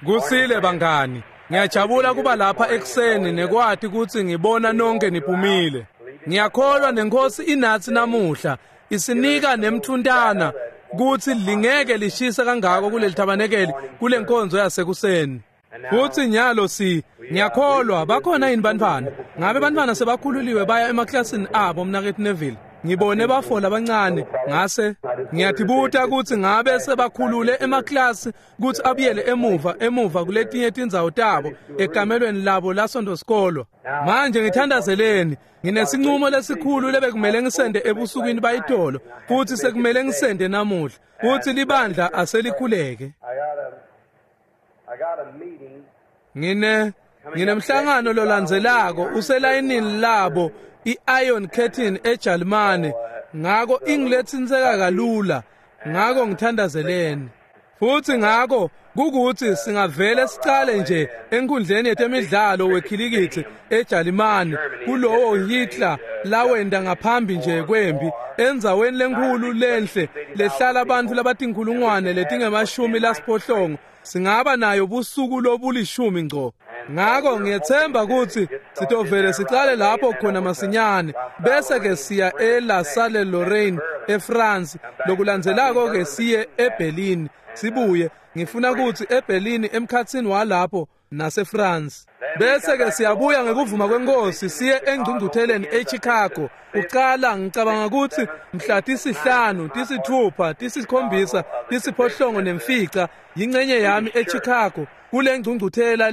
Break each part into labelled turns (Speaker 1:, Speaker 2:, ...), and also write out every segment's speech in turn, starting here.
Speaker 1: Kusile bangani, ngiyajabula kuba lapha ekuseni nekwati kutsi ngibona nonke niphumile. Ngiyakholwa nenkosi inathi namuhla isinika nemthuntana kutsi lingeke lishise kangako kuleli thabanekeli kule nkonzo yasekuseni. Futsi nyalo si ngiyakholwa bakhona yini bantfwana? Ngabe bantfwana sebakhululiwe baya emaklasini abo mnaketfu Neville? Ngibone bafo labancane ngase ngiyatibuta kutsi ngabe sebakhulule emaklasi kutsi abuyele emuva kuletinye tindzawo tabo ekamelweni labo lasonto sikolo. Manje ngithandazeleni, nginesinqumo lesikhulu lebekumele ngisende ebusukwini bayitolo futsi sekumele ngisende namuhla futsi libandla aselikhuleke. Nginemhlangano lolandzelako uselayinini labo i-Iron Curtain eJalimane, ngako ingilethinseka kalula, ngako ngithandazeleni. Futsi ngako kukuthi singavele sicale nje enkundleni yetemidlalo wekhilikithi eJalimane kulowo Hitler lawenda ngaphambi nje kwempi endzaweni lenkhulu lenhle lehlala abantu labatinkhulungwane letingemashumi lasiphohlongo. Singaba nayo busuku lobulishumi ngco. Ngako ngiyethemba kutsi sitovele sicale lapho khona masinyane bese ke siya eLa Salle Lorraine eFrance, lokulandzelako ke siye eBerlin sibuye. Ngifuna kutsi eBerlin emkhatsini walapho naseFrance bese ke siyabuya ngekuvuma kwenkosi siye engcungcutheleni eChicago. Uqala ngicabanga kutsi mhla 5, 6, 7, 8 nemfica yingcenye yami eChicago kule ngcungcuthela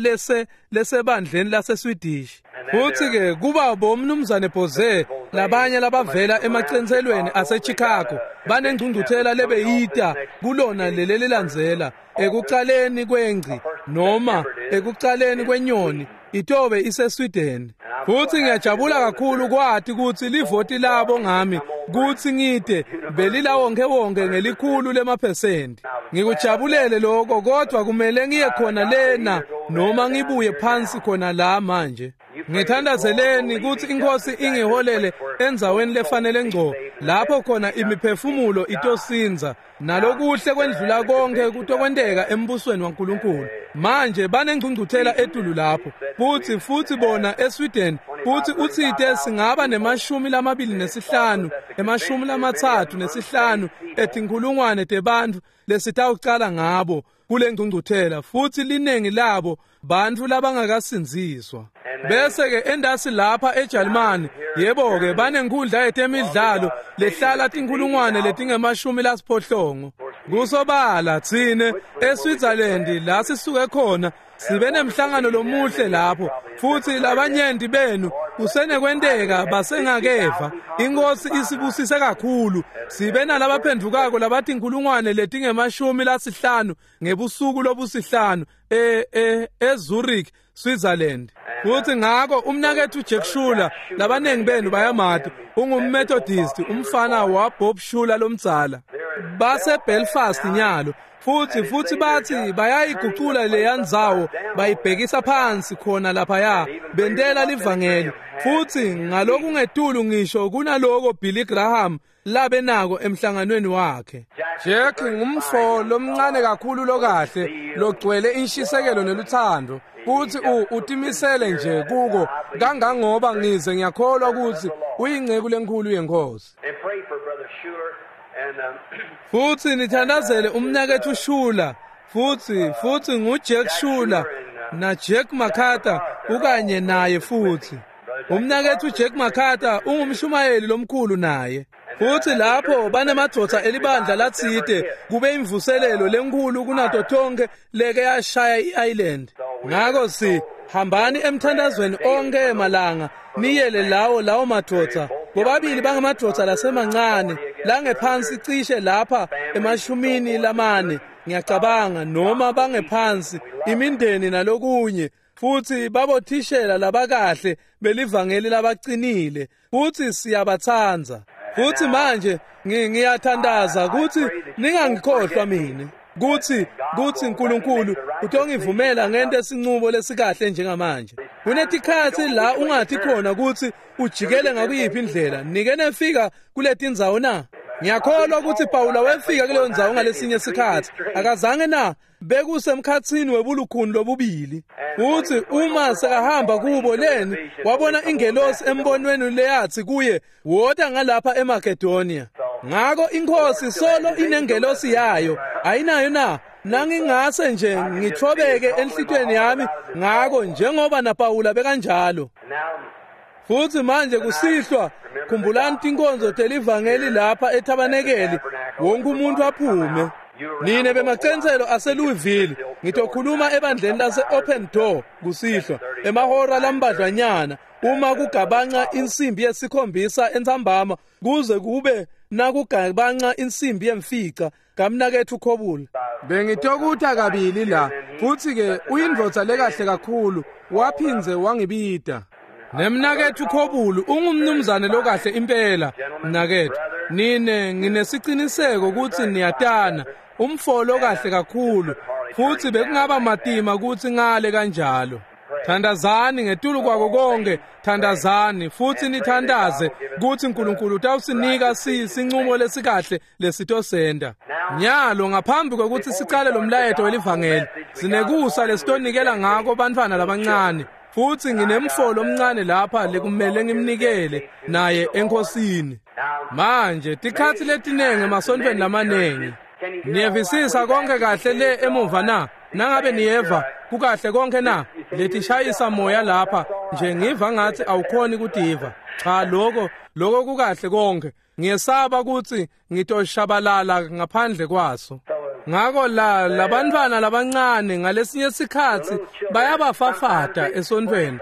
Speaker 1: lesebandleni laseSwedish. Futsi ke kuba bomnumzane Bose labanye labavela emacenselweni aseChicago banengcungcuthela lebeyita kulona lelelilandzela ekucaleni kwengci noma ekucaleni kwenyoni itobe iseSweden. Futsi ngiyajabula kakhulu kwati kutsi livoti labo ngami kutsi ngite belila wonke wonke ngelikhulu lemaphesenti. Ngikujabulele lokho, kodwa kumele ngiye khona lena noma ngibuye phansi khona la manje. Ngithandazeleni kutsi inkosi ingiholele endzaweni lefanele ngco lapho khona imiphefumulo itosinza nalokuhle kwendlula konke kutokwenteka embusweni waNkulunkulu. Manje banengcungcuthela etulu lapho futsi bona eSweden futsi utsite singaba nemashumi 25 35 etinkhulungwane tebantfu lesitawucala ngabo kule ngcungcuthela, futsi linengi labo bantfu labangakasindziswa. Bese ke endasi lapha eJalimane, yebo ke banenkundla yetemidlalo lehlala tinkhulungwane letingemashumi lasiphohlongo. Kusobala tsine eSwitzerland la sisuke khona sibe nemhlangano lomuhle lapho, futsi labanyenti benu kusenekwenteka basengakeva. Inkosi isibusise kakhulu, sibe nalabaphendvukako labatinkhulungwane letingemashumi lasihlanu ngebusuku lobusihlanu eZurich, Switzerland. Futsi ngako umnaketfu Jack Schuler, labanengi benu bayamati, ungumMethodist, umfana wa Bob Schuler lomdzala. Base Belfast nyalo. Futsi bathi bayayigucula leya ndzawo bayibhekisa phansi khona laphaya bentela livangeli. Futsi ngalokungetulu ngisho kunaloko Billy Graham labe nako emhlanganweni wakhe. Jack ngumfo lomncane kakhulu lokahle logcwele inshisekelo neluthando, futhi utimisele nje kuko kangangoba ngize ngiyakholwa ukuthi uyinceku lenkhulu yenkosi. Futsi nithandazele umnaketfu Schuler, futsi nguJack Schuler na Jack MacArthur ukanye naye futhi. Umnaketfu Jack MacArthur ungumshumayeli lomkhulu naye. Futsi lapho banemadvodza elibandla latsite kube imvuselelo lenkhulu kunato tonke leke yashaya i-island. Ngako si hambani emthandazweni onke emalanga niyele lawo madvodza. Bobabili bangamadvodza lasemancane langephansi cishe lapha emashumini lamane ngiyacabanga, noma bangephansi imindeni nalokunye, futsi babothishela labakahle belivangeli labacinile, futsi siyabatsandza. Futsi manje ngiyathandaza kutsi ningangikhohlwa mine, kutsi uNkulunkulu utongivumela ngente sinqumo lesikahle njengamanje. Kunetikhatsi la ungathi khona kutsi ujikele ngakuyiphi indlela. Nike nefika kuletindzawo na? Ngiyakholwa ukuthi Pawula wefika kuleyo ndzawo ngalesinye sikhathi. Akazange na? Bekusemkhatsini webulukhuni lobubili. Futhi uma sekahamba kubo leni, wabona ingelosi embonweni leyathi kuye, wota ngalapha eMakedonia. Ngako inkosi solo inengelosi yayo, ayinayo na? Nangingase nje ngithobeke enhlitweni yami ngako njengoba naPawula bekanjalo. Futhi manje kusihlwa khumbulani tinkonzo telivangeli lapha ethabanekeli, wonke umuntu aphume. Nine bemacenselo aseLouisville, ngitokhuluma ebandleni lase Open Door kusihlwa emahora lambadlwanyana uma kugabanca insimbi yesikhombisa entsambama kuze kube nakugabanca insimbi yemfica kamnakethu Khobula. Bengitokutha kabili la, futhi ke uyindvodza lekahle kakhulu, waphindze wangibida. Nemnakethu Khobulu ungumnumzane lokahle impela, mnakethu. Nine nginesiciniseko ukuthi niyatana, umfolo kahle kakhulu, futhi bekungaba matima ukuthi ngale kanjalo. Thandazani ngetulu kwako konke, thandazani futhi nithandaze ukuthi uNkulunkulu utawusinika sinqumo lesikahle lesitosenda. Nyalo ngaphambi kokuthi sicale lo mlayeto welivangeli, sinekusa lesitonikela ngako bantfwana labancane. Futhi nginemfolo omncane lapha lekumele ngimnikele naye enkosini. Manje tikhathi letinenge emasontweni lamanengi. Niyevisisa konke kahle le emuva na? Nangabe niyeva kukahle konke na? Letishayisa moya lapha nje ngiva ngathi awukhoni kutiva. Cha, lokho kukahle konke. Ngiyesaba ukuthi ngitoshabalala ngaphandle kwaso. Ngako la labantwana labancane ngalesinye sikhathi bayabafafata esontweni,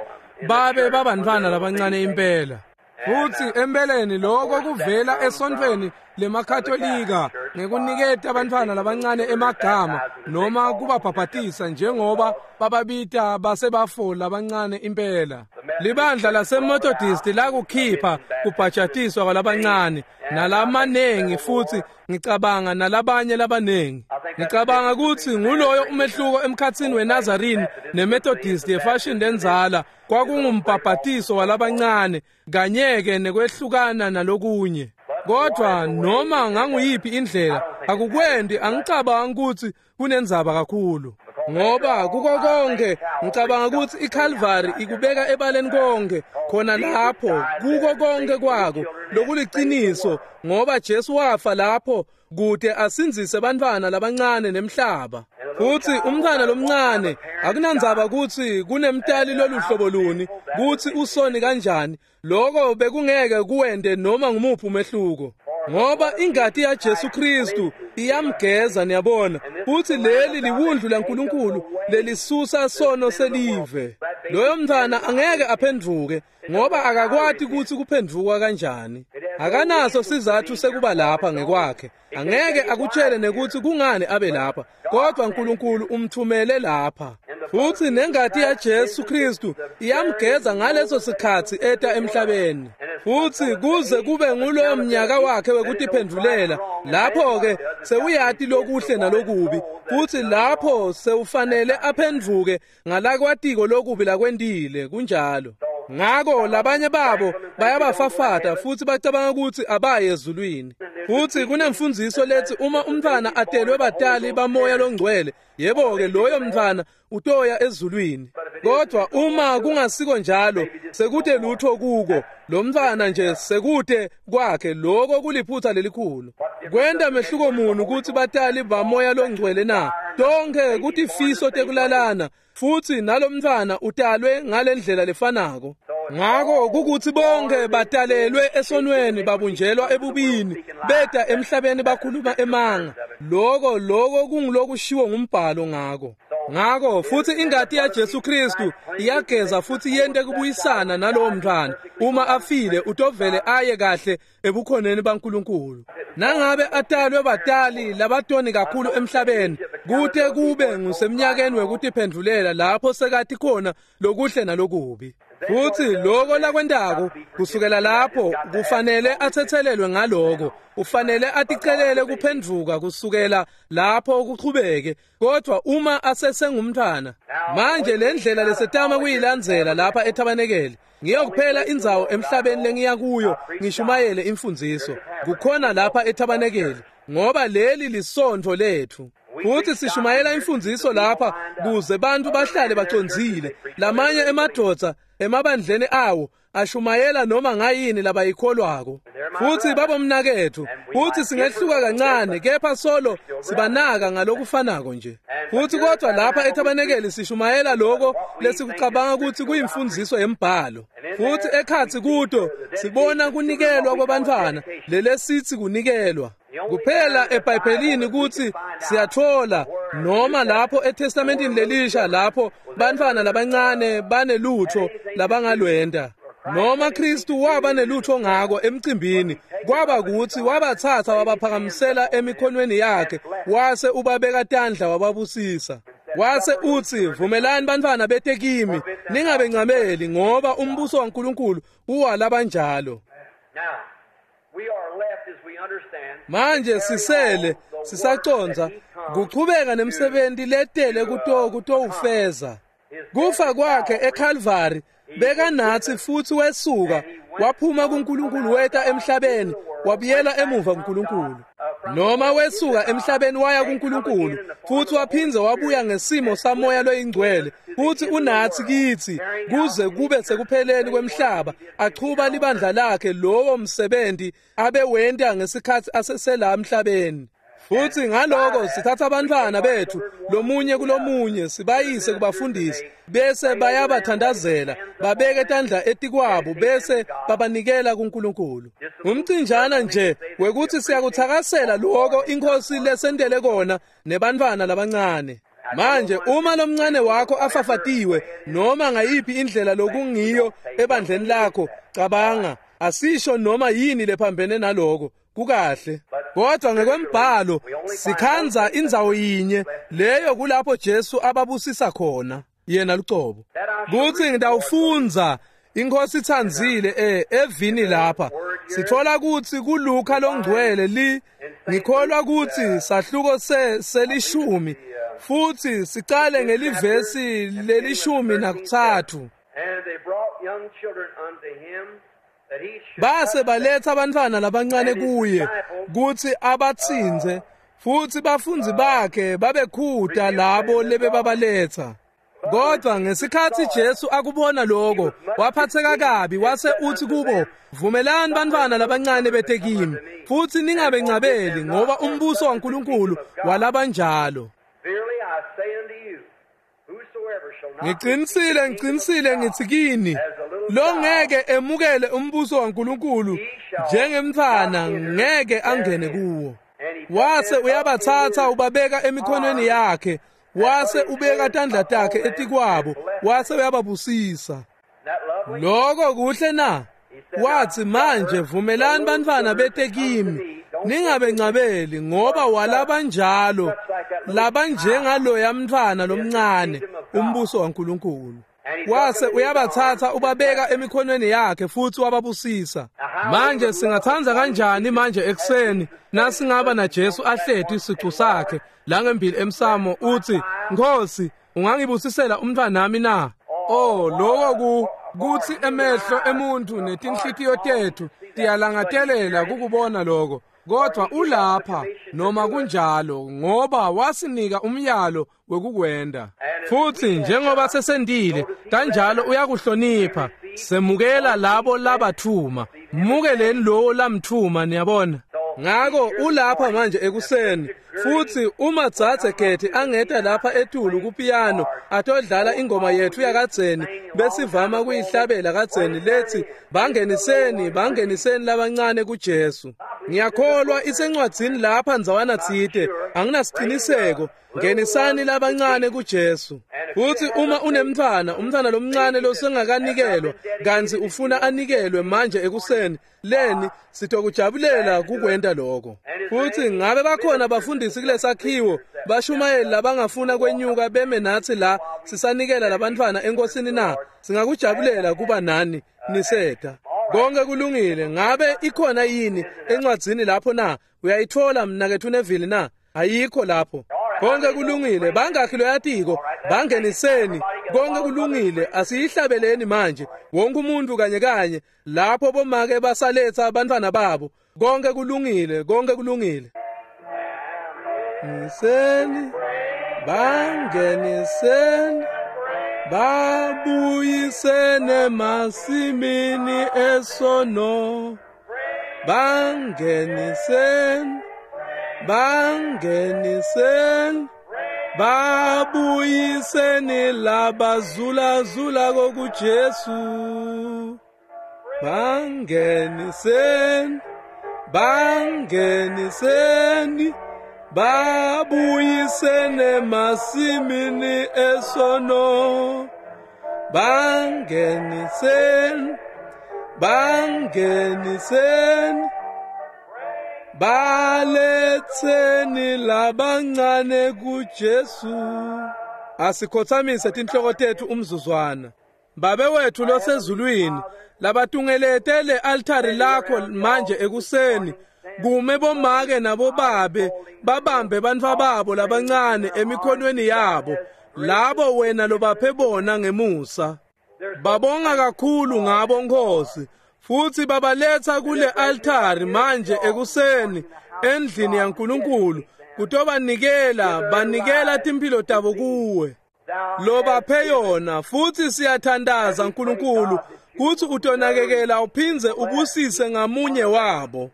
Speaker 1: babe babantwana labancane impela. Futhi empeleni lokho kuvela esontweni lemaKatolika ngekuniketa abantwana labancane emagama noma kubabhabhatisa njengoba bababita basebafo labancane impela. Libandla laseMethodist lakukhipha kubhajatiswa kwalabancane nalamanengi, futhi ngicabanga nalabanye labanengi. Ngicabanga ukuthi nguloyo umehluko emkhatsini weNazarene neMethodist yefashion lenzala, kwakungumbhabhatiso walabancane kanye-ke nekwehlukana nalokunye. Kodwa noma nganguyiphi indlela akukwendi, angicabangi ukuthi kunenzaba kakhulu, ngoba kuko konke ngicabanga ukuthi iCalvary ikubeka ebaleni konke khona lapho, kuko konke kwako lokuliciniso, ngoba Jesu wafa lapho kude asindzise bantwana labancane nemhlaba. Futhi umntwana lomncane akunandzaba ukuthi kunemtali loluhlobo luni, kuthi usoni kanjani, lokho bekungeke kuwende noma ngumuphi umehluko, ngoba ingati yaJesu Kristu iyamgeza, niyabona. Futhi leli liwundlu laNkulunkulu lelisusa sono selive. Loyo mntwana angeke aphenduke ngoba akakwati ukuthi kuphenduka kanjani. Akanaso sizathu sekuba lapha ngekwakhe, angeke akutshele nekuthi kungani abe lapha, kodwa uNkulunkulu umthumele lapha. Futhi nengati yaJesu Kristu iyamgeza ngaleso sikhathi eta emhlabeni. Futhi kuze kube nguloyo mnyaka wakhe wekutiphendulela, lapho-ke sewuyati lokuhle nalokubi, futhi lapho sewufanele aphenduke ngalakwatiko lokubi lakwentile, kunjalo. Ngako labanye babo bayabafafata futhi bacabanga ukuthi abaye ezulwini. Futhi kunemfundiso lethi uma umntwana atelwe batali bamoya longcwele, yebo-ke loyo mntwana utoya ezulwini. Kodwa uma kungasiko njalo, sekute lutho kuko, lo mntwana nje sekute kwakhe, lokho kuliphutha lelikhulu. Kwenta mehluko muni ukuthi batali bamoya longcwele na? Tonke kutifiso tekulalana, futhi nalomntwana utalwe ngalendlela lefanako. Ngako kukuthi bonke batalelwe esonweni, babunjelwa ebubini, beta emhlabeni bakhuluma emanga. Lokho kungulokushiwo ngumbhalo ngako. Ngako futhi ingati yaJesu Kristu iyageza futhi yente kubuyisana nalowo mntwana. Uma afile utovele aye kahle ebukhoneni baNkulunkulu. Nangabe atalwe batali labatoni kakhulu emhlabeni, kute kube ngusemnyakeni wekutiphendulela lapho sekati khona lokuhle nalokubi. Futhi lokho lakwentako kusukela lapho kufanele athethelelwe ngaloko, ufanele aticelele kuphendvuka kusukela lapho kuchubeke. Kodwa uma asesengumntwana, manje le ndlela lesetama kuyilandzela lapha ethabanekele, ngiyo kuphela indzawo emhlabeni lengiya kuyo ngishumayele imfundziso, kukhona lapha ethabanekele, ngoba leli lisontfo lethu. Futhi sishumayela imfundziso lapha kuze bantu bahlale bacondzile. Lamanye emadvodza emabandleni awo ashumayela noma ngayini labayikholwako. Futhi babomnakethu, futhi singehluka kancane, kepha solo sibanaka ngalokufanako nje. Futhi kodwa lapha ethabanekeli sishumayela lokho lesikucabanga ukuthi kuyimfundiso yembhalo. Futhi ekhatsi kuto sibona kunikelwa kwabantwana, lelesithi kunikelwa kuphela eBhayibhelini ukuthi siyathola noma lapho eTestamentini lelisha lapho bantwana labancane banelutho labangalwenda, noma Kristu waba nelutho ngako emcimbini, kwaba ukuthi wabathatha wabaphakamisela emikhonweni yakhe, wase ubabeka tandla wababusisa. Wase uthi, vumelani bantwana bete kimi, ningabencameli, ngoba umbuso waNkulunkulu uwalabanjalo. Manje sisele sisaconza kuchubeka nemsebenzi letele kutowufeza. Kufa kwakhe eCalvary bekanathi, futhi wesuka waphuma kuNkulunkulu weta emhlabeni, wabuyela emuva kuNkulunkulu. Noma wesuka emhlabeni waya kuNkulunkulu, futhi waphindze wabuya ngesimo samoya loyingcwele, futhi unathi kithi kuze kube sekupheleni kwemhlaba, achuba libandla lakhe lowo msebenzi abewenta ngesikhathi asesela emhlabeni. Futhi ngaloko sithatha abantwana bethu lomunye kulomunye sibayise kubafundisi, bese bayabathandazela, babeke tandla etikwabo, bese babanikela kuNkulunkulu. Umcinjana nje wekuthi siyakuthakasela lokho inkosi lesentele kona nebantwana labancane. Manje uma lomncane wakho afafatiwe noma ngayiphi indlela lokungiyo ebandleni lakho, cabanga, asisho noma yini lephambene naloko, kukahle. Kodwa ngekwembhalo sikhanza indzawo yinye leyo kulapho Jesu ababusisa khona yena lucobo. Kuthi ngitawufundza inkosi itsandzile evini lapha, sithola ukuthi kuLuka longcwele ngikholwa ukuthi sahluko selishumi, futhi sicale ngelivesi lelishumi nakutsatfu. Base baletha abantwana labancane kuye kuthi abatsinze, futhi bafundzi bakhe babekhuta labo lebebabaletha. Kodwa ngesikhathi Jesu akubona lokho, waphatheka kabi, wase uthi kubo, vumelani bantwana labancane bete kimi, futhi ningabencabeli, ngoba umbuso waNkulunkulu walabanjalo. Ngiqinisile, ngiqinisile ngithi kini, longeke emukele umbuso waNkulunkulu njengemntwana ngeke angene kuwo. Wase uyabathatha ubabeka emikhonweni yakhe, wase ubeka tandla takhe etikwabo, wase uyababusisa. Lokho kuhle na? Wathi, manje vumelani bantwana bete kimi, ningabencabeli, ngoba walabanjalo labanjengaloya mntwana lomncane umbuso waNkulunkulu. Wase uyabathatha ubabeka emikhonweni yakhe futhi wababusisa. Manje singathanza kanjani manje ekuseni nasingaba na Jesu ahleti isicu sakhe la ngembili emsamo, uthi, Nkosi, ungangibusisela umntwanami na? Oh, lokho kuthi emehlo emuntu netinhlitiyo tethu tiyalangatelela kukubona lokho. Kodwa ulapha noma kunjalo, ngoba wasinika umyalo wekukwenda. Futhi njengoba sesendile kanjalo uyakuhlonipha, semukela labo labathuma, mukeleni lowo lamthuma, niyabona. Ngako ulapha manje ekuseni, futhi uma Dzadze Getty angeta lapha etulu kupiyano atodlala ingoma yethu yakadzeni besivama kuyihlabela kadzeni lethi, bangeniseni, bangeniseni labancane kuJesu. Ngiyakholwa isencwadzini lapha ndzawana tsite, anginasiqiniseko. Ngenisani labancane kuJesu. Futhi uma unemntwana, umntwana lomncane losengakanikelwa, kantsi ufuna anikelwe manje ekuseni, leni sitokujabulela kukwenta lokho. Futhi ngabe bakhona bafundisi kulesakhiwo, bashumayeli labangafuna kwenyuka beme nathi la sisanikela labantfwana enkosini na? Singakujabulela kuba nani niseta. Konke kulungile. Ngabe ikhona yini encwadzini lapho na? Uyayithola mnaketfu Neville na? Ayikho lapho. Konke kulungile. Bangakhi loyatiko? Bangeniseni. Konke kulungile. Asiyihlabeleni manje. Wonke umuntu kanye kanye lapho bomake basaletha abantwana babo. Konke kulungile. Konke kulungile. Niseni, bangeniseni, babuyisene masimini esono. Bangeniseni, bangeniseni, babuyiseni labazulazula kokuJesu. Bangeniseni, bangeniseni, babuyisene masimini esono. Bangeniseni, bangeniseni, baletheni labancane kuJesu. Asikhothamise tinhloko tethu umzuzwana. Babe wethu losezulwini, labatungelete le altari lakho manje ekuseni, kume bomake nabobabe babambe bantfwa babo labancane emikhonweni yabo, labo wena lobaphe bona ngemusa. Babonga kakhulu ngabo Nkosi, futhi babaletha kule altari manje ekuseni endlini yaNkulunkulu kutobanikela, banikela timphilo tabo kuwe lobaphe yona. Futhi siyathandaza Nkulunkulu kuthi utonakekela uphindze ubusise ngamunye wabo.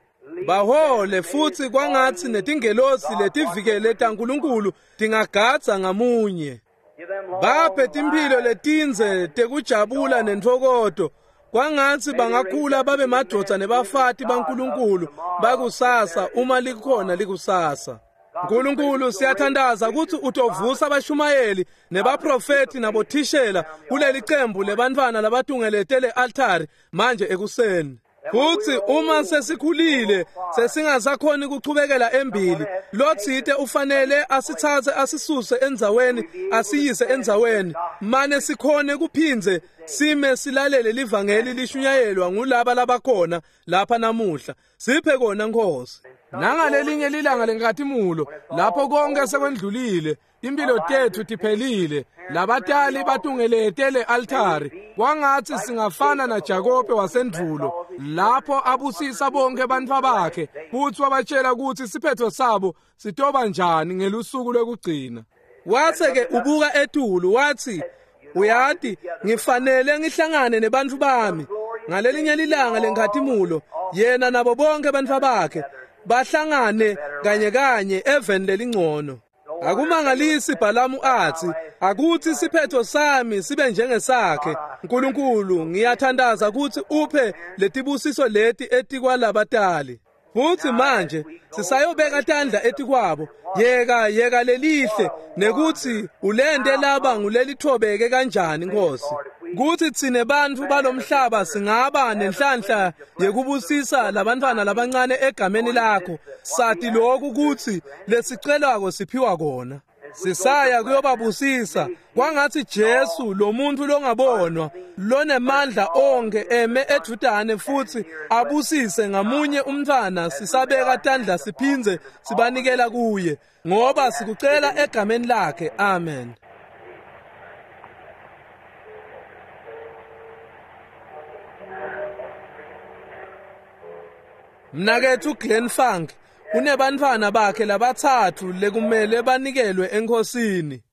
Speaker 1: Bahole futhi kwangathi netingelosi letivikele taNkulunkulu tingagadza ngamunye. Baphe timphilo letindze tekujabula nentfokoto, kwangathi bangakhula babe madvodza nebafati baNkulunkulu bakusasa uma likhona likusasa. Nkulunkulu siyathandaza ukuthi utovusa abashumayeli nebaprofeti nabothishela kuleli cembu lebantfwana labatungelete le altari manje ekuseni. Futhi uma sesikhulile sesingasakhoni kuchubekela embili, lotsite ufanele asithathe asisuse endzaweni asiyise endzaweni, mane sikhone kuphindze sime silalele livangeli lishunyayelwa ngulaba labakhona lapha namuhla. Siphe kona Nkosi. Nangalelinye lilanga lenkatimula lapho konke sekwendlulile, impilo tethu tiphelile, labatali batungelete le altari, kwangathi singafana naJakobe wasendvulo lapho abusisa bonke bantfwa bakhe futhi wabatshela ukuthi siphetho sabo sitoba njani ngelusuku lokugcina. Wase-ke ubuka etulu wathi, uyati ngifanele ngihlangane nebantfu bami ngalelinye lilanga lenkhatimulo. Yena nabo bonke bantfwa bakhe bahlangane kanye kanye eveni lelingcono. Akumangalisi Bhalamu athi, akuthi siphetho sami sibe njengesakhe. Nkulunkulu ngiyathandaza ukuthi uphe letibusiso leti etikwalabatali. Futhi manje sisayobeka tandla etikwabo. Yeka yeka lelihle nekuthi ulente laba ngulelithobeke kanjani Nkosi. Kuthi tsine bantfu balomhlaba singaba nenhlanhla yekubusisa labantfwana labancane egameni lakho. Sati lokhu ukuthi lesicelako siphiwa kona. Sisaya kuyobabusisa. Kwangathi Jesu lo muntu longabonwa lonemandla onke eme edvutane futhi abusise ngamunye umntfwana. Sisabeka tandla siphindze sibanikela kuye, ngoba sikucela egameni lakhe. Amen. Mnaketfu Glenn Funk unebantfwana bakhe labathathu lekumele banikelwe enkosini.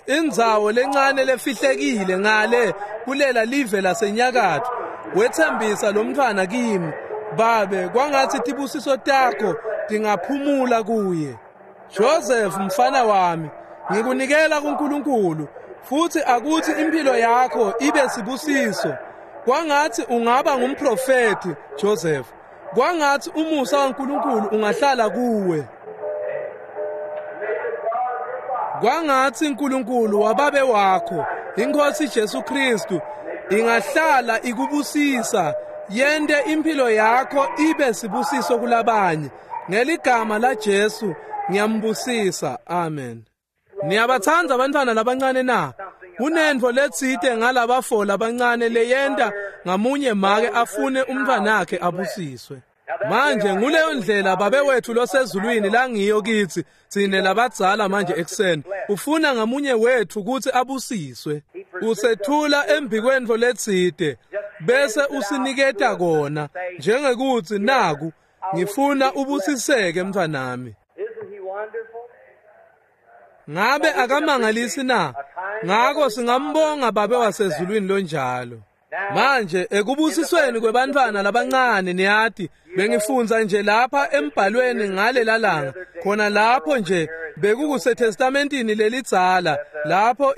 Speaker 1: Indzawo lencane lefihlekile ngale kulela live lasenyakatfo. Wethembisa lo mntfwana kimi, babe, kwangathi tibusiso takho tingaphumula kuye. Joseph mfana wami, ngikunikela kuNkulunkulu futhi akuthi impilo yakho ibe sibusiso. Kwangathi ungaba ngumprofeti Joseph. Kwangathi umusa waNkulunkulu ungahlala kuwe. Kwangathi uNkulunkulu wababe wakho, iNkosi Jesu Kristu, ingahlala ikubusisa, yente impilo yakho ibe sibusiso kulabanye. Ngeligama la Jesu ngiyambusisa. Amen. Niyabathanda abantwana labancane na? Kunentfo letsite ngalabafo labancane leyenta ngamunye make afune umntfwanakhe abusiswe. Manje nguleyo ndlela Babe wethu losezulwini langiyo kitsi tsine labadzala manje ekuseni. Ufuna ngamunye wethu kutsi abusiswe. Usethula embikwentfo letsite bese usiniketa kona njengekutsi naku ngifuna ubusiseke mntfwanami. Ngabe akamangalisi na? Ngako singambonga Babe wasezulwini lonjalo. Manje ekubusisweni kwebantfwana labancane niyati bengifundza nje lapha embhalweni ngalela langa khona lapho nje bekukuseTestamentini lelidzala lapho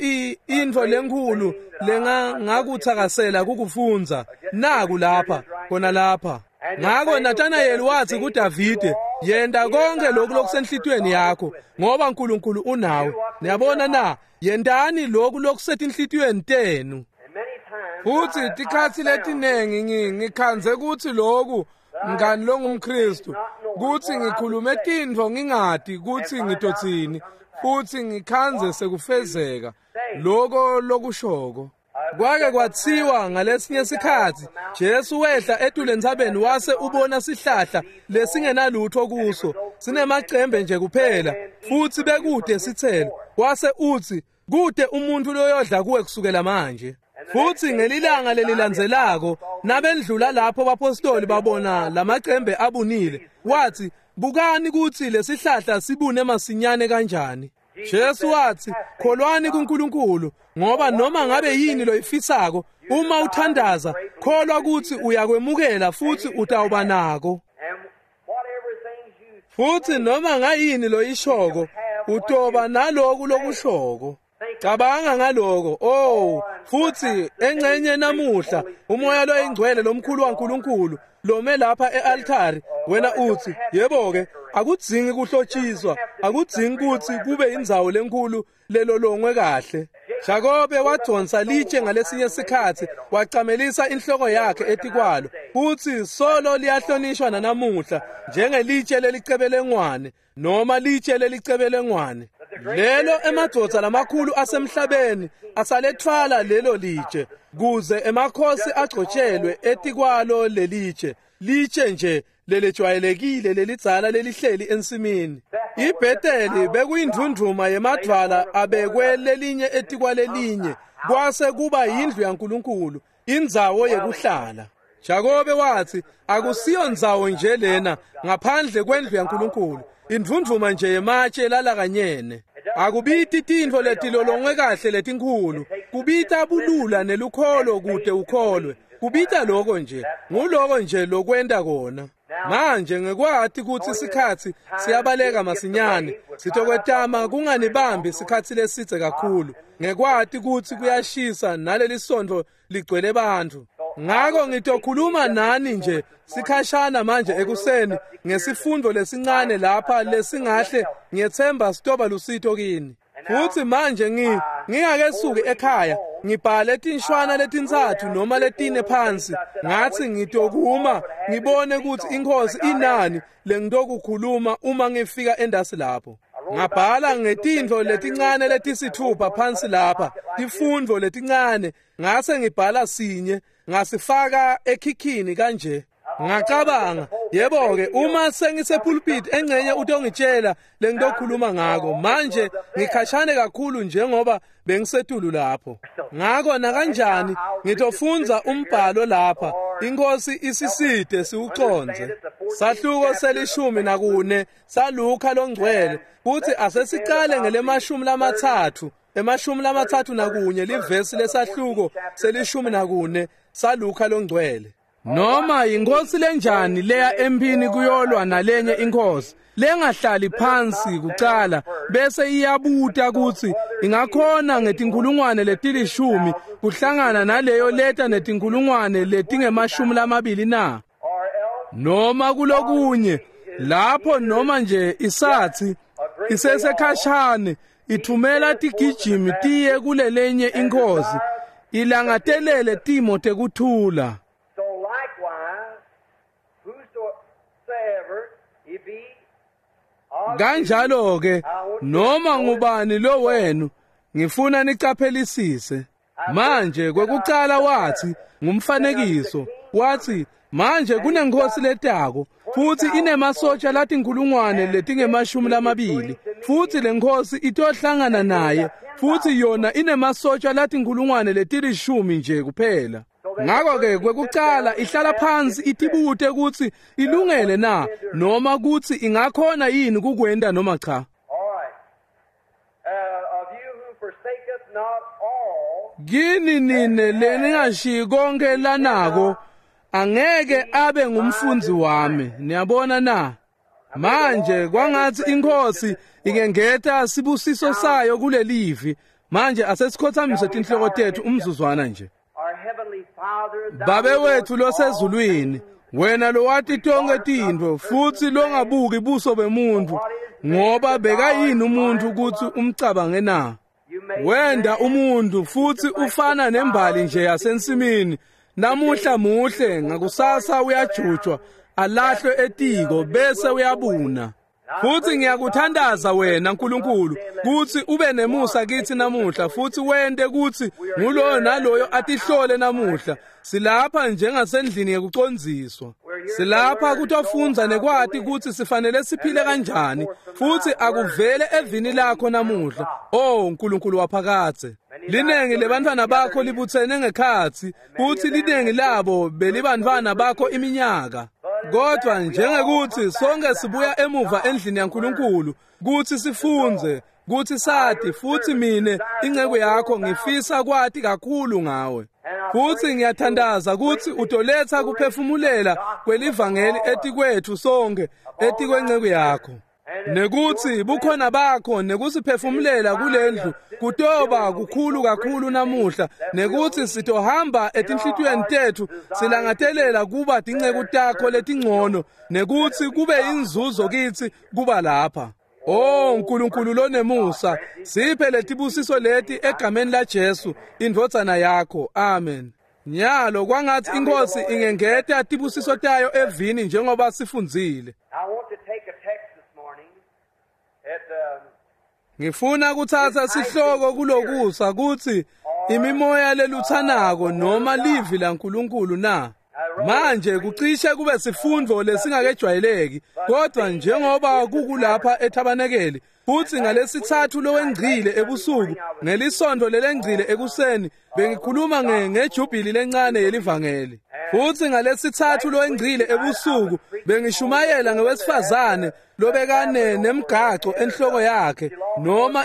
Speaker 1: intfo lenkhulu lengangakuthakasela kukufundza naku lapha khona lapha. Ngako Nathanael wathi kuDavide, yenta konke lokhu lokusenhlitiyweni yakho ngoba uNkulunkulu unawe. Niyabona na? Yentani lokhu lokusetinhlitiyweni tenu. Futhi tikhatsi letinengi ngikhandze kutsi loku mngani longumKristu kutsi ngikhulume tintfo ngingati kutsi ngitotsini futhi ngikhandze sekufezeka loko lokushoko. Kwake kwatsiwa ngalesinye sikhatsi Jesu wehla etulu entsabeni wase ubona sihlahla lesingenalutho kuso sinemacembe nje kuphela futhi bekude sithelo, wase utsi kude umuntu loyodla kuwe kusukela manje. Futhi ngelilanga lelilandzelako nabendlula lapho bapostoli babona lamacembe abunile, wathi bukani kutsi lesihlahla sibune masinyane kanjani. Jesu wathi kholwani kuNkulunkulu ngoba noma ngabe yini loyifisako uma uthandaza kholwa kutsi uyakwemukela futhi utawuba nako. Futhi noma ngayini loyishoko utoba naloku lokushoko. Cabanga ngaloko. Oh, futhi engcenye namuhla umoya loyingcwele lomkhulu waNkulunkulu lome lapha ealtari, wena uthi yebo ke akudzingi kuhlotshiswa, akudzingi kutsi kube indzawo lenkulu lelolongwe kahle. Jakobe wadonsa litshe ngalesinye sikhatsi wacamelisa inhloko yakhe etikwalo, futhi solo liyahlonishwa nanamuhla njengelitshe lelicebelengwane noma litshe lelicebelengwane. Lelo emadvodza lamakhulu asemhlabeni asalethwala lelo litshe kuze emakhosi agcotshelwe etikwalo lelitshe, litshe nje lelejwayelekile lelidzala lelihleli ensimini. IBetheli bekuyindvundvuma yemadvwala abekwe lelinye etikwalelinye, kwase kuba yindlu yaNkulunkulu, indzawo yekuhlala. Jakobe wathi akusiyo ndzawo nje lena ngaphandle kwendlu yaNkulunkulu, indvundvuma nje yematshe lalakanyene. Akubiti tintfo letilolongwe kahle letinkhulu, kubita bulula nelukholo kude ukholwe. Kubita loko nje, nguloko nje lokwenta kona. Manje ngekwati kutsi sikhatsi siyabaleka masinyane, sitokwetama kunganibambi sikhatsi lesidze kakhulu, ngekwati kutsi kuyashisa naleli sontfo ligcwele bantfu. Ngako ngitokhuluma nani nje sikhashana manje ekuseni ngesifundo lesincane lapha lesingahle ngiyethemba sitoba lusito kini. Futhi manje ngingakesuki ekhaya ngibhale tinshwana letintsatfu noma letine phansi, ngathi ngitokuma ngibone ukuthi inkosi inani lengitokukhuluma uma ngifika endasi lapho. Ngabhala ngetintfo letincane letisithupha phansi lapha, tifundvo letincane, ngase ngibhala sinye ngasifaka ekhikhini kanje. Ngacabanga, yebo-ke uma sengisepulpit engcenye utongitshela lengitokhuluma ngako. Manje ngikhashane kakhulu njengoba bengisetulu lapho. Ngako nakanjani ngitofundza umbhalo lapha, inkosi isiside siwucondze. Sahluko se-14 saLuka longcwele kuthi asesicale ngele-30, 31 livesi lesahluko se-14 saLuka longcwele. Noma inkosi lenjani leya empini kuyolwa nalenye inkosi lengahlali phansi kucala bese iyabuta kutsi ingakhona ngetinkhulungwane leti-10 kuhlangana naleyo leta netinkhulungwane letinge-20 na? Noma kulokunye lapho noma nje isathi isesekhashane ithumela tigijimi tiye kulelenye inkosi ilangatelele timo tekuthula.
Speaker 2: So likewise, whosoever it be,
Speaker 1: Kanjalo ke noma ngubani lo wenu Ngifuna nicaphelisise. Manje kwekucala wathi ngumfanekiso, wathi manje kunenkosi letako futhi inemasotsha latinkhulungwane letingema-20, futhi lenkosi itohlangana naye futhi yona inemasotsha latinkhulungwane leti-10 nje kuphela. Ngakho-ke kwekucala ihlala phansi itibute ukuthi ilungele na noma ukuthi ingakhona yini kukwenta noma cha.
Speaker 2: All right. Of you who forsaketh not all,
Speaker 1: Kini nine leningashiyi konke lanako angeke abe ngumfundzi wami. Niyabona na? Manje kwangathi inkosi ingengeta sibusiso sayo kulelivi. Manje asesikhothamise tinhloko tethu umzuzwana nje.
Speaker 2: our heavenly Father, thou
Speaker 1: Babe wethu
Speaker 2: knowest all
Speaker 1: losezulwini, wena lowati tonke tintfo futhi longabuki buso bemuntu, ngoba bekayini umuntu ukuthi umcabange na?
Speaker 2: You made
Speaker 1: Wenda
Speaker 2: man
Speaker 1: umuntu futhi ufana nembali nje yasensimini. Namuhla muhle, ngakusasa uyajutshwa, alahlwe etiko bese uyabuna. Futhi ngiyakuthandaza wena nkulunkulu kuthi ube nemusa kithi namuhla futhi wente kuthi nguloyo naloyo atihlole namuhla. Silapha njengasendlini yekucondziswa. Silapha kutofundza nekwati ukuthi sifanele siphile kanjani futhi akuvele evini lakho namuhla. Oh nkulunkulu waphakadze. Linengi lebantwana bakho libutsene ngekhatsi futhi linengi labo belibantwana bakho iminyaka. Kodwa njengekuthi sonke sibuya emuva endlini yaNkulunkulu kuthi sifunze, kuthi sati futhi mine inceku yakho ngifisa kwati kakhulu ngawe. Futhi ngiyathandaza ukuthi utoletha kuphefumulela kwelivangeli etikwethu sonke etikwenceku yakho. Nekuthi bukhona bakho nekusiphefumulela kulendlu kutoba kukhulu kakhulu namuhla, nekuthi sitohamba etinhlitiyweni tethu silangatelela kuba tinceku takho letingcono, nekuthi kube inzuzo kithi kuba lapha. Oh nkulunkulu lonemusa, siphe letibusiso leti egameni la Jesu indvodzana yakho. Amen. Nyalo kwangathi inkosi ingengeta tibusiso tayo evini njengoba sifundzile.
Speaker 2: I want to take a text this morning at
Speaker 1: Ngifuna kuthatha sihloko kulokusa kuthi imimoya leluthanako noma livi laNkulunkulu na. Manje kucishe kube sifundvo lesingakejwayeleki, kodwa njengoba kukulapha ethabanekeli futhi ngalesithathu lowengcile ebusuku ngelisonto lelengcile ekuseni bengikhuluma ngejubili lencane yelivangeli. Futhi ngalesithathu lowengcile ebusuku bengishumayela ngewesifazane lobekane nemgaco enhloko yakhe noma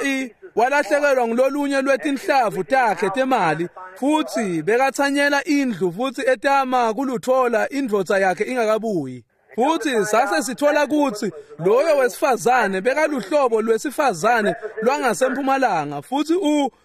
Speaker 1: walahlekelwa ngulolunye lwetinhlavu takhe temali futhi bekathanyela indlu futhi etama kuluthola indvodza yakhe ingakabuyi. Futhi sase sithola ukuthi loyo wesifazane bekaluhlobo lwesifazane lwangasempumalanga futhi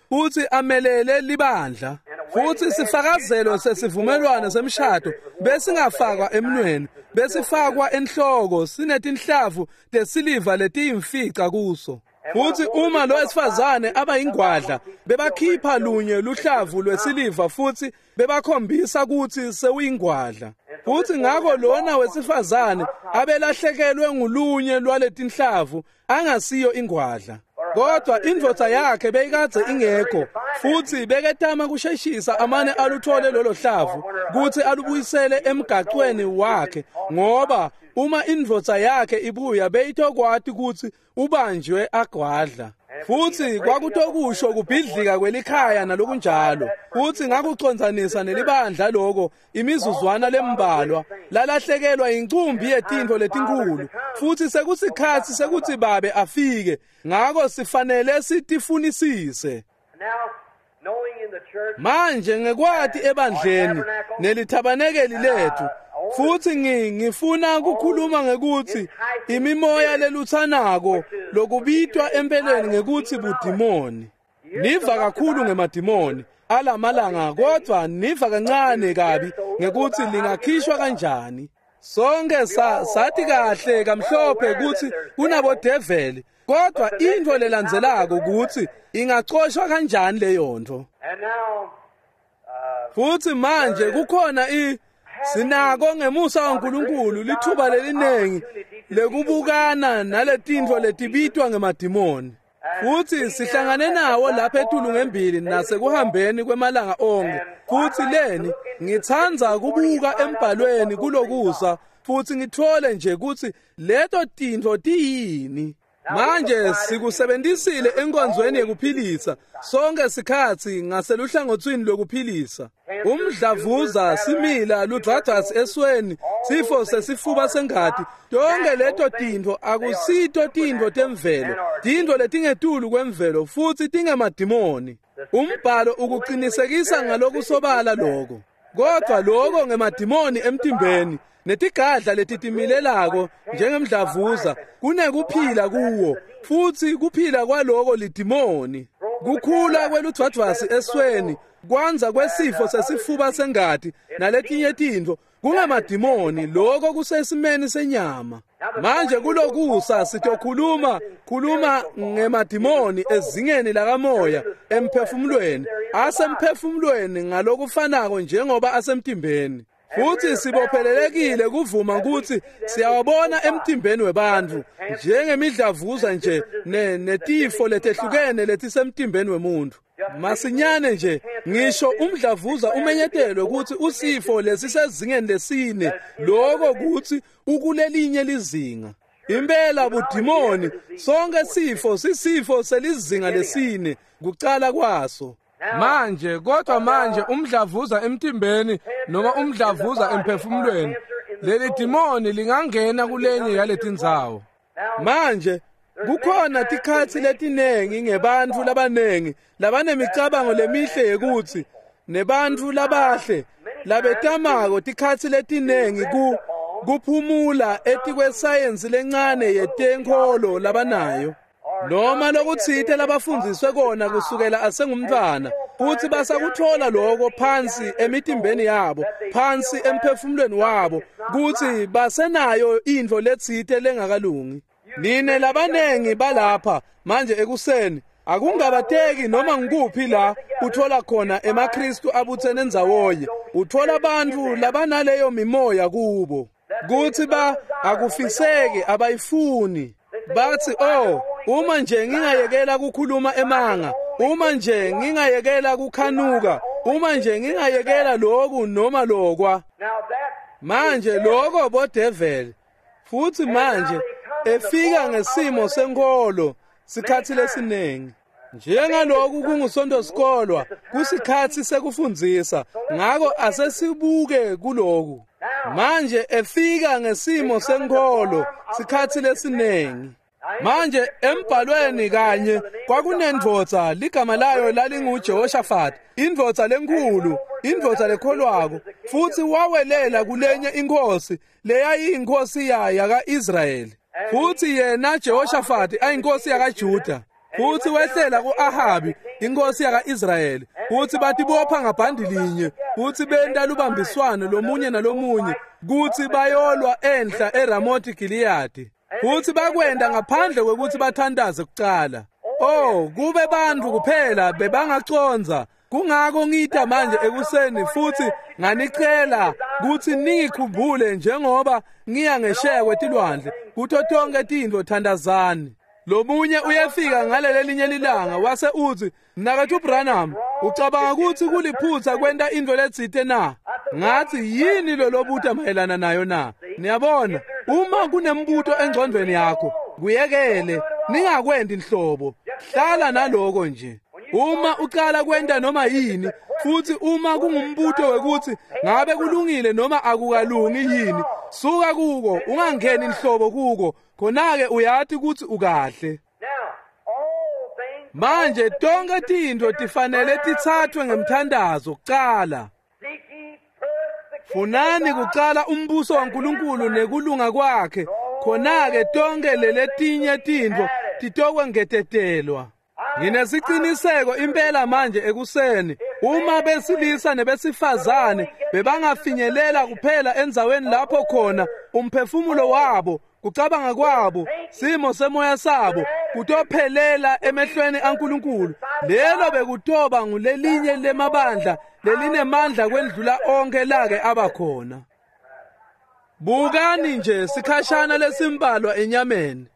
Speaker 1: futhi amelele libandla. Futhi sifakazelo sesivumelwano semshado besingafakwa emnweni, besifakwa enhloko sinetinhlavu tesiliva letiyimfica kuso. Futhi uma lo wesifazane abayingwadla bebakhipha lunye luhlavu lwesiliva futhi bebakhombisa ukuthi sewuyingwadla. Futhi ngakho lona wesifazane abelahlekelwe ngulunye lwaletinhlavu angasiyo ingwadla. Kodwa indvodza yakhe beyikadze ingekho futhi beketama kusheshisa amane aluthole lolo hlavu kuthi alubuyisele emgacweni wakhe, ngoba uma indvodza yakhe ibuya beyitokwati ukuthi ubanjwe agwadla. Futhi kwakutokusho kubhidlika kwelikhaya nalokunjalo. Futhi ngakucondzanisa nelibandla loko imizuzwana lembalwa lalahlekelwa incumbi yetintfo letinkulu futhi sekusikhatsi sekuthi babe afike, ngako sifanele sitifunisise.
Speaker 2: Now, knowing in the church
Speaker 1: Manje ngekwati ebandleni nelithabanekeli lethu futhi ngifuna ukukhuluma ngekuthi imimoya leluthanako lokubitwa empeleni ngekuthi budimoni. Niva kakhulu ngemadimoni alamalanga, kodwa niva kancane kabi ngekuthi lingakhishwa kanjani. Sonke sathi kahle kamhlophe ukuthi kunabodeveli, kodwa into lelandzelako ukuthi ingacoshwa kanjani leyo nto.
Speaker 2: And now
Speaker 1: Futhi manje kukhona sinako ngemusa waNkulunkulu lithuba lelinengi lekubukana naletintfo letibitwa ngemadimoni. Futhi sihlangane nawo lapha etulu ngembili nasekuhambeni kwemalanga onke. Futhi leni ngitsandza kubuka embhalweni kulokusa futhi ngithole nje ukuthi leto tintfo tiyini. Manje sikusebenzisile enkonzweni yekuphilisa sonke sikhatsi ngaseluhlangotsini lwekuphilisa. Umdlavuza, simila, ludvwadvwasi esweni, sifo sesifuba sengati, tonke leto tintfo akusito tintfo temvelo, tintfo letingetulu kwemvelo futhi tingemadimoni. Umbhalo ukuqinisekisa ngalokusobala lokho. Kodwa lokho ngemadimoni emtimbeni netigadla letitimilelako njengemdlavuza kunekuphila kuwo, futhi kuphila kwaloko lidimoni. Kukhula kweludvwadvwasi esweni, kwanza kwesifo sesifuba sengati naletinye tintfo kungemadimoni, lokho kusesimeni senyama. Manje kulokusa sitokhuluma khuluma ngemadimoni ezingeni lakamoya emphefumulweni, asemphefumulweni ngalokufanako njengoba asemtimbeni. Futhi sibophelelekile kuvuma ukuthi siyawabona emtimbeni webantfu njengemidlavuza nje netifo letehlukene letisemtimbeni wemuntu. Masinyane nje ngisho umdlavuza umenyetelwe ukuthi usifo lesisezingeni lesine, lokho kuthi ukulelinye lizinga. Impela budimoni, sonke sifo sisifo selizinga lesine kucala kwaso. Manje kodwa manje umdlavuza emtimbeni noma umdlavuza emphefumulweni, leli dimoni lingangena kulenye yaletindzawo. Manje kukhona tikhatsi letinengi ngebantfu labanengi labanemicabango lemihle yekuthi nebantfu labahle labetamako tikhatsi letinengi kuphumula etikwesayensi lencane yetenkholo labanayo, noma lokutsite labafundziswe kona kusukela asengumntfwana, futhi basakuthola lokho phansi emitimbeni yabo, phansi emphefumulweni wabo, kuthi basenayo intfo letsite lengakalungi. Nine labanengi balapha manje ekuseni, akungabateki noma ngikuphi la uthola khona emaKristu abuthene ndzawonye, uthola bantfu labanaleyo mimoya kubo, kuthi ba akufiseki, abayifuni. Bathi, oh, uma nje ngingayekela kukhuluma emanga, uma nje ngingayekela kukhanuka, uma nje ngingayekela lokhu noma lokwa. Manje lokho bodeveli. Futhi manje efika ngesimo senkolo sikhatsi lesinengi. Njengaloku kungusonto sikolwa, kusikhatsi sekufundzisa, ngako asesibuke kuloku. Manje efika ngesimo senkolo sikhatsi lesinengi. Manje embhalweni kanye kwakunendvodza ligama layo lalinguJehoshaphat, indvodza lenkhulu, indvodza lekholwako, futhi wawelela kulenye inkosi leyayiyinkosi yaka-Israyeli. Futhi yena Jehoshaphat ayinkosi yakaJuda, futhi wehlela ku-Ahabi inkosi yaka-Israyeli, futhi batibopha ngabhandi linye, futhi benta lubambiswano lomunye nalomunye kuthi bayolwa enhla eRamothi Gileyadi. Futhi bakwenda ngaphandle kwekuthi bathandaze kucala. Oh, kube bantfu kuphela bebangacondza. Kungako ngita manje ekuseni futhi nganicela kuthi ningikhumbule njengoba ngiya ngesheya kwetilwandle kuto tonke tintfo thandazani. Lomunye uyefika ngalelelinye lilanga wase uthi, Mnaketfu Branham, ucabanga ukuthi kuliphutha kwenta intfo letsite na? Ngathi, yini lolobuta mayelana nayo na? Niyabona, uma kunembuto engcondvweni yakho, kuyekele, ningakwendi nhlobo. Hlala naloko nje. Uma ucala kwenta noma yini, futhi uma kungumbuto wekuthi ngabe kulungile noma akukalungi yini, suka kuko, ungangeni nhlobo kuko, khona-ke uyati ukuthi ukahle. Manje tonke tintfo tifanele tithathwe ngemthandazo kucala. Funani kucala umbuso waNkulunkulu nekulunga kwakhe, khona-ke tonke leletinye tintfo titokwengetetelwa. Nginesiciniseko impela manje ekuseni, uma besilisa nebesifazane bebangafinyelela kuphela endzaweni lapho khona umphefumulo wabo, kucabanga kwabo, simo semoya sabo kutophelela emehlweni aNkulunkulu, lelo bekutoba ngulelinye lemabandla lelinemandla kwendlula onke lake abakhona. Bukani nje sikhashana lesimbalwa enyameni.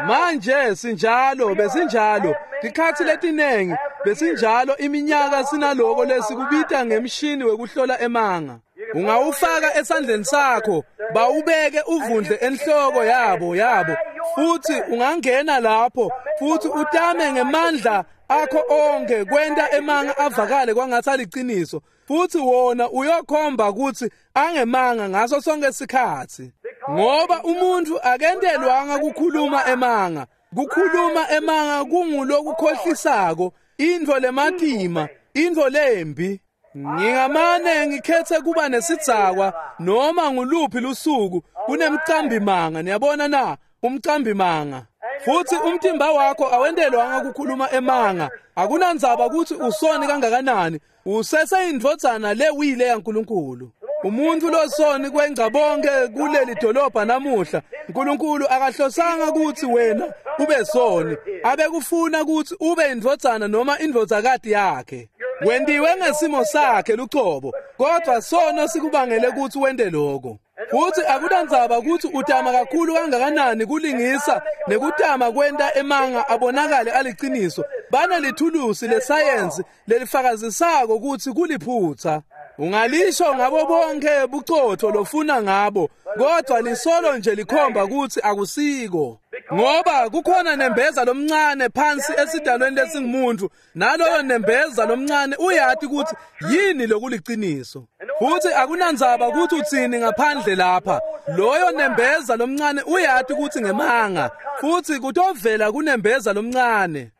Speaker 1: Manje sinjalo, besinjalo tikhatsi letinengi, besinjalo iminyaka sinaloko lesikubita ngemshini wekuhlola emanga. Ungawufaka esandleni sakho, bawubeke uvundle enhloko yabo futhi ungangena lapho futhi utame ngemandla akho onke kwenta emanga avakale kwangathi aliciniso, futhi wona uyokhomba ukuthi angemanga ngaso sonke isikhathi. Ngoba umuntu akentelwanga kukhuluma emanga. Kukhuluma emanga kungulokukhohlisako, intfo lematima, intfo lembi. Ngingamane ngikhethe kuba nesidzakwa noma nguluphi lusuku kunemcambi manga. Niyabona na? Umcambi manga. Futhi umtimba wakho awentelwanga kukhuluma emanga. Akunandzaba ukuthi usoni kangakanani, useseyindvodzana lewile yaNkulunkulu. Umuntu losoni kwengca bonke kuleli dolobha namuhla. uNkulunkulu akahlosanga ukuthi wena ube soni, abekufuna ukuthi ube indvodzana noma indvodzakati yakhe. Wendiwe ngesimo sakhe lucobo, kodwa sono sikubangele ukuthi wente lokho. Futhi akunandzaba ukuthi utama kakhulu kangakanani kulingisa nekutama kwenta emanga abonakale aliciniso, banelithulusi lesayensi lelifakazisako ukuthi kuliphutha. Ungalisho ngabo bonke bucotho lofuna ngabo, kodwa lisolo nje likhomba ukuthi akusiko. Ngoba kukhona nembeza lomncane phansi esidalweni lesingumuntu, naloyo nembeza lomncane uyati ukuthi yini lokuliciniso. Futhi akunandzaba ukuthi utsini ngaphandle lapha, loyo nembeza lomncane uyati ukuthi ngemanga, futhi kutovela kunembeza lomncane.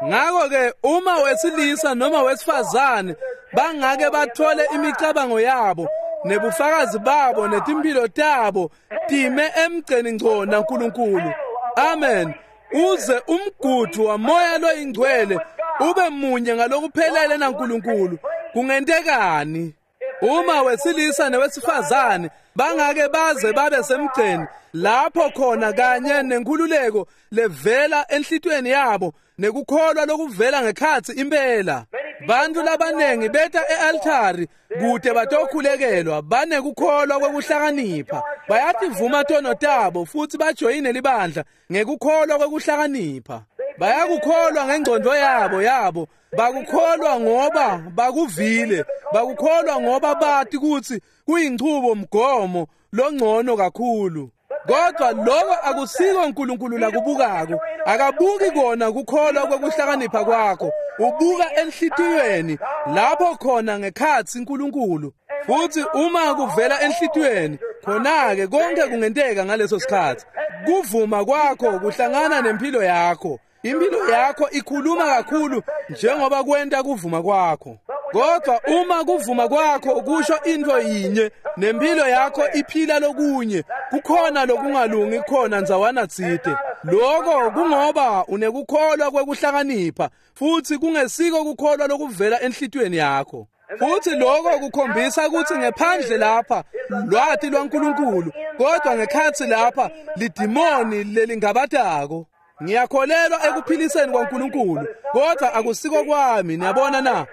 Speaker 1: Ngakho-ke uma wesilisa noma wesifazane bangake bathole imicabango yabo nebufakazi babo netimphilo tabo time emgceni ngco naNkulunkulu, amen, uze umgudu wamoya loyingcwele ube munye ngalokuphelele naNkulunkulu, kungentekani? Uma wesilisa newesifazane bangake baze babe semgceni lapho khona kanye nenkululeko levela enhlitweni yabo nekukholwa lokuvela ngekhatsi impela. Bantu labanengi beta e-altari kude batokhulekelwa, banekukholwa kwekuhlakanipha, bayativuma tono tabo futhi bajoyine libandla ngekukholwa kwekuhlakanipha. Bayakukholwa ngengqondo yabo, bakukholwa ngoba bakuvile, bakukholwa ngoba bathi kuthi kuyinchubo mgomo longcono kakhulu. Kodwa lokho akusiko uNkulunkulu lakubukako. Akabuki kona kukholwa kwekuhlakanipha kwakho, ubuka enhlitiyweni lapho khona ngekhatsi uNkulunkulu. Futhi uma kuvela enhlitiyweni, khona-ke konke kungenteka ngaleso sikhathi. Kuvuma kwakho kuhlangana nempilo yakho. Impilo yakho ikhuluma kakhulu njengoba kwenta kuvuma kwakho. Kodwa uma kuvuma kwakho kusho into yinye nempilo yakho iphila lokunye, kukhona lokungalungi khona ndzawana tsite. Lokho kungoba unekukholwa kwekuhlakanipha futhi kungesiko kukholwa lokuvela enhlitiyweni yakho. Futhi lokho kukhombisa ukuthi ngephandle lapha lwati lwaNkulunkulu, kodwa ngekhatsi lapha lidimoni lelingabatako. Ngiyakholelwa ekuphiliseni kwaNkulunkulu, kodwa akusiko kwami. Niyabona na?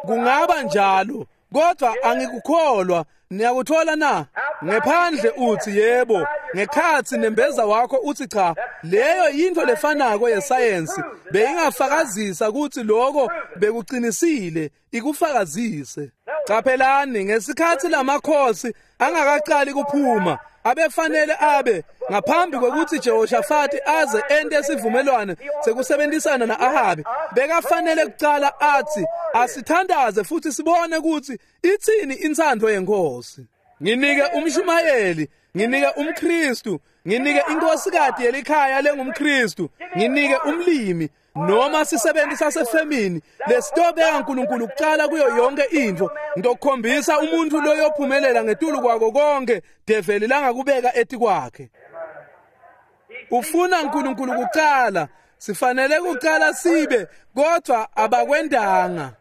Speaker 1: Kungaba njalo, kodwa angikukholwa. Niyakuthola na? Ngephandle uthi yebo, ngekhatsi nembeza wakho uthi cha. Leyo yinto lefanako yesayensi beyingafakazisa ukuthi lokho bekuqinisile, ikufakazise. Caphelani, ngesikhathi lamakhosi angakaqali kuphuma, abefanele abe ngaphambi kwekuthi Jehoshafati aze ente sivumelwano sekusebenzisana na-Ahabi, bekafanele kucala athi asithandaze futhi sibone ukuthi itsini intsandvo yenkosi. Nginike umshumayeli, nginike umKristu, nginike inkosikazi yelikhaya lengumKristu, nginike umlimi noma sisebenzi sasefemini lesitobeka uNkulunkulu kucala kuyo yonke intfo. Ngitokukhombisa umuntu loyophumelela ngetulu kwako konke develi langakubeka etikwakhe. Ufuna uNkulunkulu kucala, sifanele kucala sibe, kodwa abakwendanga.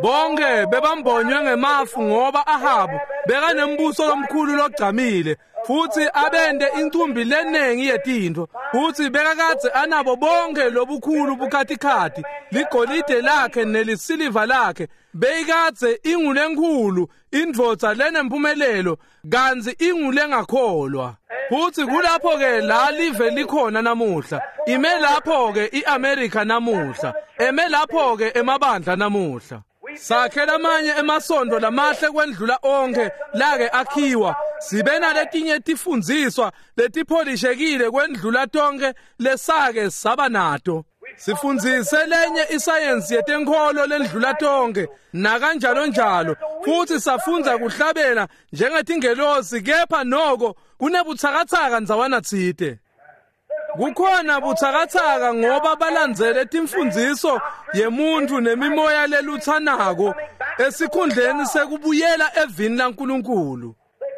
Speaker 1: Bonke bebambonywe ngemafu ngoba Ahabu Bekanembuso lomkhulu logcamile futhi abende incumbi lenengi yetintfo, futhi bekakadze anabo bonke lobukhulu bukhatikhathi, ligolide lakhe nelisiliva lakhe. Beyikadze ingulenkhulu indvodza lenempumelelo, kantsi ingulengakholwa. Futhi kulapho-ke la live likhona namuhla. Ime lapho-ke i-Amerika namuhla, eme lapho-ke emabandla namuhla. Sakhe lamanye emasondo lamahle kwendlula onke lake akhiwa, sibe naletinye tifundziswa letipholishekile kwendlula tonke lesake saba nato. Sifundzise lenye isayensi yetenkholo lendlula tonke nakanjalo njalo, futhi safundza kuhlabela njengetingelosi, kepha noko kunebutsakatsaka ndzawana tsite. Kukhona butsakatsaka ngoba balandzele timfundziso yemuntfu nemimoya lelutsanako esikhundleni sekubuyela evini laNkulunkulu.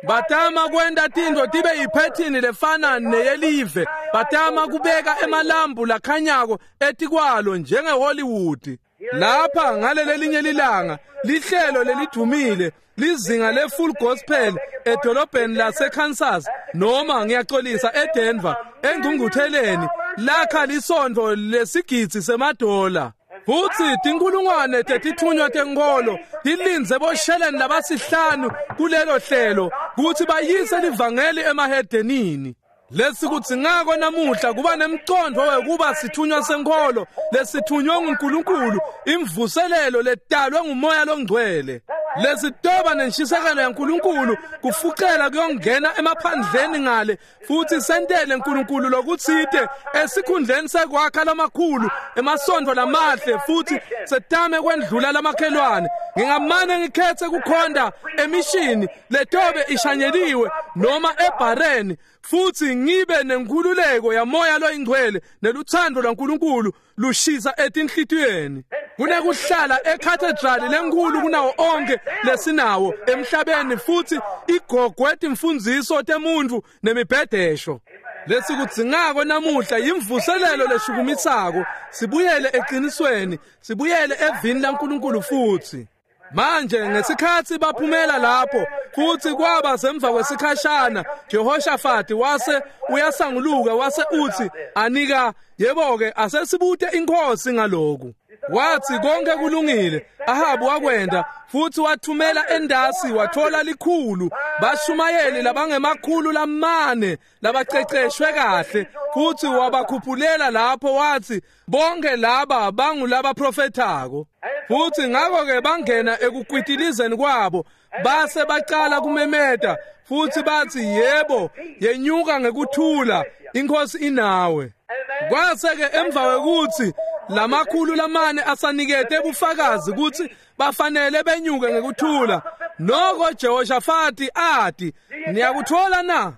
Speaker 1: Batama kwenta tintfo tibe yiphethini lefana neyelive, batama kubeka emalambu lakhanyako etikwalo njengeHollywood. Lapha ngalelelinye lilanga lihlelo lelidumile lizinga le-Full Gospel edolobheni laseKansas, noma ngiyaxolisa eDenver, engcungcutheleni lakha lisontfo lesigidzi semadola. Futhi tinkulungwane tetithunywa tenkholo tilindze bosheleni labasihlanu kulelo hlelo kutsi bayise livangeli emahedenini. Lesikudzingako namuhla kuba nemcondvo wekuba sithunywa senkholo lesithunywe nguNkulunkulu, imvuselelo letalwe nguMoya loNgcwele. Lesitoba nenshisekelo yaNkulunkulu kufucela kuyongena emaphandleni ngale futhi sentele uNkulunkulu lokutsite esikhundleni sekwakha lamakhulu emasontfo lamahle futhi setame kwendlula lamakhelwane. Ngingamane ngikhetse kukhonda emishini letobe ishanyeliwe noma ebhareni futhi ngibe nenkhululeko yaMoya loyingcwele neluthando lwaNkulunkulu lushisa etinhlitiyweni kunekuhlala ekhathedrali lenkhulu kunawo onke lesinawo emhlabeni futhi igogwe timfundziso temuntfu nemibhedesho. Lesikudzingako namuhla yimvuselelo leshukumisako, sibuyele eqinisweni, sibuyele evini laNkulunkulu futhi. Manje ngesikhatsi baphumela lapho futhi kwaba semva kwesikhashana, Jehoshafati wase uyasanguluka wase utsi, anika yebo-ke asesibute inkosi ngaloku. Wathi konke kulungile. Ahabu wakwenda futhi wathumela endasi wathola likhulu bashumayeli labangemakhulu lamane labaceceshwe kahle, futhi wabakhuphulela lapho wathi bonke laba bangulabaprofethako. Futhi ngakho-ke bangena ekukwitilizeni kwabo base bacala kumemeta futhi bathi yebo, yenyuka ngekuthula, inkosi inawe. Kwase-ke emva kwekutsi lamakhulu lamane asanikete bufakazi kutsi bafanele benyuke ngekuthula, noko Jehoshafati ati, niyakuthola na?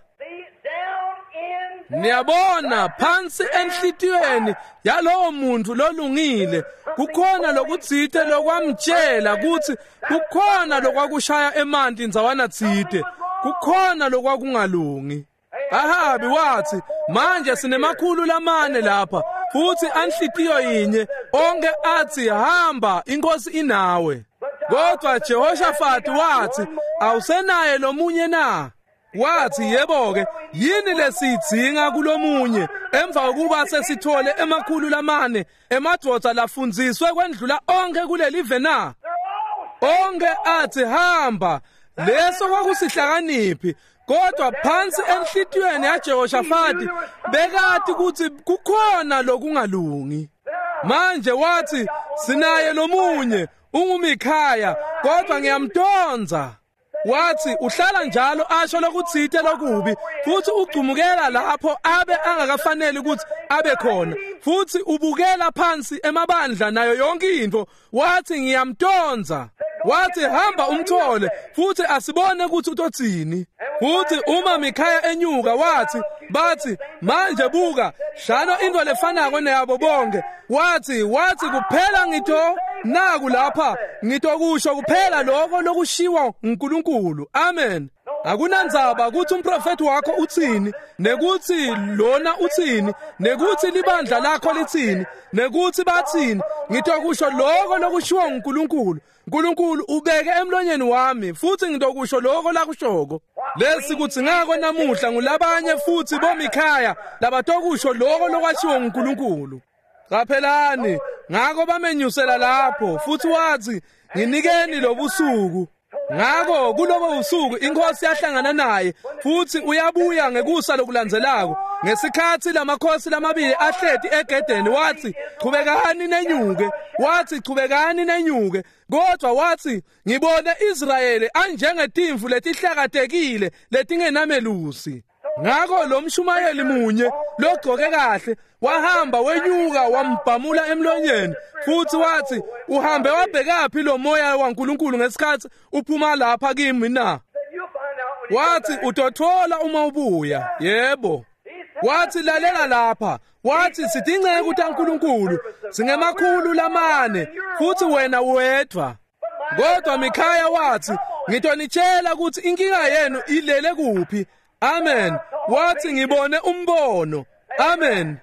Speaker 1: Niyabona phansi enhlitiyweni yalowo muntu lolungile kukhona lokutsite lokwamtshela kutsi kukhona lokwakushaya emanti ndzawana tsite, kukhona lokwakungalungi. Ahabi wathi manje sinemakhulu lamane lapha futhi anhlitiyo yinye, onke athi hamba inkosi inawe. Kodwa Jehoshafati wathi awusenaye lomunye na? Wathi yebo-ke, yini lesiyidzinga kulomunye emva kokuba sesithole emakhulu lamane emadvodza lafundziswe kwendlula onke kulelive na? Onke athi hamba. Leso kwakusihlakaniphi, kodwa phansi enhlitiyweni yaJehoshafati bekati kutsi kukhona lokungalungi. Manje wathi sinaye lomunye unguMikhaya, kodwa ngiyamtonza. Wathi uhlala njalo asho lokutsite lokubi futhi ugcumukela lapho abe angakafaneli ukuthi abe khona, futhi ubukela phansi emabandla nayo yonke into. Wathi ngiyamtonza. Wathi hamba umthole futhi asibone ukuthi utotsini. Futhi uma Mikhaya enyuka wathi bathi manje buka shano into lefanako neyabo bonke. Wathi kuphela ngito naku lapha ngitokusho kuphela lokho lokushiwa uNkulunkulu. Amen. Akunandzaba kutsi umprofethi wakho utsini, nekutsi lona utsini, nekutsi libandla lakho litsini, nekutsi batsini, ngitokusho loko lokushiwo nguNkulunkulu. Nkulunkulu ubeke emlonyeni wami futsi ngitokusho loko lakushoko. Lesi kutsi ngako namuhla ngulabanye futsi boMikhaya labatokusho loko lokwashiwo nguNkulunkulu. Qaphelani, ngako bamenyusela lapho futsi watsi, "Nginikeni lobusuku." Ngako kulobo busuku inkosi yahlangana naye futsi uyabuya ngekusa lokulandzelako. Ngesikhatsi lamakhosi lamabili ahleti egedeni watsi, "Chubekani nenyuke." Watsi, "Chubekani nenyuke." Kodwa watsi, "Ngibone Israyeli anjengetimvu letihlakatekile letingenamelusi." Ngako lo mshumayeli munye logcoke kahle wahamba wenyuka wambhamula emlonyeni futsi watsi, "Uhambe wabhekaphi lo moya waNkulunkulu ngesikhatsi uphuma lapha kimi na?" Watsi, "Utothola uma ubuya." Yebo. Watsi, "Lalela lapha." Watsi, "Sitinceku taNkulunkulu, singemakhulu lamane futsi wena wedvwa." Kodwa Mikhaya watsi, "Ngitonitshela kutsi inkinga yenu ilele kuphi." Amen. Watsi, "Ngibone umbono." Amen.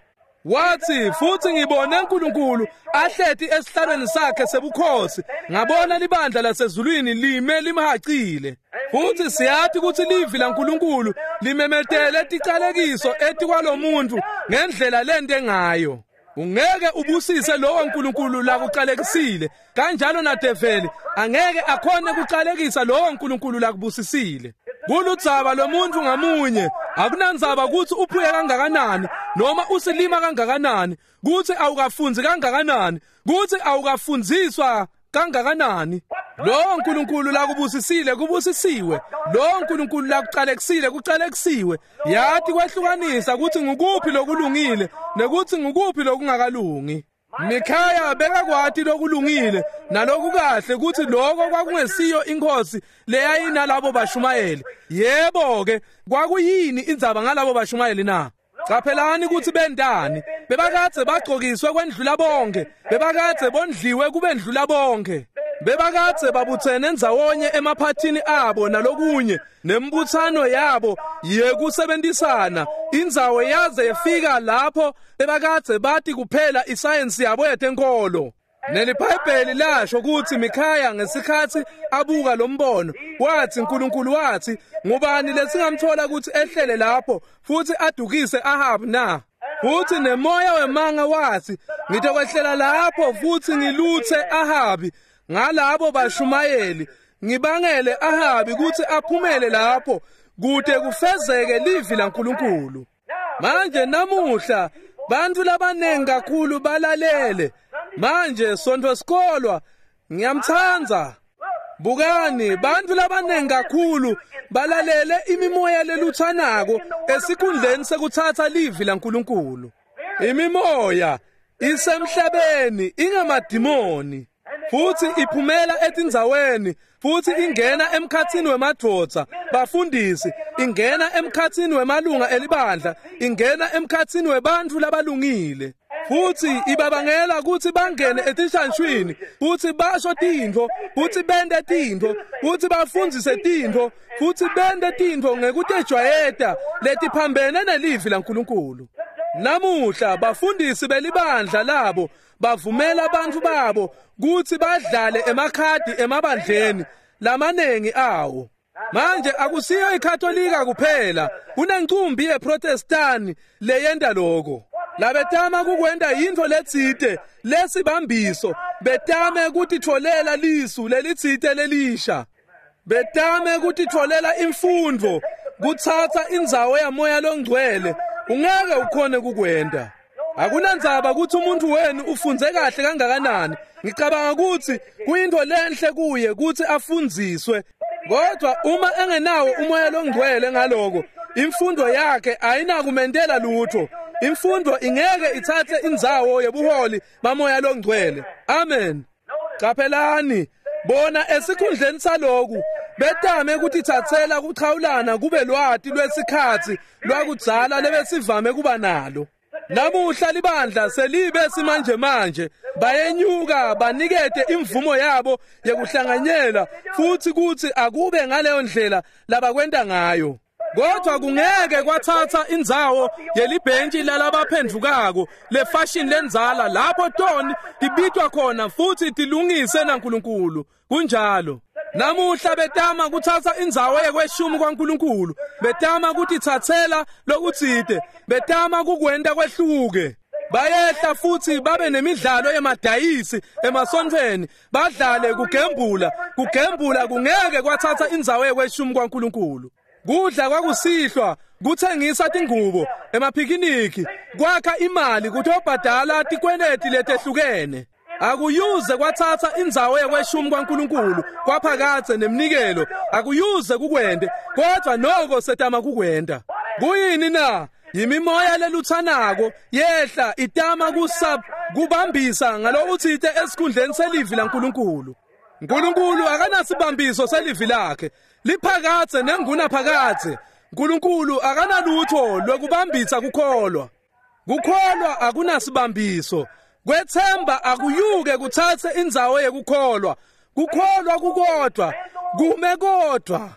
Speaker 1: Watsi, "Futsi ngibone uNkulunkulu ahleti esihlalweni sakhe sebukhosi, ngabona libandla lasezulwini lime limhacile." Futsi siyati kutsi livi laNkulunkulu limemetele ticalekiso etikwalomuntu ngendlela lente ngayo. Ungeke ubusise lowo Nkulunkulu lakucalekisile, kanjalo nadeveli angeke akhone kucalekisa lowo Nkulunkulu lakubusisile. Kuludzaba lomuntu ngamunye, akunandzaba kutsi uphuye kangakanani noma usilima kangakanani, kutsi awukafundzi kangakanani, kutsi awukafundziswa kangakanani. Lowo Nkulunkulu lakubusisile kubusisiwe, lowo Nkulunkulu lakucalekisile kucalekisiwe. Yati kwehlukanisa kutsi ngukuphi lokulungile nekutsi ngukuphi lokungakalungi. Mikhaya bekakwati lokulungile nalokukahle kutsi loko kwakungesiyo inkosi leyayinalabo bashumayeli. Yebo-ke, kwakuyini indzaba ngalabo bashumayeli na? Caphelani kutsi bentani. Bebakadze bagcokiswe kwendlula bonke, bebakadze bondliwe kubendlula bonke, bebakadze babutsene ndzawonye emaphathini abo nalokunye, nembutsano yabo yekusebentisana. Indzawo yaze yefika lapho bebakadze bati kuphela isayensi yabo yetenkolo. NeliBhayibheli lasho kutsi Mikhaya ngesikhatsi abuka lo mbono watsi, Nkulunkulu watsi, "Ngubani lesingamthola kutsi ehlele lapho futsi adukise Ahabu na?" Futsi nemoya wemanga watsi, "Ngitokwehlela lapho futsi ngilutse Ahabi ngalabo bashumayeli, ngibangele Ahabi kutsi aphumele lapho kute kufezeke livi laNkulunkulu." Manje namuhla bantfu labanengi kakhulu balalele. Manje sontfo sikolwa ngiyamtsandza. Bukani, bantfu labanengi kakhulu balalele imimoya lelutsanako esikhundleni sekutsatsa livi laNkulunkulu. Imimoya isemhlabeni ingamadimoni futsi iphumela etindzaweni futsi ingena emkhatsini wemadvodza, bafundisi, ingena emkhatsini wemalunga elibandla, ingena emkhatsini webantfu labalungile. Futsi ibabangela kutsi bangene etishanshwini, futsi basho tintfo, futsi bente tintfo, futsi bafundzise tintfo, futsi bente tintfo ngekutejwayeta letiphambene nelivi laNkulunkulu. Namuhla bafundisi belibandla labo bavumela bantfu babo kutsi badlale emakhadi emabandleni lamanengi awo. Manje akusiyo iKatolika kuphela, kunencumbi yeProtestani leyenta loko. Labetama kukwenta yintfo letsite lesibambiso, betame kutitfolela lisu lelitsite lelisha, betame kutitfolela imfundvo, kutsatsa indzawo yamoya longcwele. Ungeke ukhone kukwenta. Akunandzaba kutsi umuntu wenu ufundze kahle kangakanani. Ngicabanga kutsi kuyintfo lenhle kuye kutsi afundziswe, kodwa uma engenawo umoya longcwele ngaloko, imfundo yakhe ayinakumentela lutho. Imfundo ingeke itsatse indzawo yebuholi bamoya longcwele. Amen. Caphelani, bona esikhundleni saloku betame kutitsatsela kuchawulana kube lwati lwesikhatsi lwakudzala lebesivame kuba nalo. Namuhla libandla selibe simanje manje, bayenyuka banikete imvumo yabo yekuhlanganyela futhi kuthi akube ngaleyo ndlela labakwenta ngayo. Kodwa kungeke kwathatha indzawo yelibhentshi lalabaphendvukako lefashion lenzala lapho toni tibitwa khona futhi tilungise naNkulunkulu. Kunjalo. Namuhla betama kuthatha indzawo yekweshumi kwaNkulunkulu, betama kutitsatsela lokutsite, betama kukwenta kwehluke. Bayehla futhi babe nemidlalo yemadayisi emasontfweni, badlale kugembula. Kugembula kungeke kwathatha indzawo yekweshumi kwaNkulunkulu. Kudla kwakusihlwa, kutsengisa tingubo, emaphikiniki, kwakha imali kutobhadala tikweleti letehlukene. Akuyuze kwathatha indzawo yekweshumi kwaNkulunkulu kwaphakadze nemnikelo, akuyuze kukwente, kodwa noko setama kukwenta. Kuyini na? Yimimoya leluthanako yehla itama kubambisa ngalokutsite esikhundleni selivi laNkulunkulu. Nkulunkulu akanasibambiso selivi lakhe, liphakadze nengunaphakadze. Nkulunkulu akanalutho lwekubambisa kukholwa. Kukholwa akunasibambiso. Kwethemba akuyuke kuthathe indzawo yekukholwa. Kukholwa kukodwa, kume kodwa.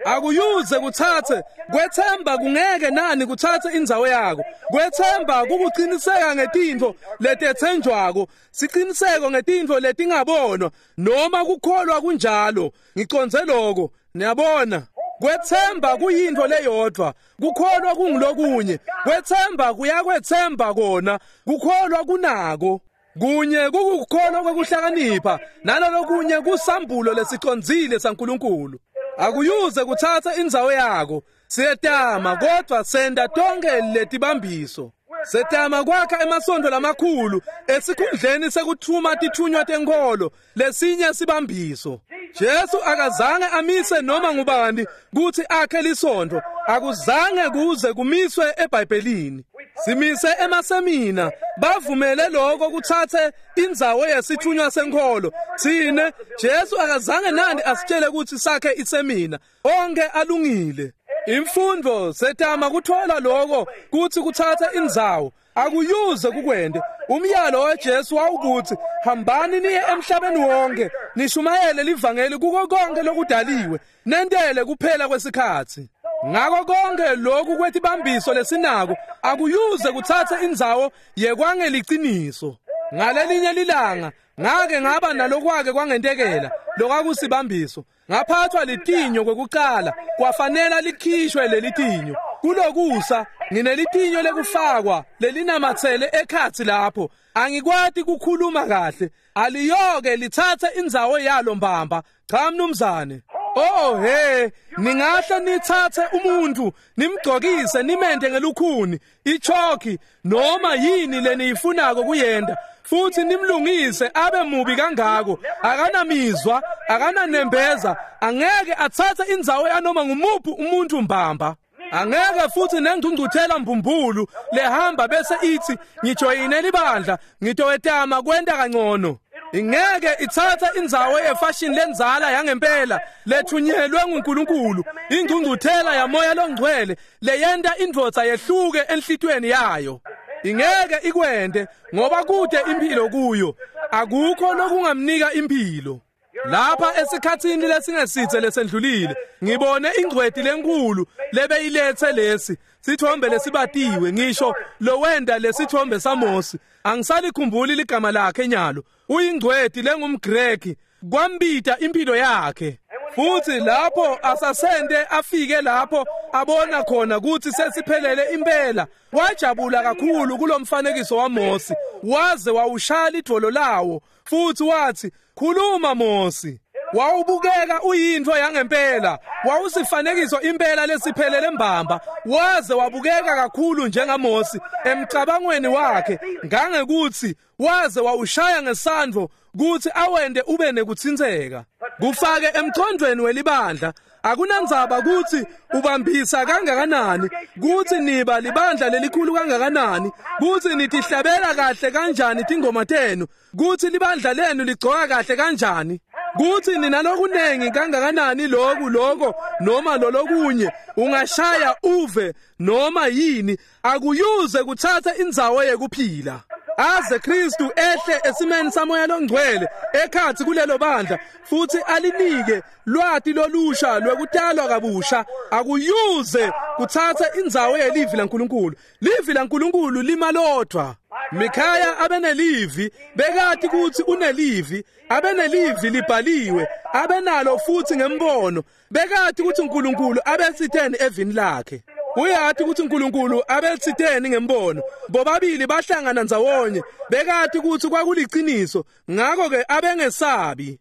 Speaker 1: Akuyuze kuthathe, kwethemba kungeke nani kuthathe indzawo yako. Kwethemba kukuqiniseka ngetintfo letetsenjwako, siqiniseko ngetintfo letingabonwa, noma kukholwa kunjalo. Ngiconze lokho, niyabona. Kwethemba kuyintfo leyodvwa, kukholwa kungulokunye. Kwethemba kuyakwethemba kona, kukholwa kunako. Kunye kukukholwa kwekuhlakanipha, nalolokunye kusambulo lesicondzile saNkulunkulu. Akuyuze kuthatha indzawo yako. Siyetama kodwa senta tonke letibambiso. Setama kwakha emasontfo lamakhulu esikhundleni sekuthuma tithunywa tenkholo lesinye sibambiso. Jesu akazange amise noma ngubani kutsi akhe lisontfo, akuzange kuze kumiswe eBhayibhelini. Simise emasemina, bavumele lokho kuthathe indzawo yesithunywa senkholo. Tsine Jesu akazange nani asitshele kutsi sakhe isemina, onke alungile. Imfundo setama kuthola lokho kutsi kuthathe indzawo, akuyuze kukwente. Umyalo waJesu wawukuthi hambani niye emhlabeni wonke, nishumayele livangeli kuko konke lokudaliwe, nentele kuphela kwesikhatsi. Ngako konke lokhu kwetibambiso lesinako akuyuze kuthathe indzawo yekwangeliciniso. Ngalelinye lilanga ngake ngaba nalokwake kwangentekela lokwakusibambiso. Ngaphathwa litinyo kwekucala, kwafanela likhishwe lelitinyo. Kulokusa nginelitinyo lekufakwa lelinamatsele ekhatsi lapho. Angikwati kukhuluma kahle, aliyoke lithathe indzawo yalo mbamba. Cha mnumzane. Oh he, ningahle nithathe umuntu nimgcokise nimente ngelukhuni, ichoki noma yini leniyifunako kuyenda, futhi nimlungise abe mubi kangako, akanamizwa, akananembeza, angeke athathe indzawo yanoma ngumuphi umuntu mbamba. Angeke futhi nengcungcuthela mbumbulu lehamba bese ithi ngijoyine libandla, ngitowetama kwenta kangcono. Ingeke ithathe indzawo yefashion lenzala yangempela lethunyelwe nguNkulunkulu, ingcungcuthela yamoya longcwele leyenta indvodza yehluke enhlitweni yayo. Ingeke ikwente ngoba kude impilo kuyo, akukho lokungamnika impilo. Lapha esikhatsini lesingesitse lesendlulile ngibone ingcweti lenkulu lebeyilethe lesi sithombe lesibatiwe, ngisho lowenda lesithombe saMosi. Angisalikhumbuli ligama lakhe nyalo. Uyingcweti lengumGreki, kwambita impilo yakhe. Futhi lapho asasende afike lapho abona khona ukuthi sesiphelele impela, wajabula kakhulu kulomfanekiso waMosi, waze wawushaya lidvolo lawo futhi wathi, "Khuluma Mosi." Wawubukeka uyintfo yangempela, wawusifanekiso impela lesiphelele mbamba, waze wabukeka kakhulu njengaMosi emcabangweni wakhe, ngangekuthi waze wawushaya ngesandvo kutsi awende ube nekutsintseka. Kufake emcondvweni welibandla, akunandzaba kutsi ubambisa kangakanani, kutsi niba libandla lelikhulu kangakanani, kutsi nitihlabela kahle kanjani tingoma tenu, kutsi libandla lenu ligcoka kahle kanjani. Kuthi ninalokunengi kangakanani lokhu lokho noma lolokunye, ungashaya uve noma yini, akuyuze kuthatha indzawo yekuphila. Aze Kristu ehle esimeni samoya longcwele ekhathi kulelo bandla futhi alinike lwati lolusha lwekutalwa kabusha, akuyuze kuthatha indzawo yelivi laNkulunkulu. Livi laNkulunkulu limalodwa. Mikhaya abenelivi, bekati ukuthi unelivi, abenelivi libhaliwe, abenalo futhi ngembono, bekati ukuthi uNkulunkulu abesitheni evini lakhe. Uyati ukuthi uNkulunkulu abesitheni ngembono. Bobabili bahlangana ndzawonye, bekati ukuthi kwakuliciniso, ngakho ke abengesabi.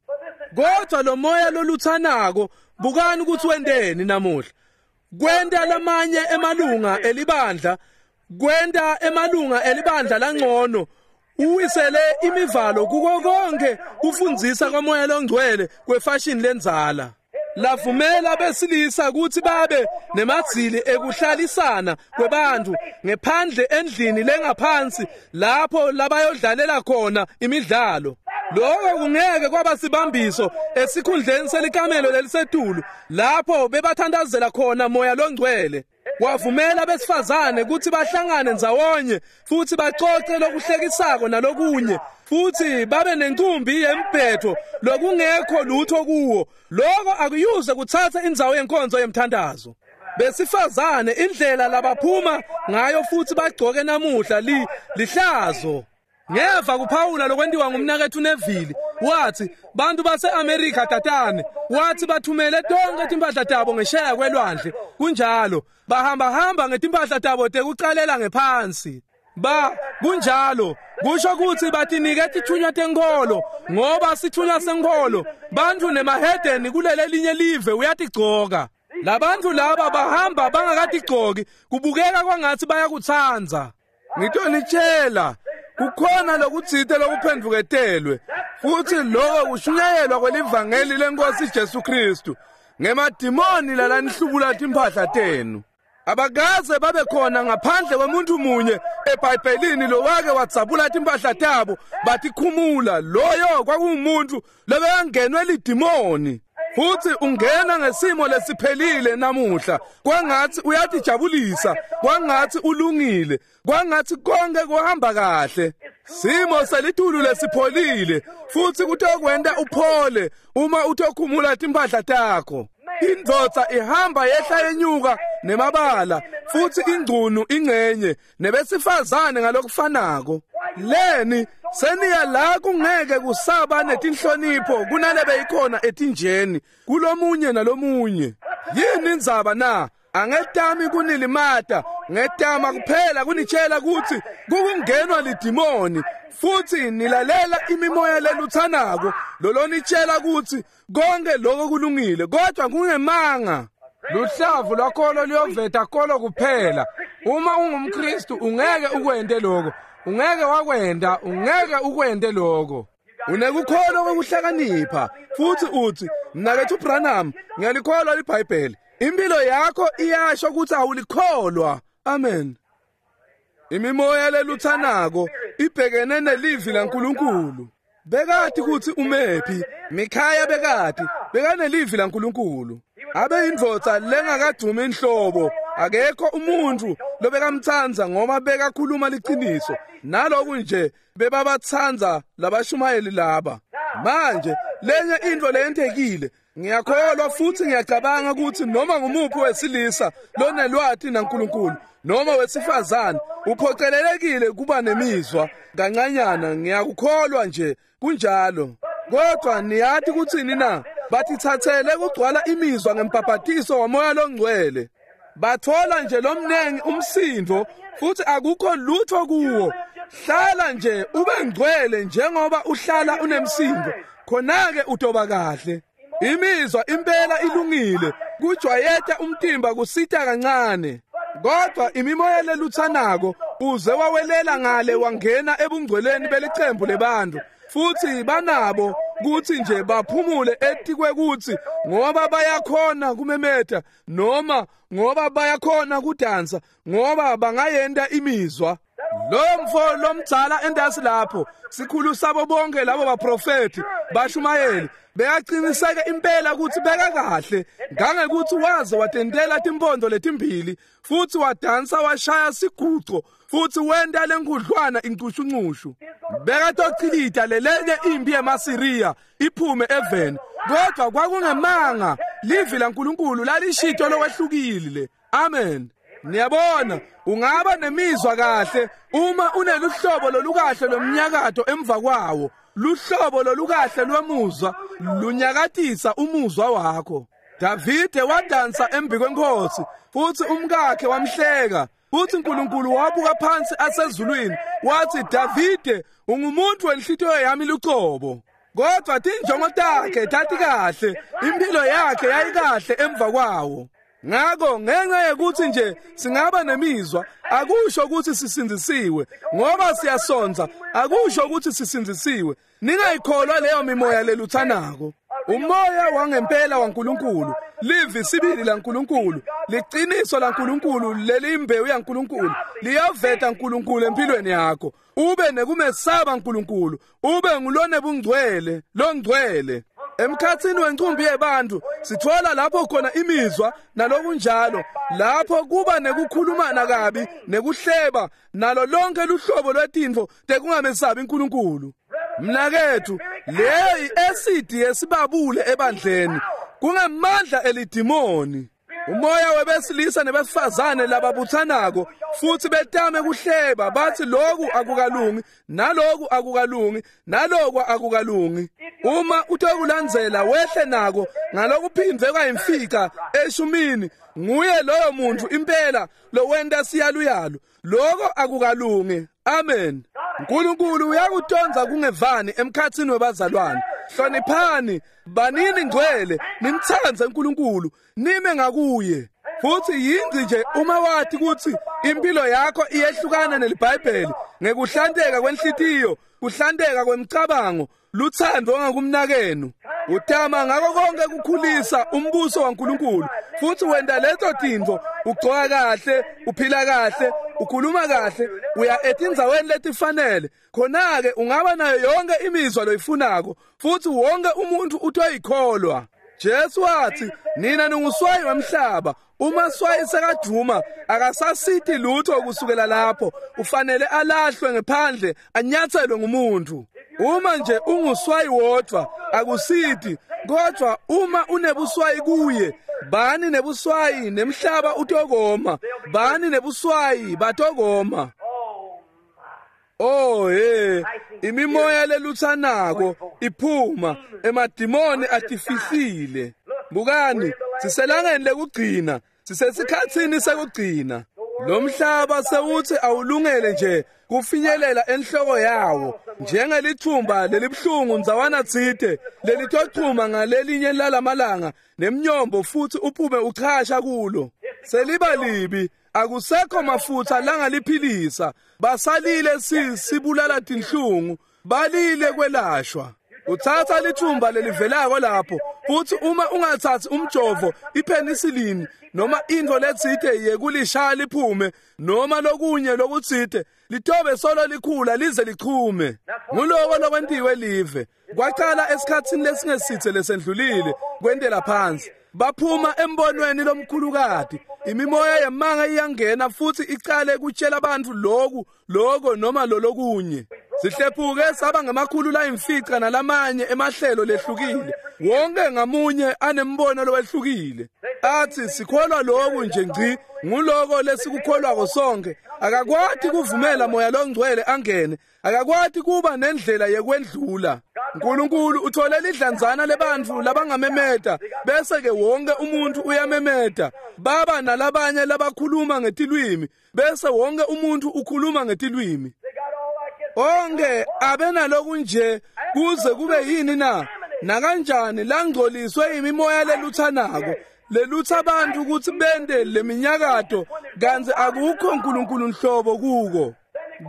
Speaker 1: Kodwa lo moya loluthanako, bukani ukuthi wendeni namuhla. Kwenta lamanye emalunga elibandla, kwenta emalunga elibandla langcono, uwisele imivalo kuko konke kufundzisa kwamoya longcwele kwefashion lenzala. Lavumela besilisa ukuthi babe nemadzili ekuhlalisana kwebantu ngephandle endlini lengaphansi lapho labayodlalela khona imidlalo. Lokho kungeke kwaba sibambiso esikhundleni selikamelo lelisetulu lapho bebathandazela khona moya longcwele. Wavumela besifazane ukuthi bahlangane ndzawonye futhi baxoxe lokuhlekisako nalokunye, futhi babe nenkumbi yembhetho lokungekho lutho kuwo. Lokho akuyuze kuthatha indzawo yenkonzo yemthandazo. Besifazane indlela labaphuma ngayo futhi bagcoke namuhla lihlazo. Ngeva kuphawula lokwentiwa ngumnakethu Neville, wathi bantu base-Amerika tatane, wathi bathumele tonke timpahla tabo ngesheya kwelwandle. Kunjalo, bahamba hamba ngetimpahla tabo tekucalela ngephansi. Ba kunjalo, kusho ukuthi batinike tithunywa tenkolo, ngoba sithunywa senkolo bantu nemahedeni kulele linye live uyatigcoka. Labantu laba bahamba bangakatigcoki, kubukeka kwangathi bayakutsanza. Ngitonitshela, kukhona lokutsite lokuphendvuketelwe, futhi lokho kushunyayelwa kwelivangeli lenkosi Jesu Kristu ngemadimoni lalanihlubula timphahla tenu. Abakaze babe khona ngaphandle kwemuntu munye eBhayibhelini lowake wadzabula timphahla tabo batikhumula. Loyo kwakuwumuntu lobekangenwe lidimoni. Futhi ungena ngesimo lesiphelile namuhla, kwangathi uyatijabulisa, kwangathi ulungile, kwangathi konke kuhamba kahle. Simo selitulu lesipholile, futhi kutokwenta uphole uma utokhumula timphahla takho. Indvodza ihamba yehla yenyuka nemabala, futhi ingcunu ingcenye nebesifazane ngalokufanako. Leni seniya la kungeke kusaba netinhlonipho kunalebe ikhona etinjeni kulomunye nalomunye. Yini indzaba na? Angetami kunilimata, ngetama kuphela kunitshela ukuthi kukungenwa lidimoni, futhi nilalela imimoya leluthanako lolonitshela ukuthi konke lokho kulungile, kodwa kungemanga. Luhlavu lwakholo luyoveta kolo kuphela. Uma ungumKristu ungeke ukwente lokho, ungeke wakwenda, ungeke ukwente lokho. Unekukholwa kokuhlakanipha futhi uthi, mnakethu Branham, ngiyalikholwa iBhayibheli. Impilo yakho iyasho ukuthi awulikholwa. Amen. Imimoya leluthanako ibhekene nelivi laNkulunkulu. Bekati ukuthi umephi, Mikhaya bekati, bekanelivi laNkulunkulu. Abe indvodza lengakadumi inhlobo, akekho umuntu lobekamtsandza ngoba bekakhuluma liciniso. Naloku nje bebabatsanza labashumayeli laba. Manje lenye into leyentekile, ngiyakholwa futhi ngiyacabanga ukuthi noma ngumuphi wesilisa lonelwati naNkulunkulu noma wesifazane uphocelelekile kuba nemizwa kancanyana. Ngiyakukholwa nje kunjalo. Kodwa niyathi kuthini na? Batithathele kugcwala imizwa ngempapatiso wamoya longcwele. Bathola nje lomnengi umsindo futhi akukho lutho kuwo. Hlala nje ube ngcwele njengoba uhlala unemsindo, khona-ke utoba kahle. Imizwa impela ilungile, kujwayeta umtimba kusita kancane. Kodwa imimoya leluthanako uze wawelela ngale wangena ebungcweleni belicembu lebantu, futhi banabo kuthi nje baphumule etikwe kuthi ngoba bayakhona kumemeta noma ngoba bayakhona kudansa, ngoba bangayenta imizwa. Lo mfo lomdzala entasi lapho, sikhulu sabo bonke labo baprofeti bashumayeli, bekaqiniseke impela ukuthi beka kahle, ngangekuthi waze watentela timpondo letimbili futhi wadansa washaya siguco futhi wenta lenkudlwana incushunqushu. Bekatochilita lelenye impi yemaSiriya iphume eveni, kodwa kwakungemanga. Livi laNkulunkulu lalishito lokwehlukile. Amen. Niyabona, ungaba nemizwa kahle uma uneluhlobo lolukahle lomnyakato emva kwawo. Luhlobo lolukahle lwemuzwa lunyakatisa umuzwa wakho. Davide wadansa embi kwenkosi futhi umkakhe wamhleka. Futhi uNkulunkulu wabuka phansi asezulwini wathi, Davide, ungumuntu wenhlitiyo yami lucobo. Kodwa tinjongo takhe tatikahle, impilo yakhe yayikahle emva kwawo. Ngakho ngenxa yokuthi nje singaba nemizwa, akusho ukuthi sisindzisiwe. Ngoba siyasonza, akusho ukuthi sisindzisiwe. Ningayikholwa leyo mimoya leluthanako. Umoya wangempela waNkulunkulu, livi sibili laNkulunkulu, liqiniso laNkulunkulu, lelimbewu yaNkulunkulu, liyaveta uNkulunkulu empilweni yakho. Ube nekumesaba uNkulunkulu, ube ngulone bungcwele, longcwele. Emkhathini wencumbi yebantu sithola lapho khona imizwa nalokunjalo, lapho kuba nekukhulumana kabi nekuhleba nalo lonke luhlobo lwetintfo tekungamesabi uNkulunkulu. Mnakethu, leyo i-acid yesibabule ebandleni, kungamandla elidimoni. Umoya webesilisa nebesifazane lababuthanako futhi betame kuhleba bathi lokhu akukalungi, naloku akukalungi, naloku akukalungi. Uma utokulandzela wehle nako ngalokuphindwe kwayimfica eshumini, nguye loyo muntu impela lowenta siyaluyalu. Lokho akukalungi. Amen. uNkulunkulu uyakutonza kungevani emkhathini webazalwane. Hloniphani, banini ngcwele, nimthande uNkulunkulu, nime ngakuye. Futhi yingci nje uma wathi ukuthi impilo yakho iyehlukana neliBhayibheli ngekuhlanteka kwenhlitiyo, kuhlanteka kwemcabango, luthando ngakumnakenu. Utama ngako konke kukhulisa umbuso waNkulunkulu futhi wenta lezo tintfo, ugcoka kahle, uphila kahle, ukhuluma kahle, uya etindzaweni letifanele. Khona-ke ungaba nayo yonke imizwa loyifunako futhi wonke umuntu utoyikholwa. Jesu wathi, nina ninguswayi wemhlaba. Uma swayi sekadvuma akasasiti lutho kusukela lapho, ufanele alahlwe ngephandle, anyathelwe ngumuntu. Uma nje unguswayi wodwa akusiti, kodwa uma unebuswayi kuye, bani nebuswayi nemhlaba utokoma, bani nebuswayi batokoma. Oh hey, imimoya leluthanako iphuma, emadimoni atifihlile. Bukani, siselangeni lekugcina, sisesikhatsini sekugcina. Lo mhlaba sewuthi awulungele nje kufinyelela enhloko yawo, njengelithumba lelibuhlungu ndzawana tsite lelitochuma ngalelinye lalamalanga nemnyombo futhi uphume uchasha kulo. Seliba libi, akusekho mafutha langaliphilisa. Basalile sibulala tinhlungu, balile kwelashwa. Uthatha lithumba lelivelako lapho futhi uma ungathathi umjovo, ipenicillin noma into letsite yekulishaya liphume noma lokunye lokutsite, litobe solo likhula lize lichume. Nguloko lokwentiwe live. Kwaqala esikhatsini lesingesithe lesendlulile kwentela phansi. Baphuma embonweni lomkhulukati. Imimoya yemanga iyangena futhi icale kutshela abantu lokhu, lokho noma lolokunye. Sihlephuke saba ngamakhulu layimfica nalamanye emahlelo lehlukile. Wonke ngamunye anembono lowehlukile. Athi sikholwa lokhu nje ngci, nguloko lesikukholwako sonke. Akakwati kuvumela moya longcwele angene, akakwati kuba nendlela yekwendlula. uNkulunkulu uthole lidlanzana lebantfu labangamemeta, bese ke wonke umuntu uyamemeta. Baba nalabanye labakhuluma ngetilwimi, bese wonke umuntu ukhuluma ngetilwimi. Onke abenalokunje kuze kube yini na? Nakanjani langcoliswe imimoya leluthanako, lelutha abantu ukuthi bende leminyakato, kanti akukho uNkulunkulu nhlobo kuko.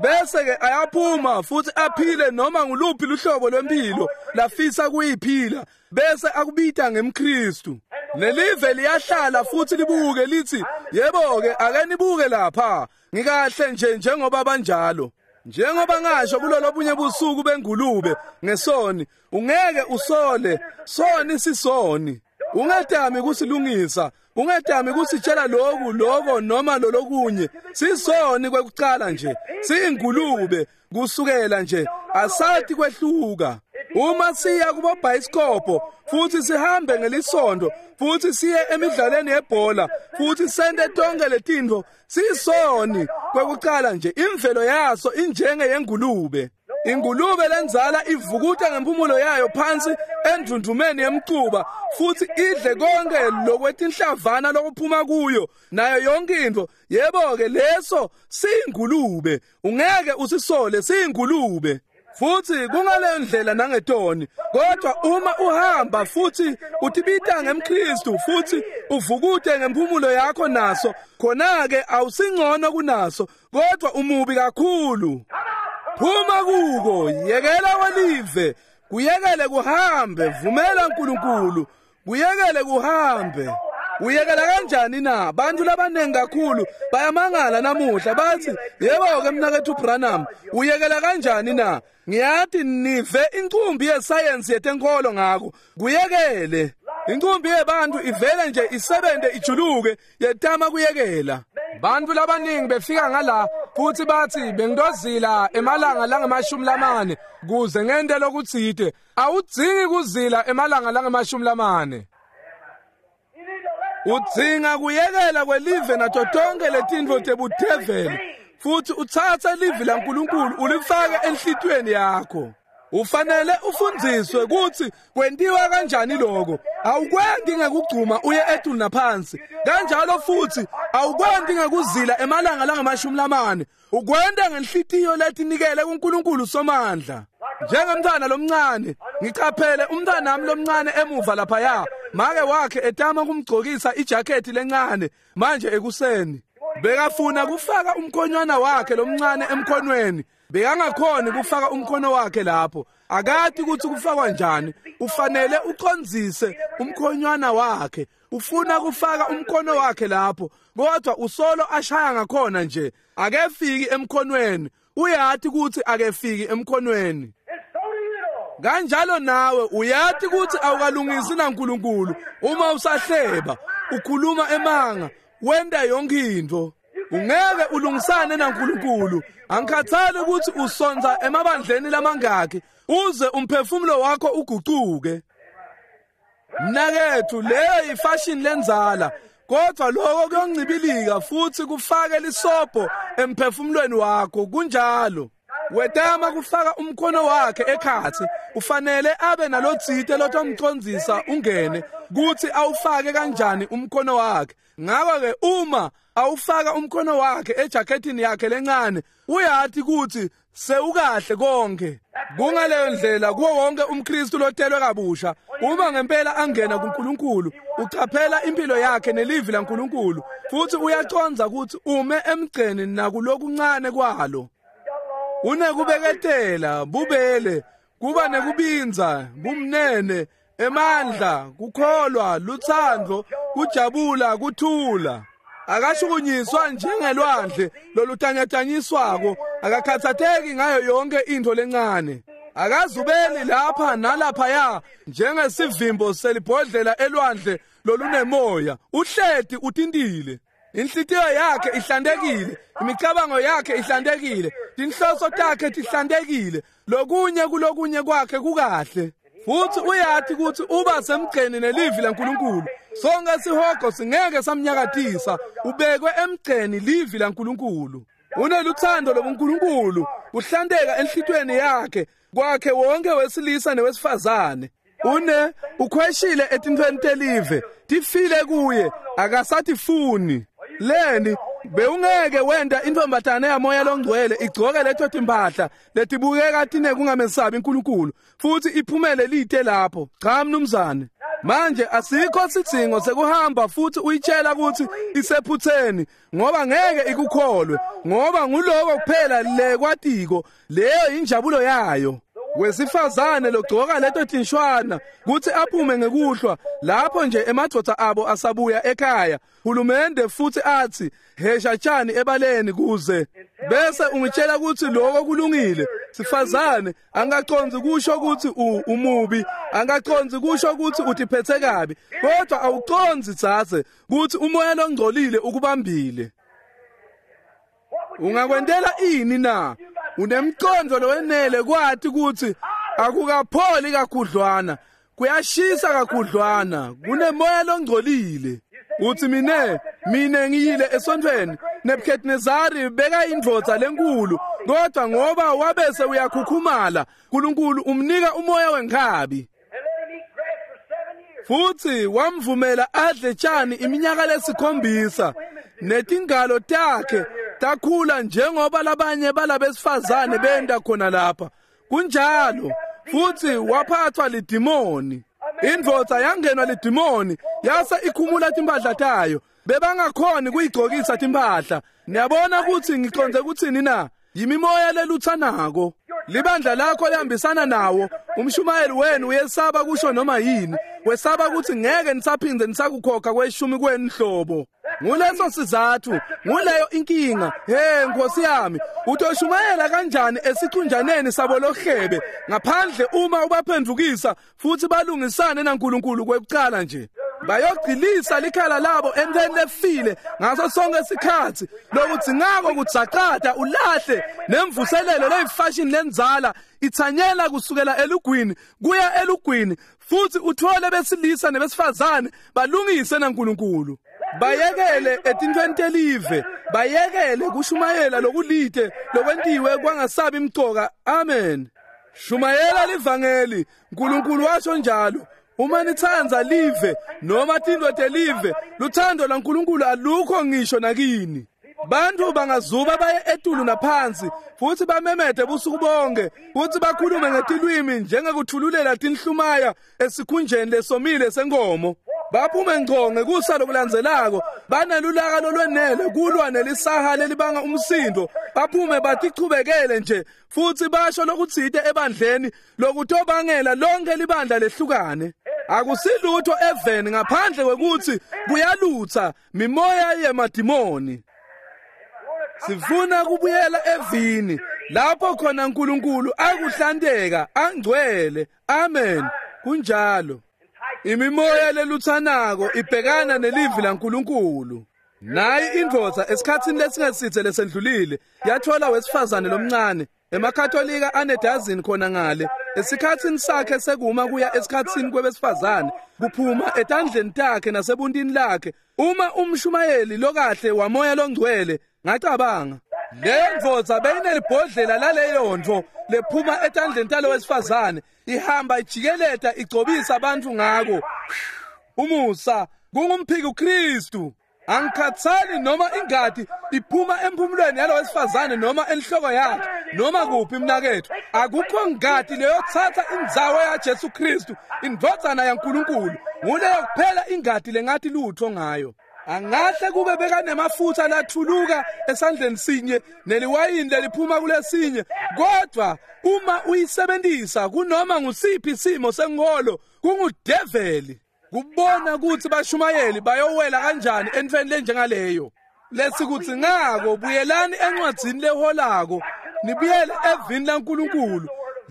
Speaker 1: Bese ke ayaphuma futhi aphile noma nguluphi luhlobo lwempilo lafisa kuyiphila, bese akubita ngemKristu. Nelive liyahlala futhi libuke lithi, yebo-ke, ake nibuke lapha, ngikahle nje njengoba banjalo. Njengoba ngasho kulolobunye busuku bengulube ngesoni, ungeke usole, soni sisoni. Ungetami kusilungisa, ungetami kusitshela lokhu lokho noma lolokunye. Sisoni kwekucala nje, siyingulube kusukela nje, asathi kwehluka. Uma siya kubobhayisikobho futhi sihambe ngelisondo futhi siye emidlalweni yebhola futhi sente tonke letintfo, sisoni kwekucala nje. Imvelo yaso injenge yengulube. Ingulube lenzala ivukuta ngempumulo yayo phansi endundumeni yemcuba futhi idle konke lokwetinhlavana lokuphuma kuyo nayo yonke into. Yebo-ke, leso siyingulube, ungeke usisole, siyingulube. Futhi kungaleyo ndlela nangetoni. Kodwa uma uhamba futhi utibita ngemKristu futhi uvukute ngempumulo yakho naso, khona-ke awusingcono kunaso, kodwa umubi kakhulu. Phuma kuko, yekela kwelive, kuyekele kuhambe, vumela uNkulunkulu, kuyekele kuhambe. Uyekela kanjani na? Bantu labaningi kakhulu bayamangala namuhla bathi, yebo-ke mnakethu Branham, uyekela kanjani na? Ngiyathi nive incumbi yesayensi yetenkolo ngako. Kuyekele. Incumbi yebantu ivele nje isebente ijuluke yetama kuyekela. Bantu labaningi befika ngala futhi bathi bengidozila emalanga langama-40 kuze ngente lokutsite. Awudzingi kuzila emalanga langama-40. Udzinga kuyekela kwelive nato tonke letintfo tebudeveli futhi utsatse livi laNkulunkulu ulifake enhlitiyweni yakho. Ufanele ufundziswe kutsi kwentiwa kanjani lokho. Awukwenti ngekugcuma uye etulu naphansi. Kanjalo futhi awukwenti ngekuzila emalanga langama-40. Ukwenta ngenhlitiyo letinikele kuNkulunkulu Somandla. Njengemntwana lomncane, ngicaphele umntwanami lomncane emuva laphaya. Make wakhe etama kumgcokisa ijakhethi lencane manje ekuseni. Bekafuna kufaka umkhonywana wakhe lomncane emkhonweni. Bekangakhoni kufaka umkhono wakhe lapho. Akati ukuthi kufakwa njani. Ufanele ucondzise umkhonywana wakhe. Ufuna kufaka umkhono wakhe lapho, kodwa usolo ashaya ngakhona nje. Akefiki emkhonweni. Uyati ukuthi akefiki emkhonweni. Kanjalo nawe uyati ukuthi awukalungisi naNkulunkulu uma usahleba, ukhuluma emanga, wenta yonke into. Ungeke ulungisane naNkulunkulu. Angikhathali ukuthi usonza emabandleni lamangaki uze umphefumulo wakho ugucuke. Mnakethu, leyo ifashion lenzala, kodwa lokho kuyoncibilika futhi kufake lisobho emphefumulweni wakho. Kunjalo. Wetama kufaka umkhono wakhe ekhatsi, ufanele abe nalotsite lotomcondzisa ungene kuthi awufake kanjani umkhono wakhe. Ngakho-ke uma awufaka umkhono wakhe ejakethini yakhe lencane, uyati ukuthi sewukahle konke. Kungaleyo ndlela kuwo wonke umKristu lotelwe kabusha. Uma ngempela angena kuNkulunkulu, ucaphela impilo yakhe nelivi laNkulunkulu futhi uyacondza ukuthi ume emgceni nakulokuncane kwalo. Unekubeketela, bubele, kuba nekubindza, bumnene, emandla, kukholwa, lutsandvo, kujabula, kuthula. Akashukunyiswa njengelwandle lolutanyatanyiswako, akakhathatheki ngayo yonke into lencane. Akazubeli lapha nalaphaya njengesivimbo selibhodlela elwandle lolunemoya. Uhleti utintile. Inhlitiyo yakhe ihlantekile, imicabango yakhe ihlantekile, tinhloso takhe tihlantekile, lokunye kulokunye kwakhe kukahle. Futhi uyati ukuthi uba semgceni nelivi laNkulunkulu. Sonke sihogo singeke samnyakatisa, ubekwe emgceni livi laNkulunkulu. Uneluthando lobuNkulunkulu, kuhlanteka enhlitiyweni yakhe, kwakhe wonke wesilisa newesifazane. Une ukhweshile etintfweni telive, tifile kuye, akasatifuni. Leni bewungeke wenta intombatane yamoya longcwele igcoke leto timpahla letibukeka tinekungamesabi uNkulunkulu futhi iphumele lite lapho. Cha mnumzane. Manje asikho sidzingo sekuhamba futhi uyitshela ukuthi isephutheni, ngoba ngeke ikukholwe, ngoba nguloko kuphela lekwatiko, leyo injabulo yayo. Wesifazane logcoka leto tinshwana kutsi aphume ngekuhlwa lapho nje emadvodza abo asabuya ekhaya hulumende futsi atsi hesha tshani ebaleni kuze bese ungitshela kutsi lokho kulungile. Sifazane angacondzi kusho kutsi umubi, angacondzi kusho kutsi utiphethe kabi, kodwa awucondzi dzadze kutsi umoya longcolile ukubambile. Ungakwentela ini na? Unemcondvo lowenele kwati kutsi akukapholi kakhudlwana, kuyashisa kakhudlwana, kunemoya longcolile. Uthi mine ngiyile esontfweni, Nebuchadnezzari beka indvodza lenkulu, kodwa ngoba wabese uyakhukhumala, uNkulunkulu umnika umoya wenkhabi. Futhi wamvumela adle tshani iminyaka lesikhombisa, netingalo takhe takhula njengoba labanye balabesifazane benda khona lapha. Kunjalo, futhi waphathwa lidimoni. Indvodza yangenwa lidimoni yase ikhumula timphahla tayo. Bebangakhoni kuyigcokisa timphahla. Niyabona kutsi ngicondze kutsini na? Yimimoya lelutsanako. Libandla lakho lihambisana nawo. Umshumayeli wenu uyesaba kusho noma yini. Wesaba kutsi ngeke nisaphindze nisakukhokha kweshumi kwenu hlobo. Nguleso sizathu, nguleyo inkinga. Hey Nkosi yami, utoshumayela kanjani esicunjaneni sabo lohlebe ngaphandle uma ubaphendukisa futhi balungisane naNkulunkulu kwekucala nje. Bayogcilisa likhala labo entweni lefile ngaso sonke isikhathi. Lokudzingako kudzaqada ulahle nemvuselelo leyifashion lenzala ithanyela kusukela elugwini kuya elugwini, futhi uthole besilisa nebesifazane balungise naNkulunkulu. Bayekele etintfweni telive, bayekele kushumayela lokulite lokwentiwe kwangasabi imcoka. Amen. Shumayela livangeli, uNkulunkulu washo njalo. Uma nitsandza live noma tintfo telive, luthando lwaNkulunkulu alukho ngisho nakini. Bantu bangazuba baye etulu naphansi futhi bamemede busuku bonke futhi bakhulume ngetilwimi njengekuthululela tinhlumaya esikhunjeni lesomile senkomo. Baphume ngco ngekusa lokulandzelako banelulaka lolwenele kulwa nelisaha lelibanga umsindo. Baphume batichubekele nje futhi basho lokutsite ebandleni lokutobangela lonke libandla lehlukane. Akusilutho eveni ngaphandle kwekuthi kuyalutsa mimoya yemadimoni. Sifuna kubuyela evini lapho khona uNkulunkulu akuhlanteka angcwele. Amen. Kunjalo. Imimoya lelutsanako ibhekana nelivi laNkulunkulu. Nayi indvodza esikhatsini lesingesithe lesendlulile yathola wesifazane lomncane emakatolika anedazini khona ngale esikhatsini sakhe sekuma kuya esikhatsini kwebesifazane kuphuma etandleni takhe nasebuntini lakhe. Uma umshumayeli lokahle wamoya longcwele, ngacabanga leyo ndvodza beyinelibhodlela laleyo ntfo lephuma etandleni talo wesifazane ihamba ijikeleta igcobisa abantu ngako. Umusa kungumphiki uKristu. Angikhathali noma ingadi iphuma emphumulweni yalo wesifazane noma enhloko yakhe noma kuphi mnakethu, akukho ngadi leyothatha indzawo yaJesu Kristu indvodzana yaNkulunkulu. Nguleyo kuphela ingadi lengathi lutho ngayo. Angahle kube bekanemafutha lathuluka esandleni sinye neliwayini leliphuma kulesinye, kodwa uma uyisebenzisa kunoma ngusiphi simo senkolo kungudeveli. Kubona ukuthi bashumayeli bayowela kanjani entfweni lenjengaleyo. Lesikudzingako buyelani encwadzini leholako, nibuyele evini laNkulunkulu.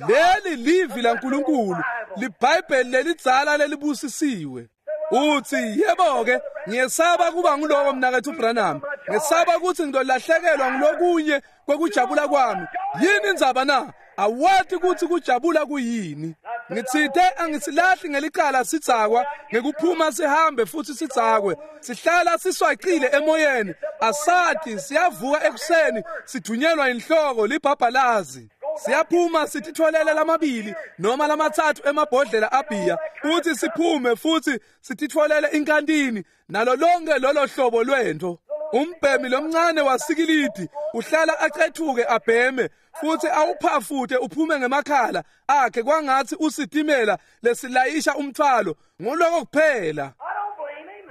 Speaker 1: Leli livi laNkulunkulu, liBhayibheli lelidzala lelibusisiwe. Uthi yebo-ke ngiyesaba kuba nguloko mnakethu Branham, ngesaba ukuthi ngizolahlekelwa ngulokunye kwekujabula kwami. Yini indzaba na? Awati ukuthi kujabula kuyini. Ngitsite angisilahli ngelicala sidzakwa ngekuphuma sihambe futhi sidzakwe. Sihlala siswacile emoyeni, asati siyavuka ekuseni sidunyelwa inhloko libhabhalazi. Siyaphuma sititholele lamabili noma lamathathu emabhodlela abhiya futhi siphume futhi sititholele inkantini nalo lonke lolo hlobo lwento. Umbhemi lomncane wasikilidi uhlala acethuke abheme futhi awuphafuthe uphume ngemakhala akhe kwangathi usitimela lesilayisha umthwalo. Nguloko kuphela,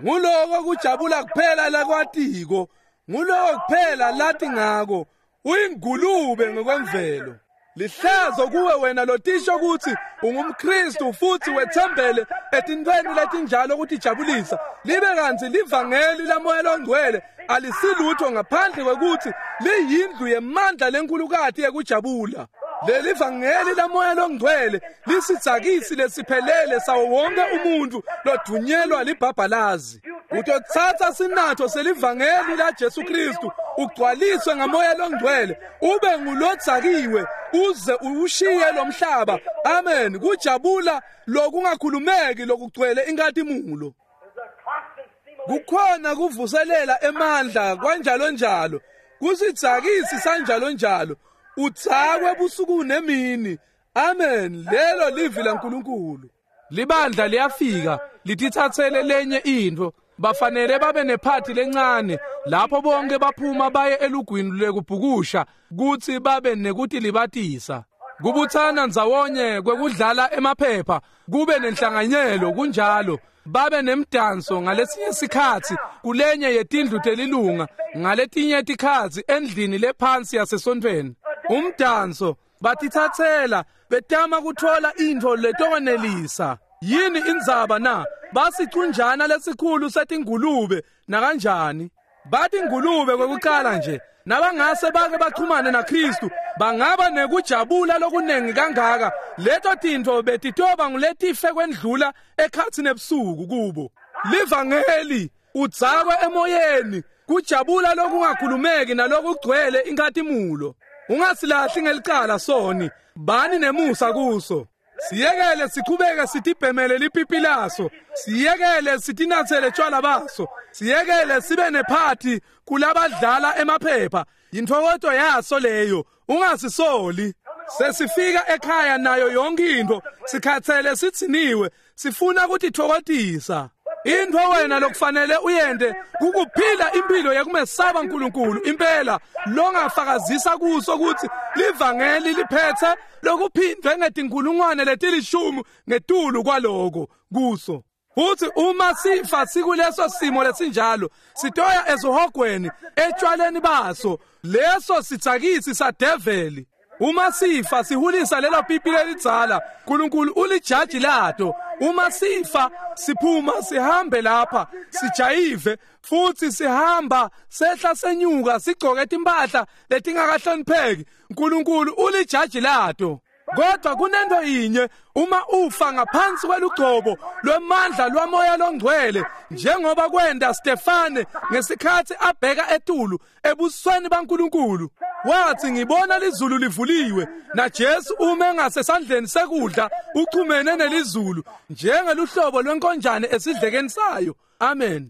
Speaker 1: nguloko kujabula kuphela lakwatiko, nguloko kuphela lati ngako. Uyingulube ngokwemvelo. Lihlazo kuwe wena lotisho kutsi ungumKristu futhi wethembele etintweni letinjalo kutijabulisa, libe kantsi livangeli laMoya loNgcwele alisilutho ngaphandle kwekutsi liyindlu yemandla lenkulukati yekujabula. Leli vangeli laMoya loNgcwele lisidzakisi lesiphelele sawo wonke umuntfu lodunyelwa libhabhalazi. Utotsatsa sinatho selivangeli laJesu Kristu, ugcwaliswe ngaMoya loNgcwele, ube ngulodzakiwe uze uwushiye lo mhlaba. Amen. Kujabula lokungakhulumeki lokugcwele inkhatimulo.
Speaker 2: There's a constant stimulation.
Speaker 1: Kukhona kuvuselela emandla kwanjalo njalo, kusidzakisi sanjalo njalo, udzakwe busuku nemini. Amen. Lelo livi laNkulunkulu. Libandla liyafika lititsatsele lenye intfo. Bafanele babe nephathi lencane lapho bonke baphuma baye elugwini lwekubhukusha kutsi babe nekutilibatisa. Kubutsana ndzawonye kwekudlala emaphepha, kube nenhlanganyelo kunjalo, babe nemdanso ngalesinye sikhatsi kulenye yetindlu telilunga, ngaletinye tikhatsi endlini lephansi yasesontfweni. Umdanso batitsatsela betama kutfola intfo letokwanelisa. Yini indzaba na? Basicunjana lesikhulu setingulube nakanjani? Batingulube kwekucala nje, nabangase bake bachumane naKristu, bangaba nekujabula lokunengi kangaka. Leto tintfo betitoba nguletife kwendlula ekhatsi nebusuku kubo. Livangeli udzakwe emoyeni, kujabula lokungakhulumeki nalokugcwele inkhatimulo. Ungasilahli ngelicala soni, bani nemusa kuso. Siyekele sichubeke sitibhemele lipipi laso, siyekele sitinatsele tshwala baso, siyekele sibe nephathi kulabadlala emaphepha. Yintfokoto yaso leyo, ungasisoli. Sesifika ekhaya nayo yonke intfo, sikhatsele sitsiniwe, sifuna kutitfokotisa. Intfo wena lokufanele uyente kukuphila impilo yekumesaba uNkulunkulu impela, longafakazisa kuso kutsi livangeli liphetse lokuphindwe ngetinkulungwane letilishumi ngetulu kwaloko kuso. Futhi uma sifa sikuleso simo lesinjalo, sitoya esihogweni etshwaleni baso, leso sitsakisi sadeveli. Uma sifa sihulisa lelo pipi lelidzala, uNkulunkulu ulijaji lato. Uma sifa siphuma sihambe lapha sijayive, futhi sihamba sehla senyuka sigcoke timpahla letingakahlonipheki, uNkulunkulu ulijaji lato. Kodwa kunento yinye, uma ufa ngaphansi kwelugcobo lwemandla lwaMoya loNgcwele, njengoba kwenta Stefane ngesikhatsi abheka etulu ebusweni baNkulunkulu, wathi ngibona lizulu livuliwe naJesu ume ngasesandleni sekudla uchumene nelizulu njengeluhlobo lwenkonjane esidlekeni sayo. Amen.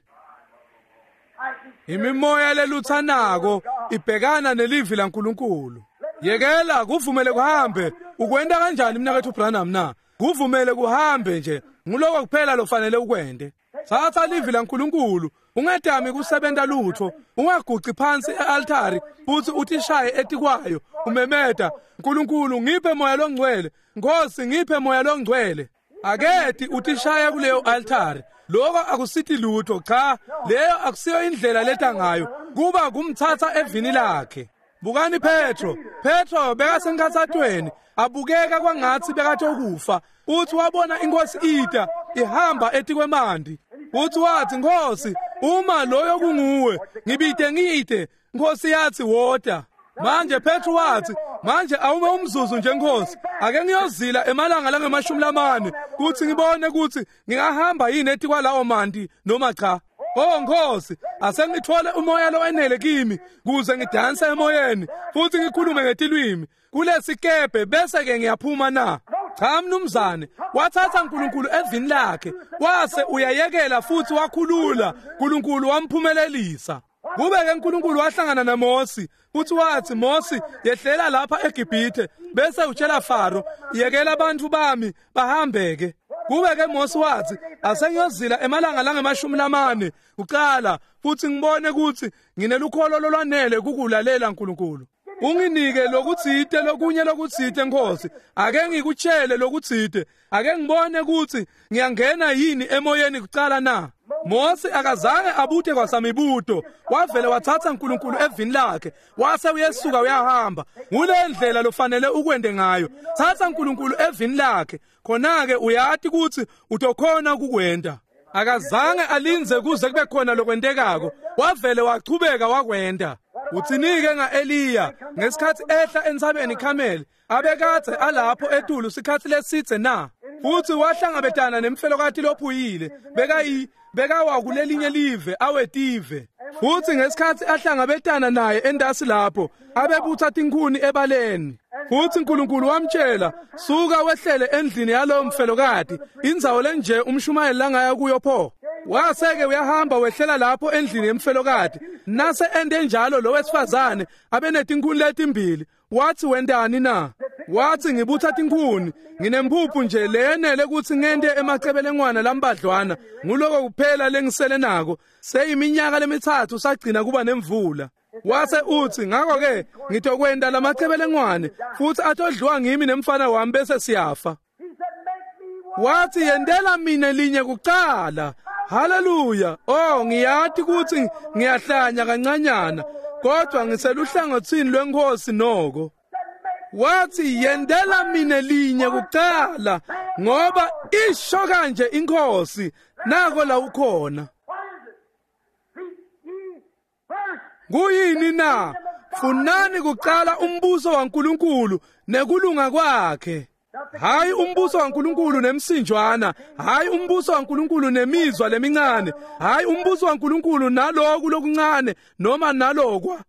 Speaker 1: Imimoya leluthanako ibhekana nelivi laNkulunkulu. Yekela kuvumele kuhambe. Ukwenta kanjani mnaketfu Branham na? Kuvumele kuhambe nje. Nguloko kuphela lofanele ukwente. Tsatsa livi laNkulunkulu, ungetami kusebenta lutfo, ungaguci phansi e-altari futhi utishaye etikwayo, umemeta, Nkulunkulu ngiphe Moya loNgcwele, Nkosi ngiphe Moya loNgcwele. Aketi utishaya kuleyo altari. Lokho akusiti lutho, cha, leyo akusiyo indlela leta ngayo, kuba kumtsatsa evini lakhe. Bukani Petro. Petro bekasenkhatsatweni, abukeka kwangatsi bekatokufa. Uthi wabona inkosi ita ihamba etikwemanti. Uthi wathi, Nkosi, uma loyo kunguwe, ngibite ngite. Nkosi yathi wota. Manje Petro wathi, manje awume umzuzu nje Nkosi, ake ngiyozila emalanga langamashumi lamane kuthi ngibone ukuthi ngingahamba yini etikwalawo manti noma cha. Oh Nkosi, asengithole umoya lowenele kimi kuze ngidanse emoyeni futhi ngikhulume ngetilwimi kulesikebhe bese ke ngiyaphuma na. Cha mnumzane, wathatha uNkulunkulu evini lakhe, wase uyayekela futhi wakhulula, uNkulunkulu wamphumelelisa. Kube ke uNkulunkulu wahlangana naMosi futhi wathi, Mosi, yehlela lapha eGibhithe bese utshela Faro, yekela abantu bami bahambeke. Kube ke Mosi wathi, asengiyozila emalanga langamashumi lamane kuqala futhi ngibone ukuthi nginelukholo lolwanele kukulalela uNkulunkulu. Unginike lokutsite lokunye lokutsite Nkosi, ake ngikutshele lokutsite, ake ngibone ukuthi ngiyangena yini emoyeni kuqala na. Mose akazange abute kwasamibuto, wavele watsatsa uNkulunkulu evini lakhe, wase uyesuka uyahamba. Ngule ndlela lofanele ukwende ngayo. Tsatsa uNkulunkulu evini lakhe, khona-ke uyati kutsi utokhona ukukwenta. Akazange alinze kuze kube khona lokwentekako, wavele wachubeka wakwenta. Utsinike nga-Eliya ngesikhatsi ehla entsabeni iKhameli, abekadze alapho etulu sikhatsi lesitse na? Futsi wahlangabetana nemfelokati lophuyile, bekawa kulelinye live awetive. Futsi ngesikhatsi ahlangabetana naye entasi lapho, abebutsa tinkhuni ebaleni. Futsi uNkulunkulu wamtshela, suka wehlele endlini yalowo mfelokati, indzawo lenje umshumayeli langaya kuyo pho. Waseke uyahamba wehlela lapho endlini yemfelokati. Nase ende njalo lo wesifazane abenetinkhuni letimbili. Wathi wentani na? Wathi ngibutha tinkhuni, nginemphuphu nje leyenele kutsi ngente emacebelengwana lambadlwana, nguloko kuphela lengisele nako. Seyiminyaka lemithathu sagcina kuba nemvula. Wase utsi ngakho-ke ngitokwenta lamacebelengwane futsi atodliwa ngimi nemfana wami bese siyafa. Wathi yentela mina linye kucala. Haleluya. Oh, ngiyati kutsi ngiyahlanya kancanyana, kodwa ngiseluhlangotsini lweNkhosi noko. Wathi yentela mina linye kucala, ngoba isho kanje iNkhosi, nako la ukhona. Kuyini na? Funani kucala umbuso waNkulunkulu nekulunga kwakhe. Hayi umbuso waNkulunkulu nemsinjwana, hayi umbuso waNkulunkulu nemizwa lemincane, hayi umbuso waNkulunkulu naloku lokuncane noma nalokwa.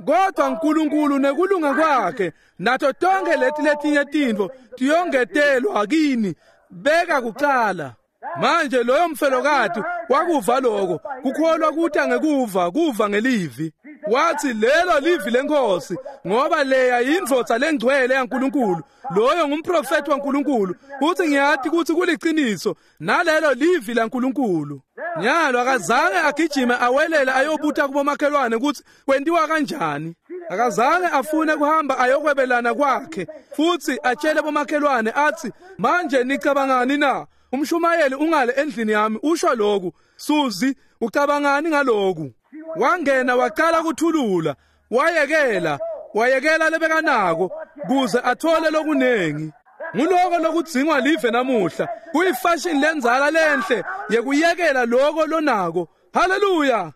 Speaker 1: Kodwa uNkulunkulu nekulunga kwakhe nato tonke leti letinye tintfo tiyongetelwa kini. Beka kucala. Manje loyo mfelokati wakuva lokho, kukholwa kuta ngekuva, kuva ngelivi. Wathi lelo livi leNkhosi, ngoba leya yindvodza lengcwele yaNkulunkulu, loyo ngumprofeti waNkulunkulu, uthi ngiyati kutsi kuliciniso, nalelo livi laNkulunkulu. Nyalo akazange agijime awelele ayobuta kubomakhelwane kutsi kwentiwa kanjani. Akazange afune kuhamba ayokwebelana kwakhe futsi atshele bomakhelwane athi manje nicabangani na? Umshumayeli ungale endlini yami usho lokhu. Suzi, ucabangani ngaloku? Wangena waqala kuthulula, wayekela lebekanako kuze athole lokunengi. Nguloko lokudzingwa live namuhla, kuyifashion lenzala lenhle yekuyekela loko lonako. Haleluya!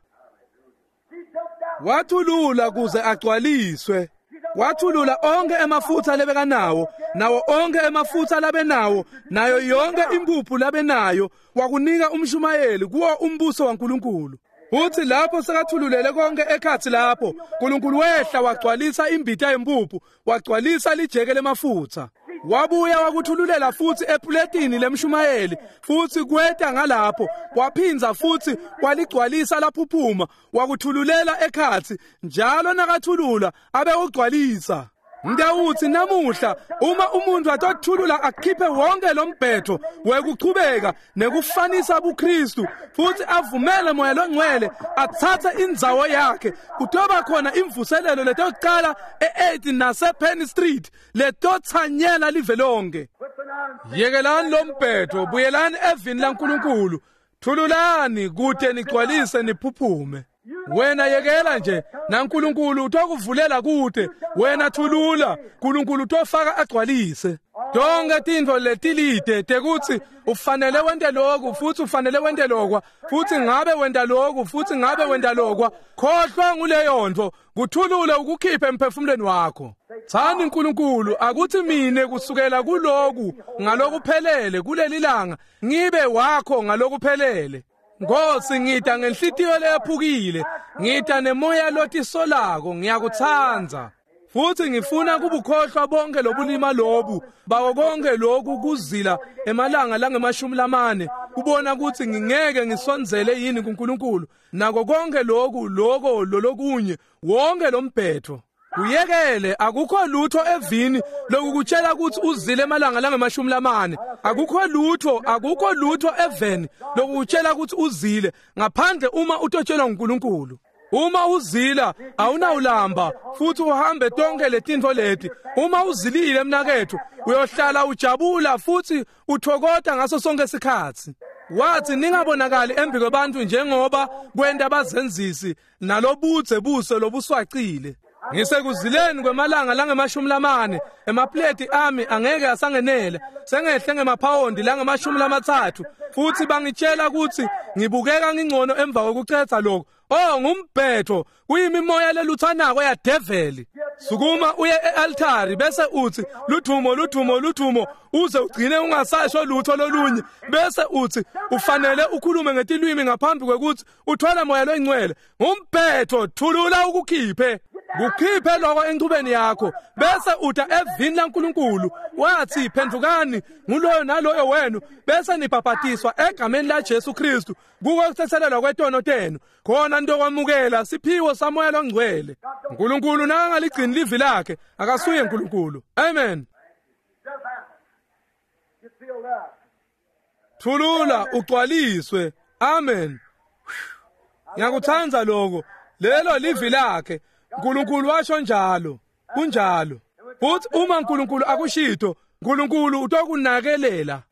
Speaker 1: Wathulula kuze agcwaliswe. Wathulula onke emafutha lebekanawo, nawo onke emafutha labenawo, nayo yonke impuphu labenayo, wakunika umshumayeli kuwo umbuso waNkulunkulu. Uthi lapho sekathululele konke ekhatsi lapho, uNkulunkulu wehla wagcwalisa imbita yempuphu, wagcwalisa lijeke lemafutha. Wabuya wakuthululela futsi epuletini lemshumayeli, futsi kweta ngalapho, waphinza futsi waligcwalisa laphuphuma, wakuthululela ekhatsi, njalo nakathulula abe ugcwalisa. Ngiyawuthi namuhla uma umuntu atothulula akhiphe wonke lombhetho wekuchubeka nekufanisa buKristu futhi avumele moya longcwele atsatse indzawo yakhe, kutoba khona imvuselelo letoqala e-8 nase-Penn Street letotsanyela live lonke. Yekelani lombhetho, buyelani evini laNkulunkulu, thululani kude nigcwalise niphuphume. Wena yekela nje naNkulunkulu utokuvulela kude, wena thulula, uNkulunkulu utofaka agcwalise. Tonke tintfo letilide tekutsi ufanele wente lokhu futhi ufanele wente lokwa, futhi ngabe wenta lokhu futhi ngabe wenta lokwa, khohlwa nguleyo nto, kuthulule ukukhiphe emphefumulweni wakho. Tsani uNkulunkulu akuthi mine kusukela kuloku ngalokuphelele kuleli langa ngibe wakho ngalokuphelele. Nkosi, ngita ngenhlitiyo leyaphukile, ngita nemoya lotisolako, ngiyakutsandza. Futhi ngifuna kubukhohlwa bonke lobulima lobu, bawo konke lokhu kuzila emalanga langemashumi lamane, kubona ukuthi ngingeke ngisondzele yini kuNkulunkulu, nako konke lokhu loko lolokunye, wonke lombhetho. Kuyekele, akukho lutho evini lokukutshela ukuthi uzile emalanga langemashumi lamane. Akukho lutho, akukho lutho eveni lokukutshela ukuthi uzile ngaphandle uma utotshelwa nguNkulunkulu. Uma uzila awunawulamba futhi uhambe tonke letintfo leti. Uma uzilile mnakethu uyohlala ujabula futhi uthokota ngaso sonke isikhatsi. Wathi ningabonakali embi kwabantu njengoba kwenta abazenzisi nalobudze buso lobuswacile. Ngisekuzileni kwemalanga langama-40 emapleti ami angeke asangenela, sengehle ngemaphawondi langama-30, futhi bangitshela ukuthi ngibukeka ngingcono emva kokucetha lokho. Oh, ngumbhetho, kuyimimoya leluthanako yadeveli. Sukuma uye e-altari bese uthi luthumo luthumo luthumo, uze ugcine ungasasho lutho lolunye, bese uthi ufanele ukhulume ngetilwimi ngaphambi kwekuthi uthwale moya loyingcwele. Ngumbhetho, thulula ukukhiphe. Kukhiphe lokho enchubeni yakho, bese uta evini laNkulunkulu. Wathi phendukani nguloyo naloyo wenu, bese nibhabhatiswa egameni laJesu Kristu kuko ukuthethelelwa kwetono tenu, khona ntokwamukela siphiwo samoya longcwele. uNkulunkulu nakangaligcini livi lakhe akasuye uNkulunkulu. Amen. Thulula ugcwaliswe. Amen. Ngiyakuthanda lokho. Lelo livi lakhe. uNkulunkulu washo njalo. Kunjalo. Futhi uma uNkulunkulu akushito, uNkulunkulu utokunakelela.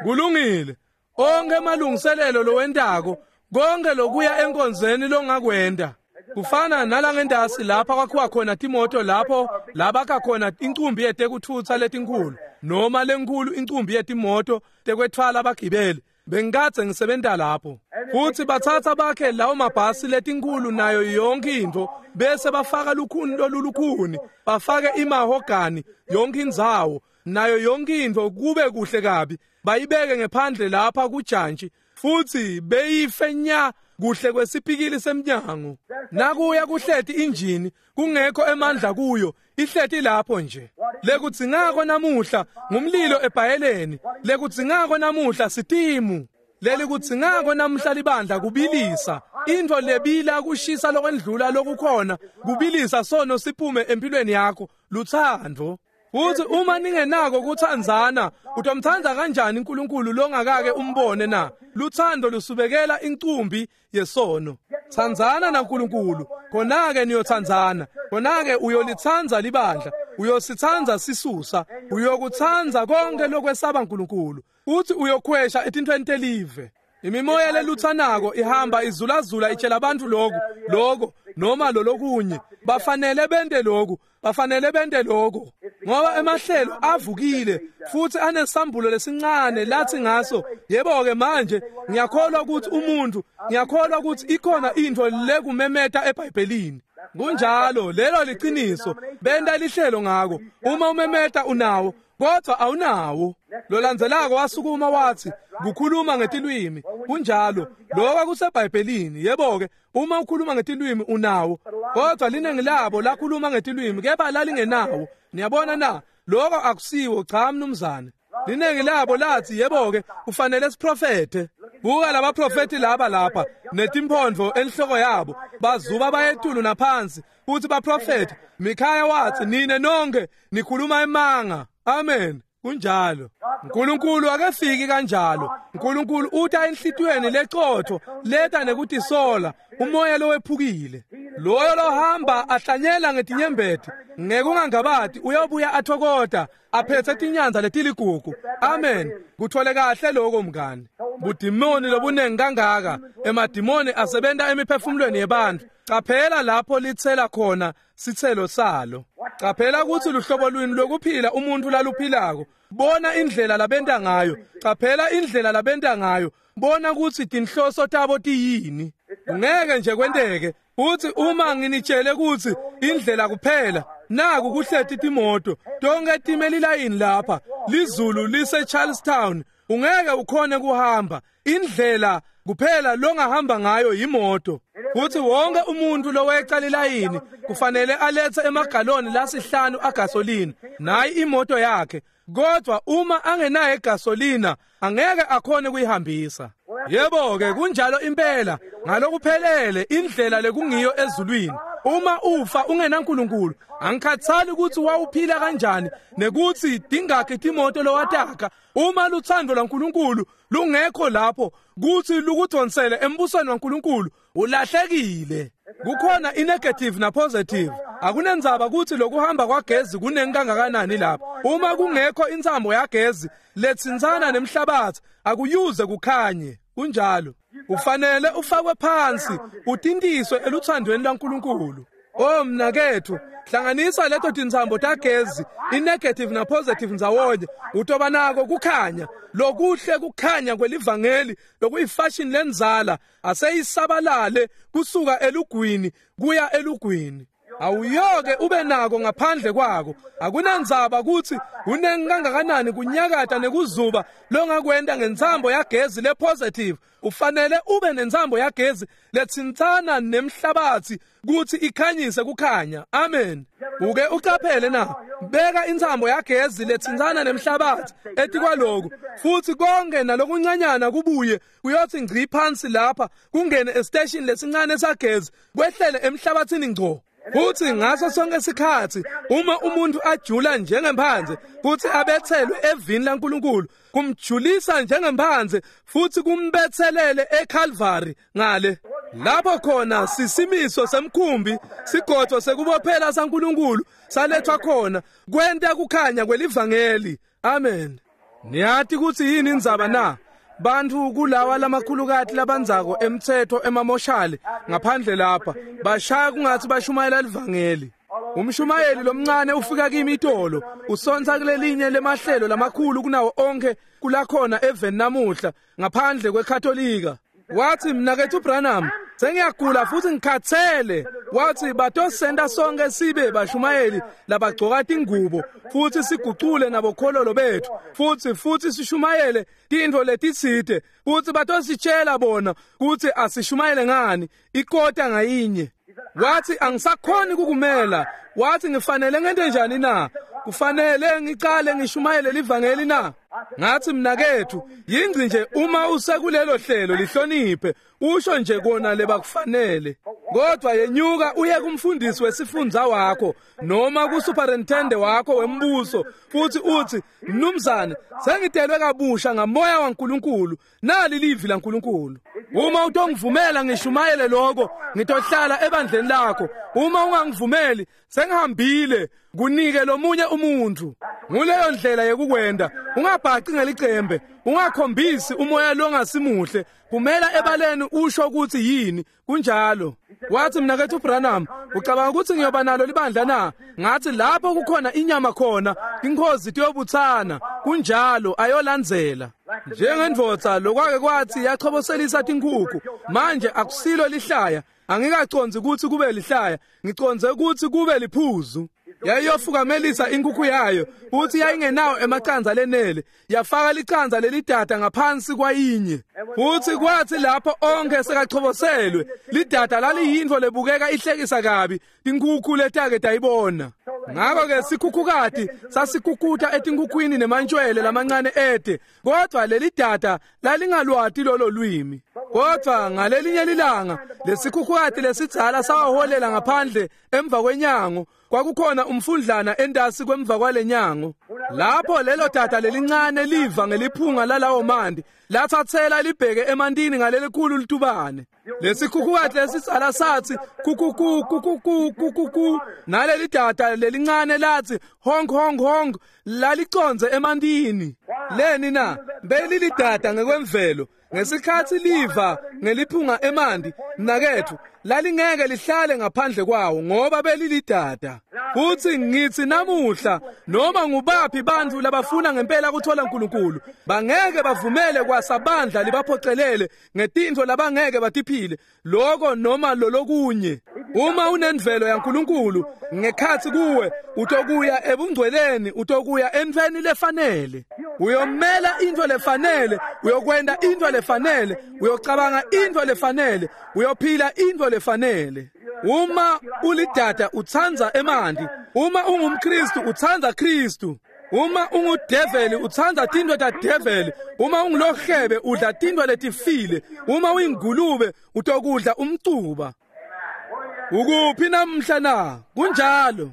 Speaker 1: Kulungile. Onke amalungiselelo lowentako, konke lokuya enkonzeni longakwenda. Kufana nalangentasi lapha kwakhiwa khona timoto, lapho labakha khona incumbi yetekuthutsa letinkulu noma lenkulu incumbi yetimoto tekwetfwala abagibeli. Bengikadze ngisebenta lapho. Futhi bathatha bakhe lawo mabhasi letinkulu nayo yonke into, bese bafaka lukhuni lolulukhuni, bafake imahogani yonke indzawo nayo yonke into, kube kuhle kabi. Bayibeke ngephandle lapha kujantshi, futhi beyife nya kuhle kwesipikili semnyango. Nakuya kuhleti injini kungekho emandla kuyo, ihleti lapho nje. Lekudzingako namuhla ngumlilo ebhayeleni, lekudzingako namuhla sitimu, lelikudzingako namuhla libandla kubilisa intfo lebila kushisa lokwendlula lokukhona, kubilisa sono siphume empilweni yakho, luthando. Futhi uma ningenako kuthandzana, utomthanda kanjani uNkulunkulu longakake umbone na? Luthando lusubekela incumbi yesono. Thandzana naNkulunkulu, khona-ke niyothandzana, khona-ke uyolithandza libandla, uyosithandza sisusa, uyokuthandza konke lokwesaba uNkulunkulu, futhi uyokhwesha etintfweni telive. Imimoya leluthanako ihamba izulazula itshela abantu lokhu, lokho noma lolokunye. Bafanele bente lokhu, bafanele bente lokho, ngoba emahlelo avukile futhi anesambulo lesincane lathi ngaso. Yebo-ke manje ngiyakholwa ukuthi umuntu, ngiyakholwa ukuthi ikhona into lekumemeta eBhayibhelini. Kunjalo, lelo liqiniso. Benta lihlelo ngako. Uma umemeta unawo, kodwa awunawo. Lolandzelako wasukuma wathi kukhuluma ngetilwimi. Kunjalo, lokho kuseBhayibhelini. Yebo-ke, uma ukhuluma ngetilwimi unawo, kodwa liningi labo lakhuluma ngetilwimi kepha lalingenawo. Niyabona na? Lokho akusiwo. Cha mnumzane. Liningi labo lathi yebo-ke kufanele siprofethe. Buka labaprofethi laba lapha netimphondvo enhloko yabo, bazuba bayetulu naphansi futhi baprofethe. Mikhaya wathi nine nonke nikhuluma emanga. Amen. Kunjalo. uNkulunkulu akefiki kanjalo. uNkulunkulu uta enhlitiyweni lecotho, leta nekutisola, umoya lowephukile. Loyo lohamba ahlanyela ngetinyembeti, ngekungangabati uyobuya athokota, aphethe tinyanza letiligugu. Amen. Kuthole kahle lokho mngani. Budimoni lobunengi kangaka, emadimoni asebenta emiphefumulweni yebantu. Qaphela lapho litsela khona sitselo salo. Qaphela ukuthi luhlobo lwini lokuphila umuntu laluphilako. Bona indlela labenta ngayo. Qaphela indlela labenta ngayo. Bona ukuthi tinhloso tabo tiyini. Ngeke nje kwenteke uthi uma nginitshele ukuthi indlela kuphela, naku kuhleti timoto tonke time lilayini lapha, lizulu lise Charlestown, ungeke ukhone kuhamba. Indlela kuphela longahamba ngayo yimoto. Futhi wonke umuntu loweca lilayini kufanele alethe emagaloni lasihlanu agasolina, nayi imoto yakhe. Kodwa uma angenayo igasolina angeke akhone kuyihambisa. Yebo-ke, kunjalo impela ngalokuphelele indlela lekungiyo ezulwini. Uma ufa ungenaNkulunkulu, angikhathali ukuthi wawuphila kanjani nekuthi tingakhi timoto lowataka, uma luthando lwaNkulunkulu lungekho lapho kuthi lukudonsele embusweni waNkulunkulu, ulahlekile. Kukhona i-negative na-positive. Akunendzaba ukuthi lokuhamba kwagezi kunengi kangakanani lapha. Uma kungekho intsambo yagezi letsintsana nemhlabathi, akuyuze kukhanye. Kunjalo. Kufanele ufakwe phansi, utintiswe eluthandweni lwaNkulunkulu. Oh mnakethu, hlanganisa leto tintsambo tagezi, i-negative na-positive ndzawonye, utoba nako kukhanya. Lokuhle kukhanya kwelivangeli lokuyifashion lenzala aseyisabalale kusuka elugwini kuya elugwini. Awuyoke ube nako ngaphandle kwako. Akunandzaba ukuthi kunengi kangakanani kunyakata nekuzuba longakwenta ngentsambo yagezi le-positive. Ufanele ube nentsambo yagezi letsintsana nemhlabathi kuthi ikhanyise kukhanya. Amen. Uke ucaphele na, beka intsambo yagezi letsintsana nemhlabathi etikwaloku, futhi konke nalokuncanyana kubuye kuyothi ngci phansi lapha, kungene esiteshini lesincane sagezi, kwehlele emhlabathini ngco. Futhi ngaso sonke isikhathi uma umuntu ajula njengemphanze futhi abethelwe evini laNkulunkulu, kumjulisa njengemphanze futhi kumbethelele eCalvary ngale lapho khona sisimiso semkhumbi, sigodvo sekubophela saNkulunkulu salethwa khona kwenta kukhanya kwelivangeli. Amen. Niyati ukuthi yini indzaba na? Bantfu kulawa lamakhulukati labandzako emtsetfo emamoshali ngaphandle lapha bashaya kungathi bashumayela livangeli. Umshumayeli lomncane ufika kimi itolo, usontsa kulelinye lemahlelo lamakhulu kunawo onke kulakhona eveni namuhla ngaphandle kweKatolika. Wathi, mnakethu Branham, sengiyagula futhi ngikhathele. Wathi batosenta sonke sibe bashumayeli labagcoka tingubo futhi sigucule nabokhololo bethu futhi sishumayele tintfo letitsite, futhi batositshela bona kuthi asishumayele ngani ikota ngayinye. Wathi angisakhoni kukumela. Wathi ngifanele ngente njani na? Kufanele ngicale ngishumayele livangeli na? Ngathi mnakethu, yingci nje uma usekulelo hlelo lihloniphe, usho nje kona lebakufanele. Kodwa yenyuka uye kumfundisi wesifundza wakho noma kusuperintendent wakho wembuso futhi uthi, mnumzane, sengitelwe kabusha ngamoya waNkulunkulu, nali livi laNkulunkulu. Uma utongivumela ngishumayele lokho, ngitohlala ebandleni lakho. Uma ungangivumeli, sengihambile, kunike lomunye umuntu. Nguleyo ndlela yekukwenda. Ungabhaci ngelicembe, ungakhombisi umoya longasimuhle. Kumela ebaleni usho ukuthi yini. Kunjalo. Wathi mnakethu Branham, ucabanga ukuthi ngiyoba nalo libandla na? Ngathi lapho kukhona inyama khona, inkhozi tiyobuthana. Kunjalo, ayolandzela. Njengendvodza lokwake kwathi yachoboselisa tinkhukhu, manje akusilo lihlaya. Angikacondzi ukuthi kube lihlaya, ngicondze ukuthi kube liphuzu. Yayiyofukamelisa inkukhu yayo, futhi yayingenawo emacandza lenele, yafaka licandza lelidada ngaphansi kwayinye. Futhi kwathi lapho onke sekachoboselwe, lidada laliyintfo lebukeka ihlekisa kabi, tinkhukhu letake tayibona. Ngakho-ke sikhukhukati sasikukuta etinkhukhwini nemantshwele lamancane ede, kodwa lelidada lalingalwati lolo lwimi. Kodwa ngalelinye lilanga lesikhukhukati lesidzala sawaholela ngaphandle emva kwenyango. Kwakukhona umfundlana entasi kwemva kwalenyango. Lapho lelo dada lelincane liva ngeliphunga lalawo manti, lathathela libheke emantini ngalelikhulu litubane. Lesikhukhukati lesidzala sathi kukuku kukuku kukuku, naleli dada lelincane lathi honk honk honk, lalicondze emantini. Leni na? Belilidada ngekwemvelo. Ngesikhathi liva ngeliphunga emanti, mnakethu, lalingeke lihlale ngaphandle kwawo ngoba belilidada. Futhi ngithi namuhla, noma ngubaphi bantfu labafuna ngempela kuthola uNkulunkulu, bangeke bavumele kwasabandla libaphocelele ngetintfo labangeke batiphile, loko noma lolokunye. Uma unenvelo yaNkulunkulu ngekhathi kuwe, utokuya ebungcweleni, utokuya entfweni lefanele. Uyomela intfo lefanele, uyokwenta intfo lefanele, uyocabanga intfo lefanele, uyophila intfo lefanele. Uma ulidada utsandza emanti, uma ungumKristu utsandza Kristu. Uma ungudeveli utsandza tintfo tadeveli, uma ungulohebe udla tintfo letifile, uma uyingulube utokudla umcuba. Ukuphi namhla na? Kunjalo.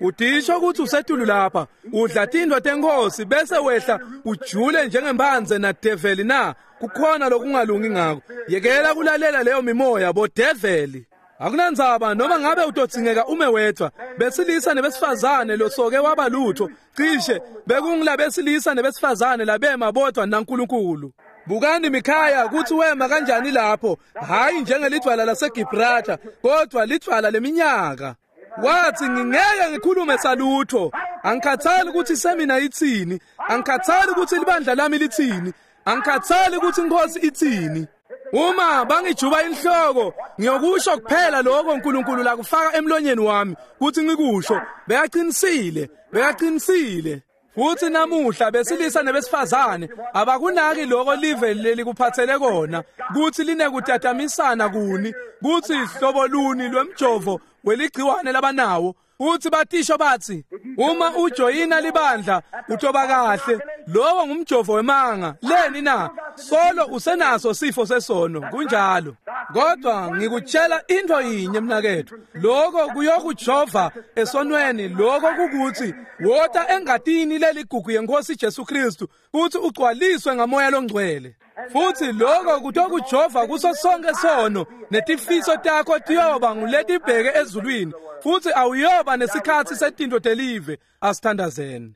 Speaker 1: Udisho ukuthi usetulu lapha, udla tindwa tenkosi bese wehla ujule njengembanze na develi na? Kukhona lokungalungi ngako. Yekela kulalela leyo mimoya bo develi. Akunandzaba noma ngabe utodzingeka ume wedvwa, besilisa nebesifazane losoke waba lutho, cishe bekungilabesilisa nebesifazane labema bodvwa naNkulunkulu. Bukani Mikhaya kutsi wema kanjani lapho, hayi njengelidvwala laseGibraltar, kodwa lidvwala leminyaka. Wathi ngingeke ngikhulume salutho, angikhathali ukuthi semina itsini, angikhathali ukuthi libandla lami litsini, angikhathali ukuthi inkosi itsini. Uma bangijuba inhloko, ngiyokusho kuphela lokho uNkulunkulu lakufaka emlonyeni wami kuthi ngikusho. Beyaqinisile, beyaqinisile. Futhi namuhla besilisa nebesifazane abakunaki lokho live lelikuphathele kona, kuthi linekutatamisana kuni, kuthi hlobo luni lwemjovo weligciwane labanawo. Uthi batisho bathi uma ujoyina libandla utoba kahle, lowo ngumjovo wemanga. Leni na? Solo usenaso sifo sesono, kunjalo. Kodwa ngikutshela into yinye mnakethu, lokho kuyokujova esonweni, lokho kukuthi wota engatini leligugu yenkosi Jesu Kristu kuthi ugcwaliswe ngamoya longcwele. Futhi lokho kutokujova kuso sonke sono, netifiso takho tiyoba nguletibheke ezulwini, futhi awuyoba nesikhathi setinto telive. Asithandazeni.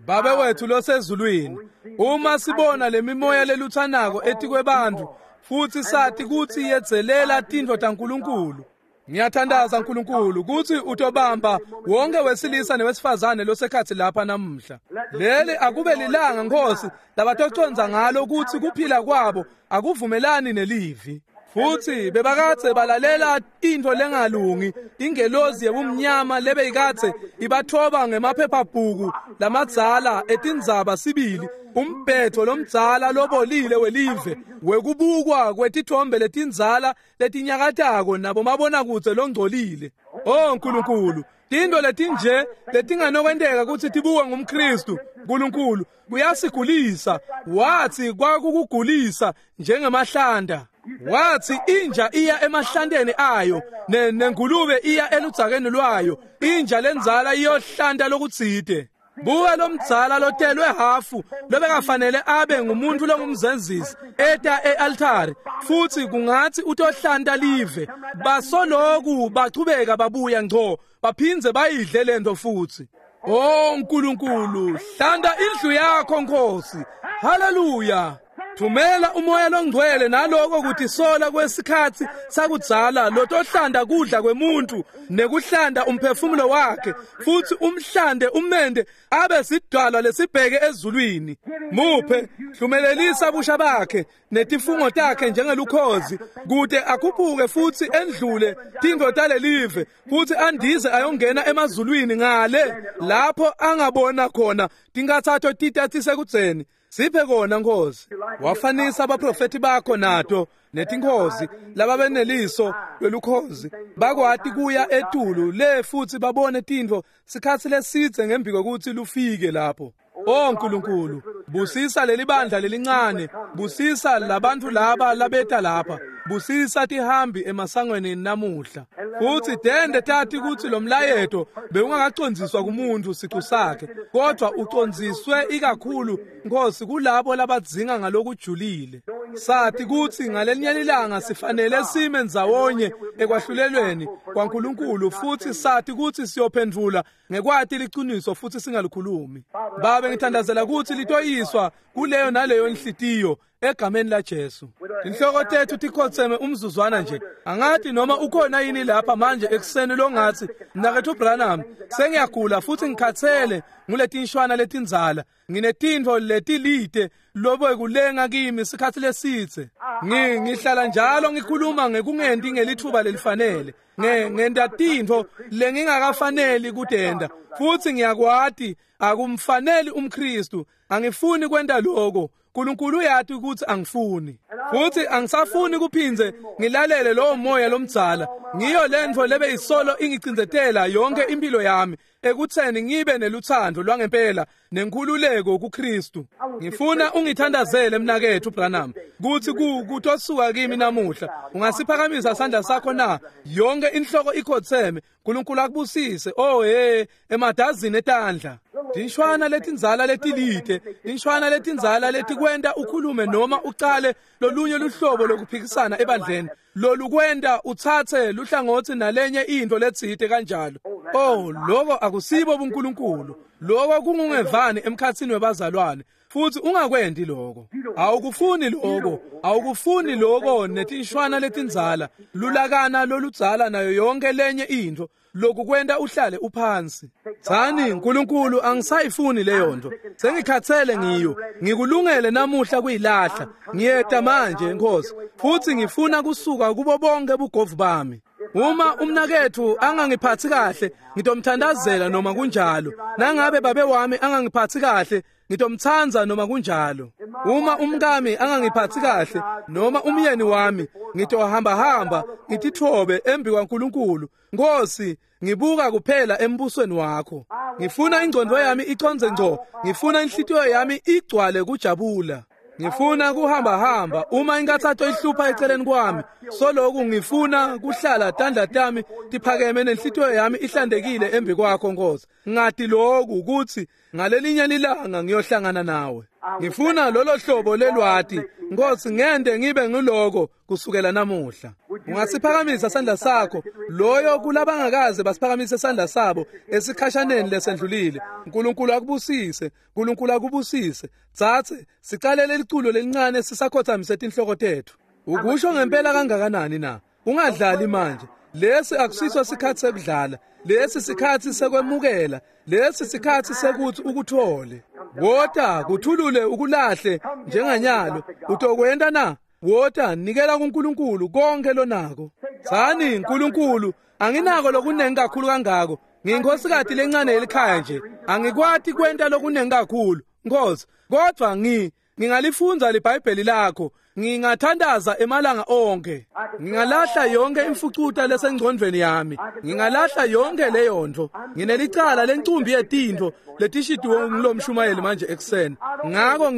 Speaker 1: Babe wethu losezulwini, uma sibona lemimoya leluthanako etikwebantfu futhi sathi kutsi yedzelela tintfo taNkulunkulu, ngiyathandaza Nkulunkulu kutsi utobamba wonke wesilisa newesifazane losekhatsi lapha namuhla. Leli akube lilanga Nkosi labatocondza ngalo kutsi kuphila kwabo akuvumelani nelivi. Futhi bebakadze balalela intfo lengalungi, ingelozi yebumnyama lebeyikadze ibathoba ngemaphephabhuku lamadzala etindzaba sibili, umbhetho lomdzala lobolile welive wekubukwa kwetithombe letindzala letinyakatako nabomabonakudze longcolile. Oh Nkulunkulu, tintfo letinje letinganokwenteka kutsi tibukwe ngumKristu, Nkulunkulu kuyasigulisa. Wathi kwakukugulisa njengemahlanda. Wathi inja iya emahlanteni ayo, nengulube iya eludzakeni lwayo, inja lendzala iyohlanta lokutsite. Buka lomdzala lotelwe hafu lobekafanele abe ngumuntu longumzenzisi eta e-altari, futhi kungathi utohlanta live. Basoloku bachubeka babuya ngco baphindze bayidle lento futhi. Oh Nkulunkulu, hlanta indlu yakho Nkosi. Haleluya. Thumela umoya longcwele naloko kutisola kwesikhatsi sakudzala lotohlanda kudla kwemuntu nekuhlanda umphefumulo wakhe, futhi umhlande umende abe sidwala lesibheke ezulwini. Muphe hlumelelisa busha bakhe netifungo takhe njengelukhozi, kute akhuphuke futhi endlule tintfo talelive, futhi andize ayongena emazulwini ngale lapho angabona khona tinkathatho titatisekudzeni. Siphe kona Nkosi. Wafanisa abaprofeti bakho nato netinkhozi lababeneliso lwelukhozi, bakwati kuya etulu le futhi babone tintfo sikhatsi lesidze ngembi kwekutsi lufike lapho. Oh Nkulunkulu, busisa leli bandla lelincane, busisa labantfu laba labeta lapha, busisa tihambi emasangweni namuhla. Futhi tende tati kutsi lo mlayeto bewungakacondziswa kumuntu sicu sakhe, kodwa ucondziswe ikakhulu Nkosi kulabo labadzinga ngalokujulile. Sathi kutsi ngalelinye ilanga sifanele sime ndzawonye ekwahlulelweni kwaNkulunkulu, futhi sathi kutsi siyophendvula ngekwati liciniso futhi singalikhulumi. Babe, ngithandazela kutsi litoyiswa kuleyo naleyo nhlitiyo egameni la Jesu. Inhloko tethu tikhotseme umzuzwana nje. Angathi noma ukhona yini lapha manje ekuseni longathi, Mnaketfu Branham, sengiyagula futhi ngikhathele nguletinshwana letindzala, nginetintfo letilite lobe kulenga kimi sikhatsi lesidze. Ngihlala njalo ngikhuluma ngekungenti ngelithuba lelifanele. Ngenta tintfo lengingakafaneli kutenta, futhi ngiyakwati akumfaneli umKristu. Angifuni kwenta lokho. Nkulunkulu uyati ukuthi angifuni. Futhi angisafuni kuphindze ngilalele lowo moya lomdzala. Ngiyo lentfo lebe isolo ingicindzetela yonke impilo yami ekutheni ngibe neluthando lwangempela nenkhululeko kuKristu. Ngifuna ungithandazele mnaketfu Branham kuthi kutosuka kimi namuhla. Ungasiphakamisa isandla sakho na? Yonke inhloko ikhotheme. uNkulunkulu akubusise. Oh hey, emadazini etandla. Tinshwana letindzala letilide, tinshwana letindzala letikwenta ukhulume noma ucale lolunye luhlobo lokuphikisana ebandleni, lolukwenta utsatse luhlangotsi nalenye into letsite kanjalo. Oh, lokho akusibo buNkulunkulu. Lokho kungungevani emkhatsini webazalwane. Futhi ungakwendi lokho. Awukufuni lokho. Awukufuni lokho netinshwana letindzala, lulakana loludzala nayo yonke lenye into. Lokhu kwenta uhlale uphansi. Tsani, uNkulunkulu angisayifuni leyo nto. Sengikhathele ngiyo. Ngikulungele namuhla kuyilahla. Ngiyeta manje Nkosi. Futhi ngifuna kusuka kubo bonke bugovu bami. Uma umnaketfu angangiphathi kahle, ngitomthandazela noma kunjalo. Nangabe babe wami angangiphathi kahle, ngitomthandza noma kunjalo. Uma umkami angangiphathi kahle noma umyeni wami, ngitohamba hamba ngitithobe embi kwaNkulunkulu. Nkosi, ngibuka kuphela embusweni wakho. Ngifuna ingqondo yami iconze ngco. Ngifuna inhlitiyo yami igcwale kujabula. Ngifuna kuhamba hamba uma inkathatho ihlupha eceleni kwami. Soloku ngifuna kuhlala tandla tami tiphakeme nenhlitiyo yami ihlandekile embi kwakho Nkosi. Ngati lokhu ukuthi ngalelinye lilanga ngiyohlangana nawe. Ngifuna lolo hlobo lelwati Nkosi, ngende ngibe ngiloko kusukela namuhla. Ungasiphakamisa isandla sakho loyo kulabangakaze basiphakamise isandla sabo esikhashaneni lesendlulile. uNkulunkulu akubusise, uNkulunkulu akubusise. Tsatse sicalele liculo lelincane sisakhothamise tinhloko tethu. Ukusho ngempela kangakanani na? Ungadlali manje. Lesi akusiso sikhathi sekudlala. Lesi sikhathi sekwemukela. Lesi sikhathi sekuthi ukuthole. Wota kuthulule ukulahle njenganyalo. Utokwenta na? Wota nikela kuNkulunkulu konke lonako. Tsani, uNkulunkulu, anginako lokunengi kakhulu kangako. Ngiyinkosikati lencane yelikhaya nje. Angikwati kwenta lokunengi kakhulu, Nkosi. Kodwa ngingalifundza liBhayibheli lakho. Ngingathandaza emalanga onke. Ngingalahla yonke imfucuta lesengcondvweni yami. Ngingalahla yonke leyo nto. Nginelicala lencumbi yetintfo letishidiwe ngulomshumayeli manje ekuseni. Ngako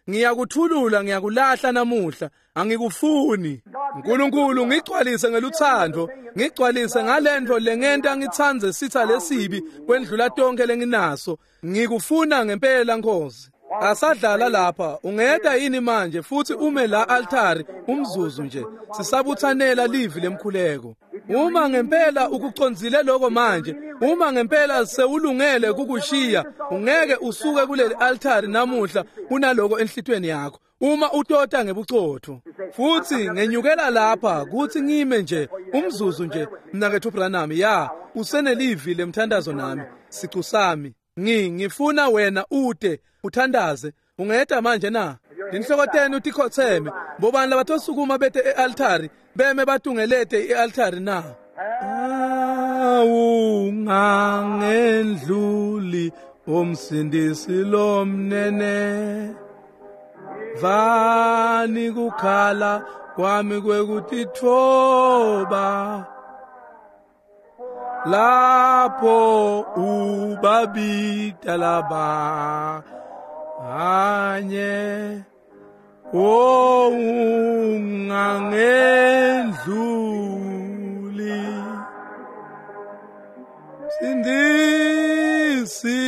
Speaker 1: ngiyakuthulula, ngiyakulahla namuhla. Angikufuni. uNkulunkulu, ngigcwalise ngeluthando, ngigcwalise ngalento lengenta ngitsandze sitha lesibi kwendlula tonke lenginaso. Ngikufuna ngempela Nkosi. Asadlala lapha, ungeta yini manje futhi ume la altari umzuzu nje. Sisabuthanela livi lemkhuleko. Uma ngempela ukucondzile lokho manje, uma ngempela sewulungele kukushiya, ungeke usuke kuleli altari namuhla unaloko enhlitweni yakho. Uma utota ngebucotho. Futhi ngenyukela lapha kuthi ngime nje umzuzu nje mnaketfu Branham, ya usenelivi lemthandazo nami, sicu sami. Ngifuna wena ute uthandaze. Ungeta manje na? Tinhloko tenu tikhotheme. Bobani labatosukuma bete e-altari beme batungelete i-altari na? Awungangendluli umsindisi lomnene, vani kukhala kwami kwekutitfoba, lapho ubabita labanye, ungangendluli sindisi,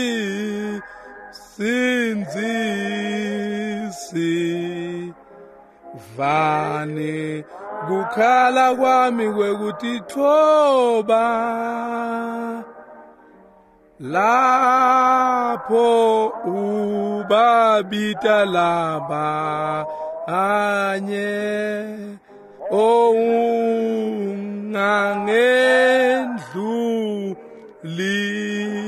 Speaker 1: sindzisi, vani kukhala kwami kwekutitfoba, lapho ubabita labanye, ungangendluli.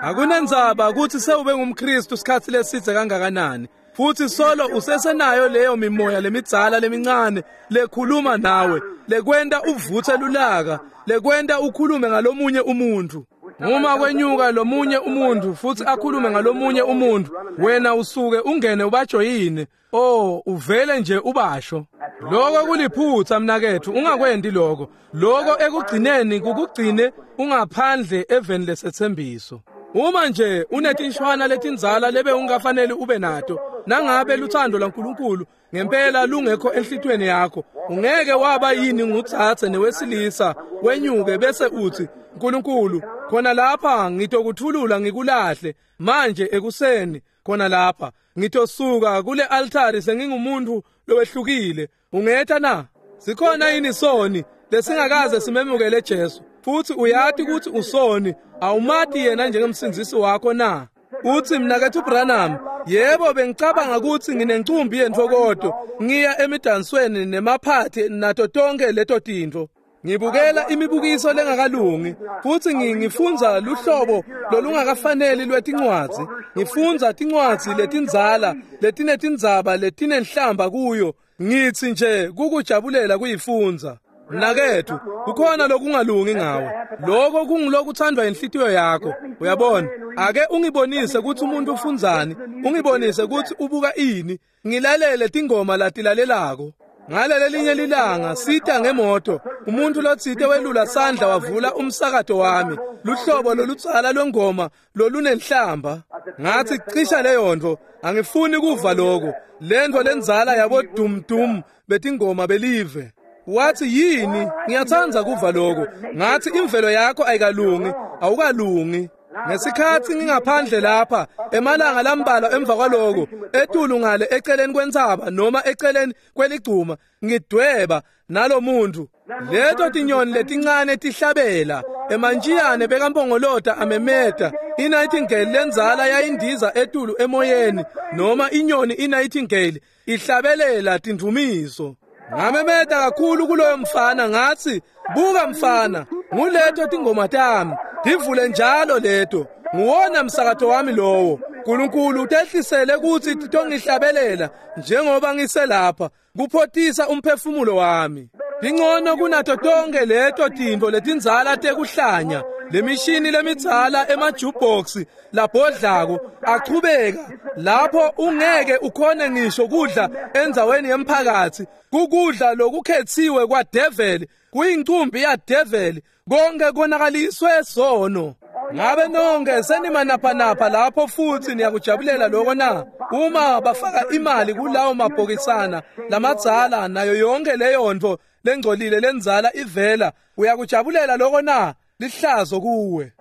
Speaker 1: Akunendzaba ukuthi sewube ngumKristu sikhathi lesidze kangakanani, futhi solo usesenayo leyo mimoya lemidzala lemincane lekhuluma nawe, lekwenta uvuthe lulaka, lekwenta ukhulume ngalomunye umuntu. Uma kwenyuka lomunye umuntu futhi akhulume ngalomunye umuntu, wena usuke ungene ubajoyine. Oh, uvele nje ubasho. Lokho kuliphutha mnakethu, ungakwendi lokho. Lokho ekugcineni kukugcine ungaphandle eveni lesethembiso. Uma nje unetinshwana letindzala lebe ungafanele ube nato, nangabe luthando lwaNkulunkulu ngempela lungekho enhlitiyweni yakho, ungeke waba yini ngutsatse newesilisa wenyuke bese uthi, "Nkulunkulu, khona lapha ngitokuthulula ngikulahle manje ekuseni, khona lapha ngitosuka kule altari sengingumuntu lowehlukile." Ungetha na? Sikhona yini soni lesingakaze simemukele Jesu? Futhi uyati ukuthi usoni, awumati yena njengemsindzisi wakho na? Uthi, "Mnakethu Branham, yebo bengicabanga ukuthi nginencumbi yentfokoto, ngiya emidansweni nemaphathi nato tonke leto tintfo. Ngibukela imibukiso lengakalungi futhi ngifundza luhlobo lolungakafaneli lwetincwadzi. Ngifundza tincwadzi letindzala letinetindzaba letinenhlamba kuyo. Ngithi nje kukujabulela kuyifundza." Mnakethu, kukhona lokungalungi ngawe. Lokho kungilokuthandwa inhlitiyo yakho. Uyabona? Ake ungibonise ukuthi umuntu ufundzani, ungibonise ukuthi ubuka ini, ngilalele tingoma latilalelako. Ngalele linye lilanga sita ngemoto, umuntu lotsite welula sandla wavula umsakato wami, luhlobo lolutsala lwengoma lolunenhlamba. Ngathi, "Cisha leyo nto, angifuni kuva lokho. Lento lenzala yabo dum dum betingoma belive." Wathi, "Yini? Ngiyathanda kuva lokho." Ngathi, "Imvelo yakho ayikalungi, awukalungi." Ngesikhathi ngingaphandle lapha emalanga lambalwa emva kwaloko, etulu ngale eceleni kwentsaba noma eceleni kweligcuma, ngidweba nalomuntu. Leto tinyoni letincane tihlabela, emantjiyane bekampongolota amemeta, i-nightingale lenzala yayindiza etulu emoyeni, noma inyoni i-nightingale ihlabelela tindvumiso. Ngamemeta kakhulu kuloyo mfana ngathi, "Buka mfana, nguleto tingoma tami, tivule njalo leto, nguwona msakato wami lowo. Nkulunkulu utehlisele ukuthi titongihlabelela njengoba ngiselapha, kuphotisa umphefumulo wami. Ingcono kunato tonke leto tintfo letindzala tekuhlanya, lemishini lemidzala emajukebox labhodlako achubeka lapho ungeke ukhone ngisho kudla endzaweni yemphakathi. Kukudla lokukhethiwe kwadeveli, kuyincumbi yadeveli, konke konakaliswe sono. Ngabe nonke senimanaphanapha lapho futhi niyakujabulela lokho na? Uma bafaka imali kulawo mabhokisana lamadzala nayo yonke leyo nto lengcolile lenzala ivela, uyakujabulela lokho na? Lihlazo kuwe.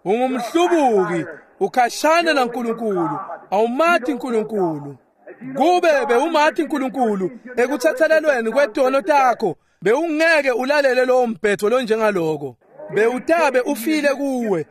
Speaker 1: Ungumhlubuki, ukhashana naNkulunkulu, awumati uNkulunkulu. Kube bewumati uNkulunkulu ekuthathelelweni kwetono takho, bewungeke ulalele lowo mbhetho lonjengaloko. Bewutabe ufile kuwe,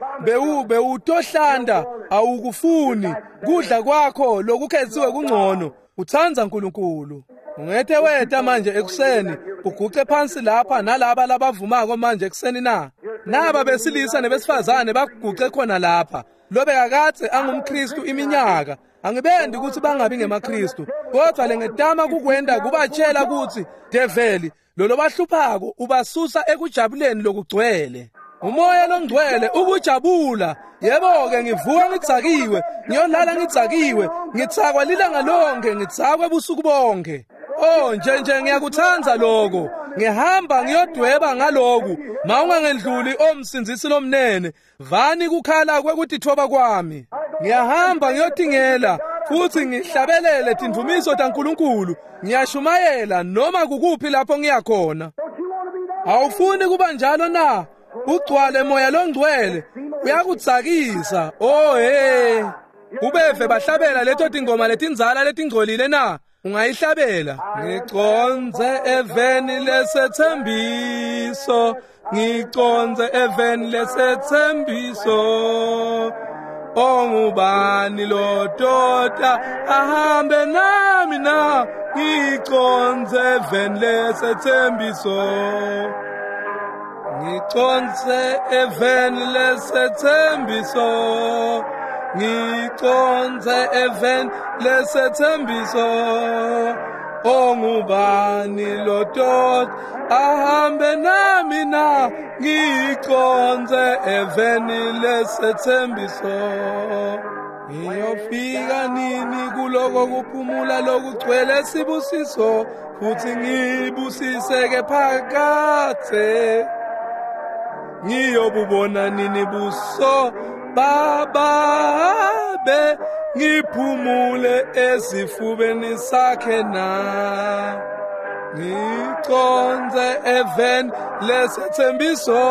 Speaker 1: bewutohlanda, awukufuni kudla kwakho lokukhethiwe kungcono. Utsandza uNkulunkulu. Ungethe weta manje ekuseni uguce phansi lapha nalaba labavumako manje ekuseni na? Naba besilisa nebesifazane baguce khona lapha. Lobekakadze angumKristu iminyaka. Angibendi ukuthi bangabi ngemaKristu, kodwa lengetama kukwenda kubatshela ukuthi develi lolo bahluphako ubasusa ekujabuleni lokugcwele. Umoya longcwele ukujabula. Yebo-ke, ngivuka ngidzakiwe, ngiyolala ngidzakiwe, ngitsakwa lilanga lonke, ngitsakwe ebusuku bonke. Oh, nje ngiyakuthanda lokho. Ngihamba ngiyodweba ngaloku. Mawungangendluli omsindzisi lomnene, vani kukhala kwekutithoba kwami. Ngiyahamba ngiyotingela futhi ngihlabelele tindvumiso taNkulunkulu. Ngiyashumayela noma kukuphi lapho ngiyakhona. Awufuni kuba njalo na? Ugcwale moya longcwele, uyakudzakisa. Oh hey, ubeve bahlabela leto tingoma letindzala letingcolile na? Ungayihlabela. Ngiconze eveni lesethembiso, ngiconze eveni lesethembiso. Ongubani lo doda ahambe nami na? Ngiconze eveni lesethembiso, ngiconze eveni lesethembiso, ngiconze eveni lesethembiso. Ongubani lotot ahambe nami na ngiconze eveni lesethembiso. Ngiyofika nini kuloko kuphumula lokugcwele sibusiso futhi ngibusiseke phakathe. Ngiyobubona nini buso bababe ngiphumule esifubeni sakhe na. Ngiconze eveni lesethembiso,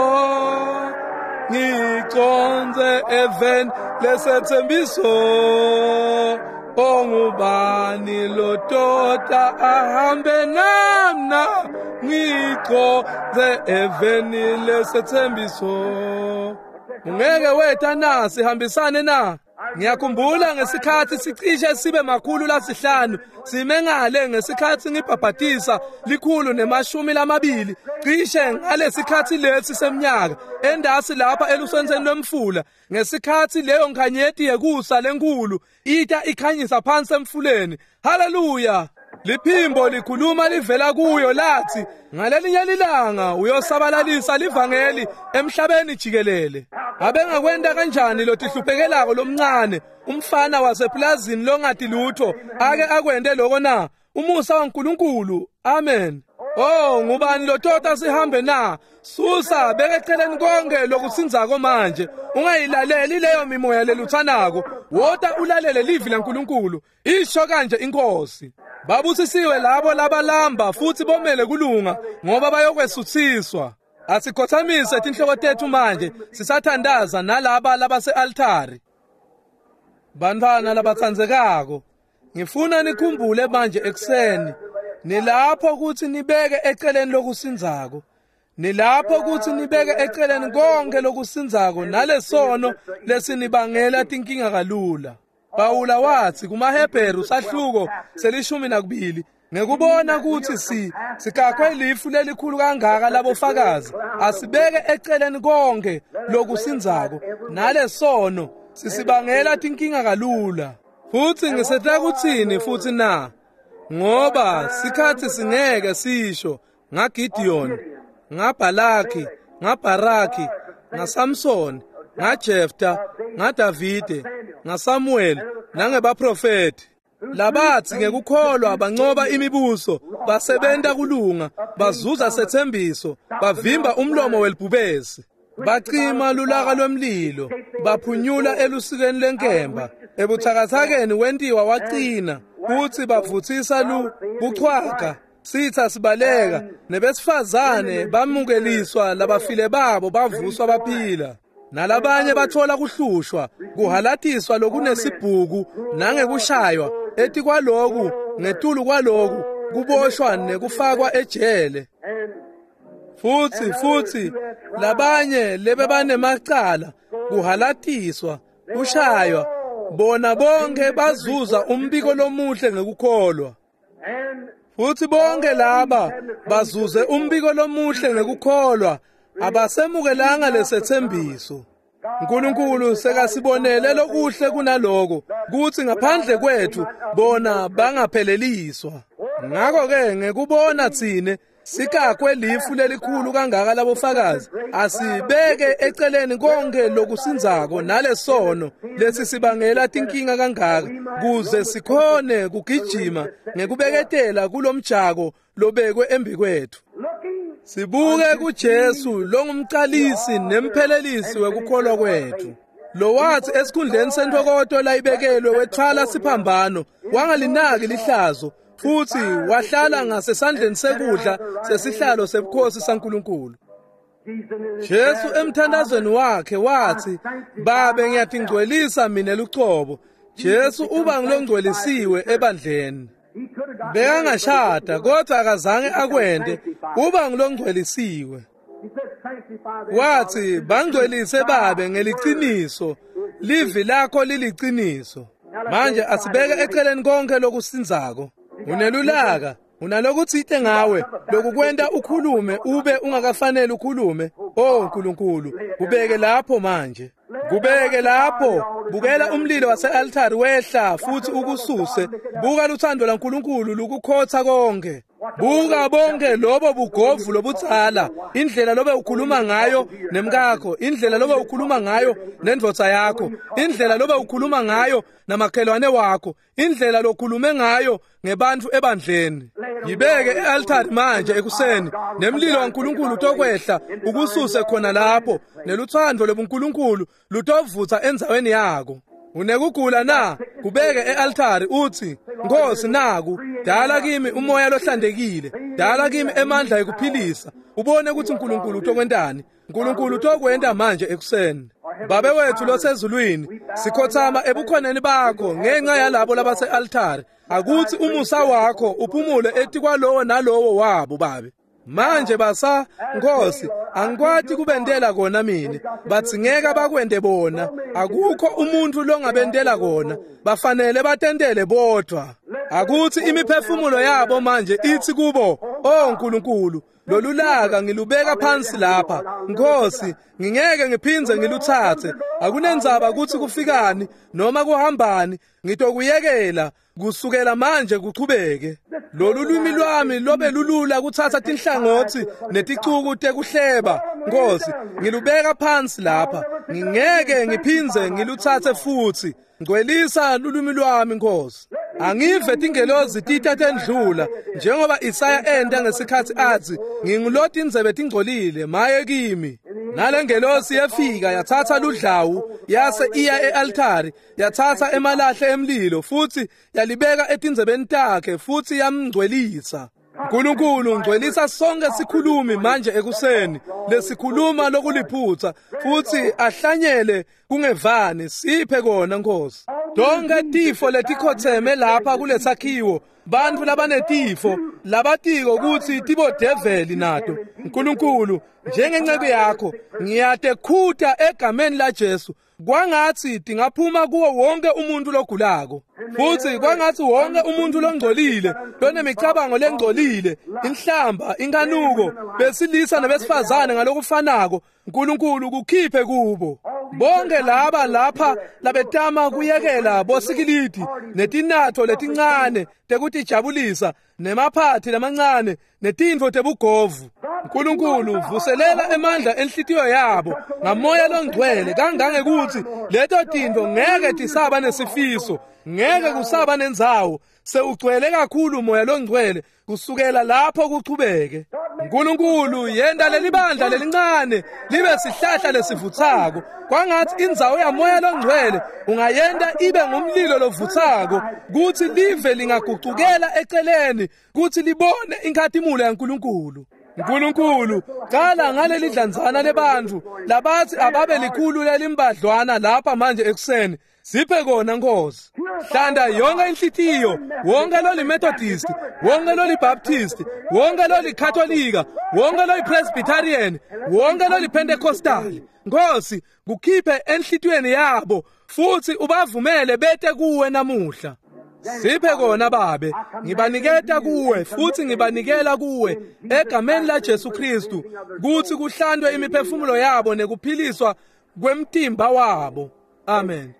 Speaker 1: ngiconze eveni lesethembiso. Ongubani lotota ahambe namna ngiconze eveni lesethembiso. Ungeke wetha na sihambisane na? Ngiyakhumbula ngesikhathi sicishe sibe 500 sime ngale ngesikhathi ngibhabhatisa 120 cishe ngalesikhathi lesi seminyaka endasi lapha elusenzeni lwemfula, ngesikhathi leyo nkhanyeti yekusa lenkulu ita ikhanyisa phansi emfuleni. Haleluya! Liphimbo likhuluma livela kuyo lathi ngalelinye lilanga uyosabalalisa livangeli emhlabeni jikelele. Abengakwenta kanjani lotihluphekelako lomncane umfana waseplazini longati lutho ake akwente lokho na? Umusa waNkulunkulu. Amen. Oh, ngubani lotota sihambe na? Susa bekeceleni konke lokusinzako manje. Ungayilaleli leyo mimoya leluthanako. Wota ulalele livi laNkulunkulu. Isho kanje inkosi. Babusisiwe labo labalamba futhi bomele kulunga ngoba bayokwesuthiswa. Asikhothamise tinhloko tethu manje sisathandaza nalaba labase-altari. Bantwana labatsandzekako, ngifuna nikhumbule manje ekuseni nilapho ukuthi nibeke eceleni lokusinzako. Nilapho ukuthi nibeke eceleni konke lokusinzako nalesono lesinibangela tinkinga kalula. Pawula wathi kumaHebheru sahluko 12 ngekubona ukuthi sikakwe ilifu lelikhulu kangaka labofakazi, asibeke eceleni konke lokusinzako nalesono sisibangela tinkinga kalula. Futhi ngisetla kuthini futhi na? Ngoba sikhathi singeke sisho ngaGideon, ngaBhalaki, ngaBharaki, ngaSamson, ngaJefta, ngaDavide, ngaSamuel nangebaprofeti. Labathi ngekukholwa bancoba imibuso, basebenta kulunga, bazuza sethembiso, bavimba umlomo welibhubesi, bacima lulaka lwemlilo, baphunyula elusikeni lenkemba, ebuthakathakeni wentiwa waqina, futhi bavuthisa buchwaga, sitha sibaleka, nebesifazane bamukeliswa labafile babo bavuswa baphila. Nalabanye bathola kuhlushwa, kuhalatiswa lokunesibhuku nangekushaywa, etikwaloku ngetulu kwaloku kuboshwa nekufakwa ejele. Futhi labanye lebebanemacala, kuhalatiswa, kushaywa, bona bonke bazuza umbiko lomuhle ngekukholwa. Futhi bonke laba bazuze umbiko lomuhle ngekukholwa, abasemukelanga lesethembiso. uNkulunkulu sekasibonele lokuhle kunaloko, kuthi ngaphandle kwethu bona bangapheleliswa. Ngakho-ke ngekubona thine sikakwe lifu lelikhulu kangaka labofakazi, asibeke eceleni konke lokusinzako nalesono lesisibangela tinkinga kangaka, kuze sikhone kugijima ngekubeketela kulomjako lobekwe embikwethu. Sibuke kuJesu longumqalisi nemphelelisi wekukholwa kwethu, lo wathi esikhundleni sentokoto layibekelwe wethwala siphambano, wangalinaki lihlazo, futhi wahlala ngasesandleni sekudla sesihlalo sebukhosi saNkulunkulu. Jesu emthandazweni wakhe wathi, Babe ngiyatingcwelisa mina lucobo. Jesu uba ngilongcwelisiwe ebandleni. Bekangashada kodwa akazange akwente, uba ngilongcwelisiwe. Wathi, bangcwelise Babe ngeliciniso, livi lakho liliciniso. Manje asibeke eceleni konke lokusinzako. Unelulaka, unalokuthite ngawe lokukwenta ukhulume ube ungakafanele ukhulume. Oh Nkulunkulu, kubeke lapho manje. Kubeke lapho. Bukela umlilo wase-altari wehla futhi ukususe. Buka luthando lwaNkulunkulu lukukhotha konke. Buka bonke lobo bugovu lobudzala, indlela lobe ukhuluma ngayo nemkakho, indlela lobe ukhuluma ngayo nendvodza yakho, indlela lobe ukhuluma ngayo namakhelwane wakho, indlela lokhulume ngayo ngebantfu ebandleni. Yibeke e-altari manje ekuseni, nemlilo waNkulunkulu utokwehla ukususe khona lapho, neluthando lobuNkulunkulu lutovutsa endzaweni yako. Unekugula na? Kubeke e-altari uthi, Nkosi naku, dala kimi umoya lohlantekile, dala kimi emandla ekuphilisa. Ubone ukuthi uNkulunkulu utokwentani. uNkulunkulu utokwenta manje ekuseni. Babe wethu losezulwini, sikhothama ebukhoneni bakho ngenxa yalabo labase-altari. Akuthi umusa wakho uphumule etikwalowo nalowo wabo babe. Manje basa Nkosi, angikwati kubentela kona mine, batsingeka bakwente bona. Akukho umuntu longabentela kona, bafanele batentele bodvwa. Akuthi imiphefumulo yabo manje ithi kubo, "Oh Nkulunkulu, lolulaka ngilubeka phansi lapha. Nkosi, ngingeke ngiphindze ngilutsatse. Akunendzaba ukuthi kufikani noma kuhambani, ngitokuyekela kusukela manje kuchubeke. Lolu lwimi lwami lobe lulula kuthatha tinhlangotsi neticuku tekuhleba. Nkosi, ngilubeka phansi lapha. Ngingeke ngiphindze ngilutsatse futhi. Ngcwelisa lulwimi lwami Nkosi. Angive tingelozi tita tendlula njengoba Isaya enta ngesikhathi athi nginguloti indzebe tingcolile maye kimi. Nalengelosi yefika yathatha ludlawu yase iya e-altari, yathatha emalahle emlilo futhi yalibeka etindzebeni takhe futhi yamngcwelisa. Nkulunkulu ngcwelisa sonke sikhulumi manje ekuseni lesikhuluma lokuliphutha futhi ahlanyele kungevani. Siphe kona Nkosi. Tonke tifo letikhotheme lapha kulesakhiwo, bantfu labanetifo labatiko ukuthi tibodeveli nato. Nkulunkulu, njengenceku yakho ngiyatekhuta egameni la Jesu, kwangathi tingaphuma kuwo wonke umuntu logulako, futhi kwangathi wonke umuntu longcolile lonemicabango lengcolile, inhlamba, inkanuko, besilisa nabesifazane ngalokufanako, Nkulunkulu kukhiphe kubo. Bonke laba lapha labetama kuyekela bosikilidi netinatho letincane tekutijabulisa nemaphathi lamancane netintfo tebugovu, Nkulunkulu vuselela emandla enhlitiyo yabo ngamoya longcwele kangangekuthi leto tintfo ngeke tisaba nesifiso, ngeke kusaba nendzawo. Sewugcwele kakhulu moya longcwele kusukela lapho kuchubeke. Nkulunkulu yenta lelibandla lelincane libe sihlahla lesivutsako. Kwangathi indzawo yamoya longcwele ungayenta ibe ngumlilo lovutsako, kuthi live lingagucukela eceleni kuthi libone inkhatimulo yaNkulunkulu. Nkulunkulu, qala ngaleli dlanzana lebantfu labathi ababe likhulu lelimbadlwana lapha manje ekuseni. Siphe kona Nkosi. Hlanda yonke inhlitiyo, wonke loli Methodist, wonke loli Baptist, wonke loli Katolika, wonke loli Presbyterian, wonke loli Pentecostal. Nkosi, kukhiphe enhlitiyweni yabo futhi ubavumele bete kuwe namuhla. Siphe kona babe, ngibaniketa kuwe futhi ngibanikela kuwe egameni la Jesu Kristu, kuthi kuhlandwe imiphefumulo yabo nekuphiliswa kwemtimba wabo. Amen.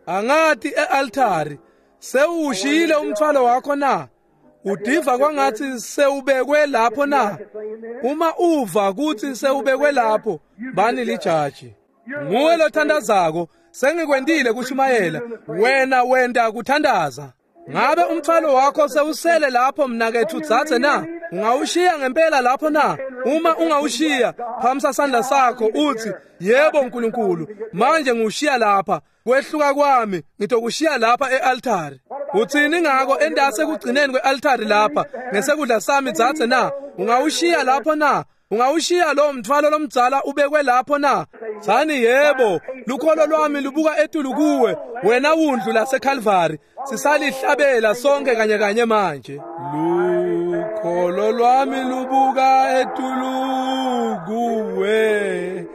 Speaker 1: Angathi e-altari sewushiyile umthwalo wakho na? Udiva kwangathi sewubekwe lapho na? Uma uva ukuthi sewubekwe lapho, bani lijaji. Nguwe lothandazako, sengikwentile kushumayela, wena wenta kuthandaza. Ngabe umthwalo wakho sewusele lapho mnakethu dzadze na? Ungawushiya ngempela lapho na? Uma ungawushiya, phamisa sandla sakho uthi, yebo Nkulunkulu, manje ngiwushiya lapha. Kwehluka kwami ngitokushiya lapha e-altari. Uthini ngako endase kugcineni kwe-altari lapha ngesekudla sami dzadze na? Ungawushiya lapho na? Ungawushiya lo mthwalo lomdzala ubekwe lapho na? Tsani yebo, lukholo lwami lubuka etulu kuwe, wena wundlu laseKalvari. Sisalihlabela sonke kanye kanye manje. Lukholo lwami lubuka etulu kuwe,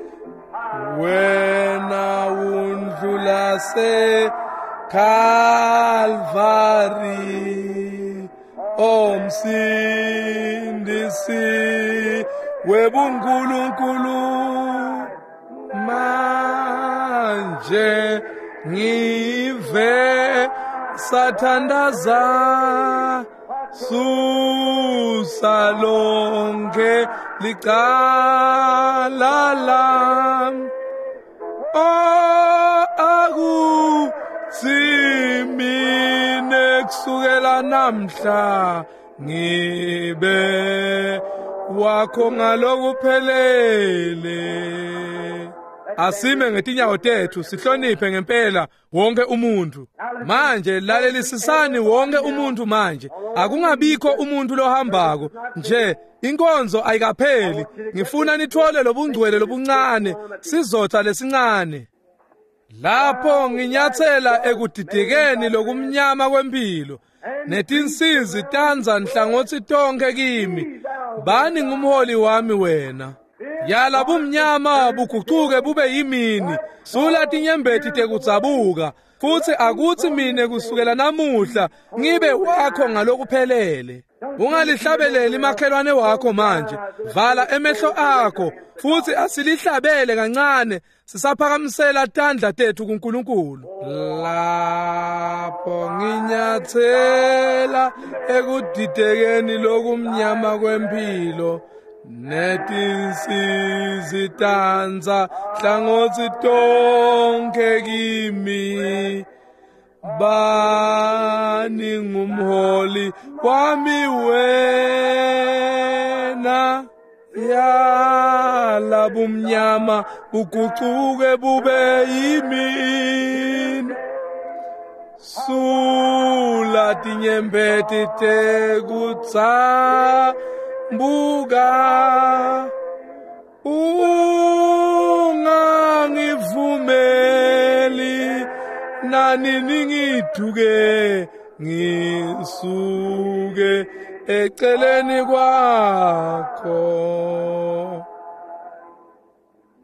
Speaker 1: wena wundlu laseKalvari. Omsindisi webuNkulunkulu nje ngive sathandaza susa lonke licala lam. Oh, akuthi mina kusukela namhla ngibe wakho ngalokuphelele. Asime ngetinyawo tethu sihloniphe ngempela wonke umuntu. Manje lalelisisani wonke umuntu manje. Akungabikho umuntu lohambako nje, inkonzo ayikapheli. Ngifuna nithole lobungcwele lobuncane, sizotha lesincane. Lapho nginyathela ekudidekeni lokumnyama kwempilo, netinsizi tanza nhlangothi tonke kimi. Bani ngumholi wami wena. Yala bumnyama bugucuke bube yimini, sula tinyembeti tekudzabuka, futhi akuthi mine kusukela namuhla ngibe wakho ngalokuphelele. Ungalihlabeleli makhelwane wakho manje, vala emehlo akho futhi asilihlabele kancane sisaphakamisela tandla tethu kuNkulunkulu. Lapho nginyathela ekudidekeni lokumnyama kwempilo, netinsizi tanza hlangothi tonke kimi. Bani ngumholi wami wena, yala bumnyama bugucuke bube yimini, sula tinyembeti tekutsambuka, ungangivumeli nani ngithuke ngisuke eceleni kwakho.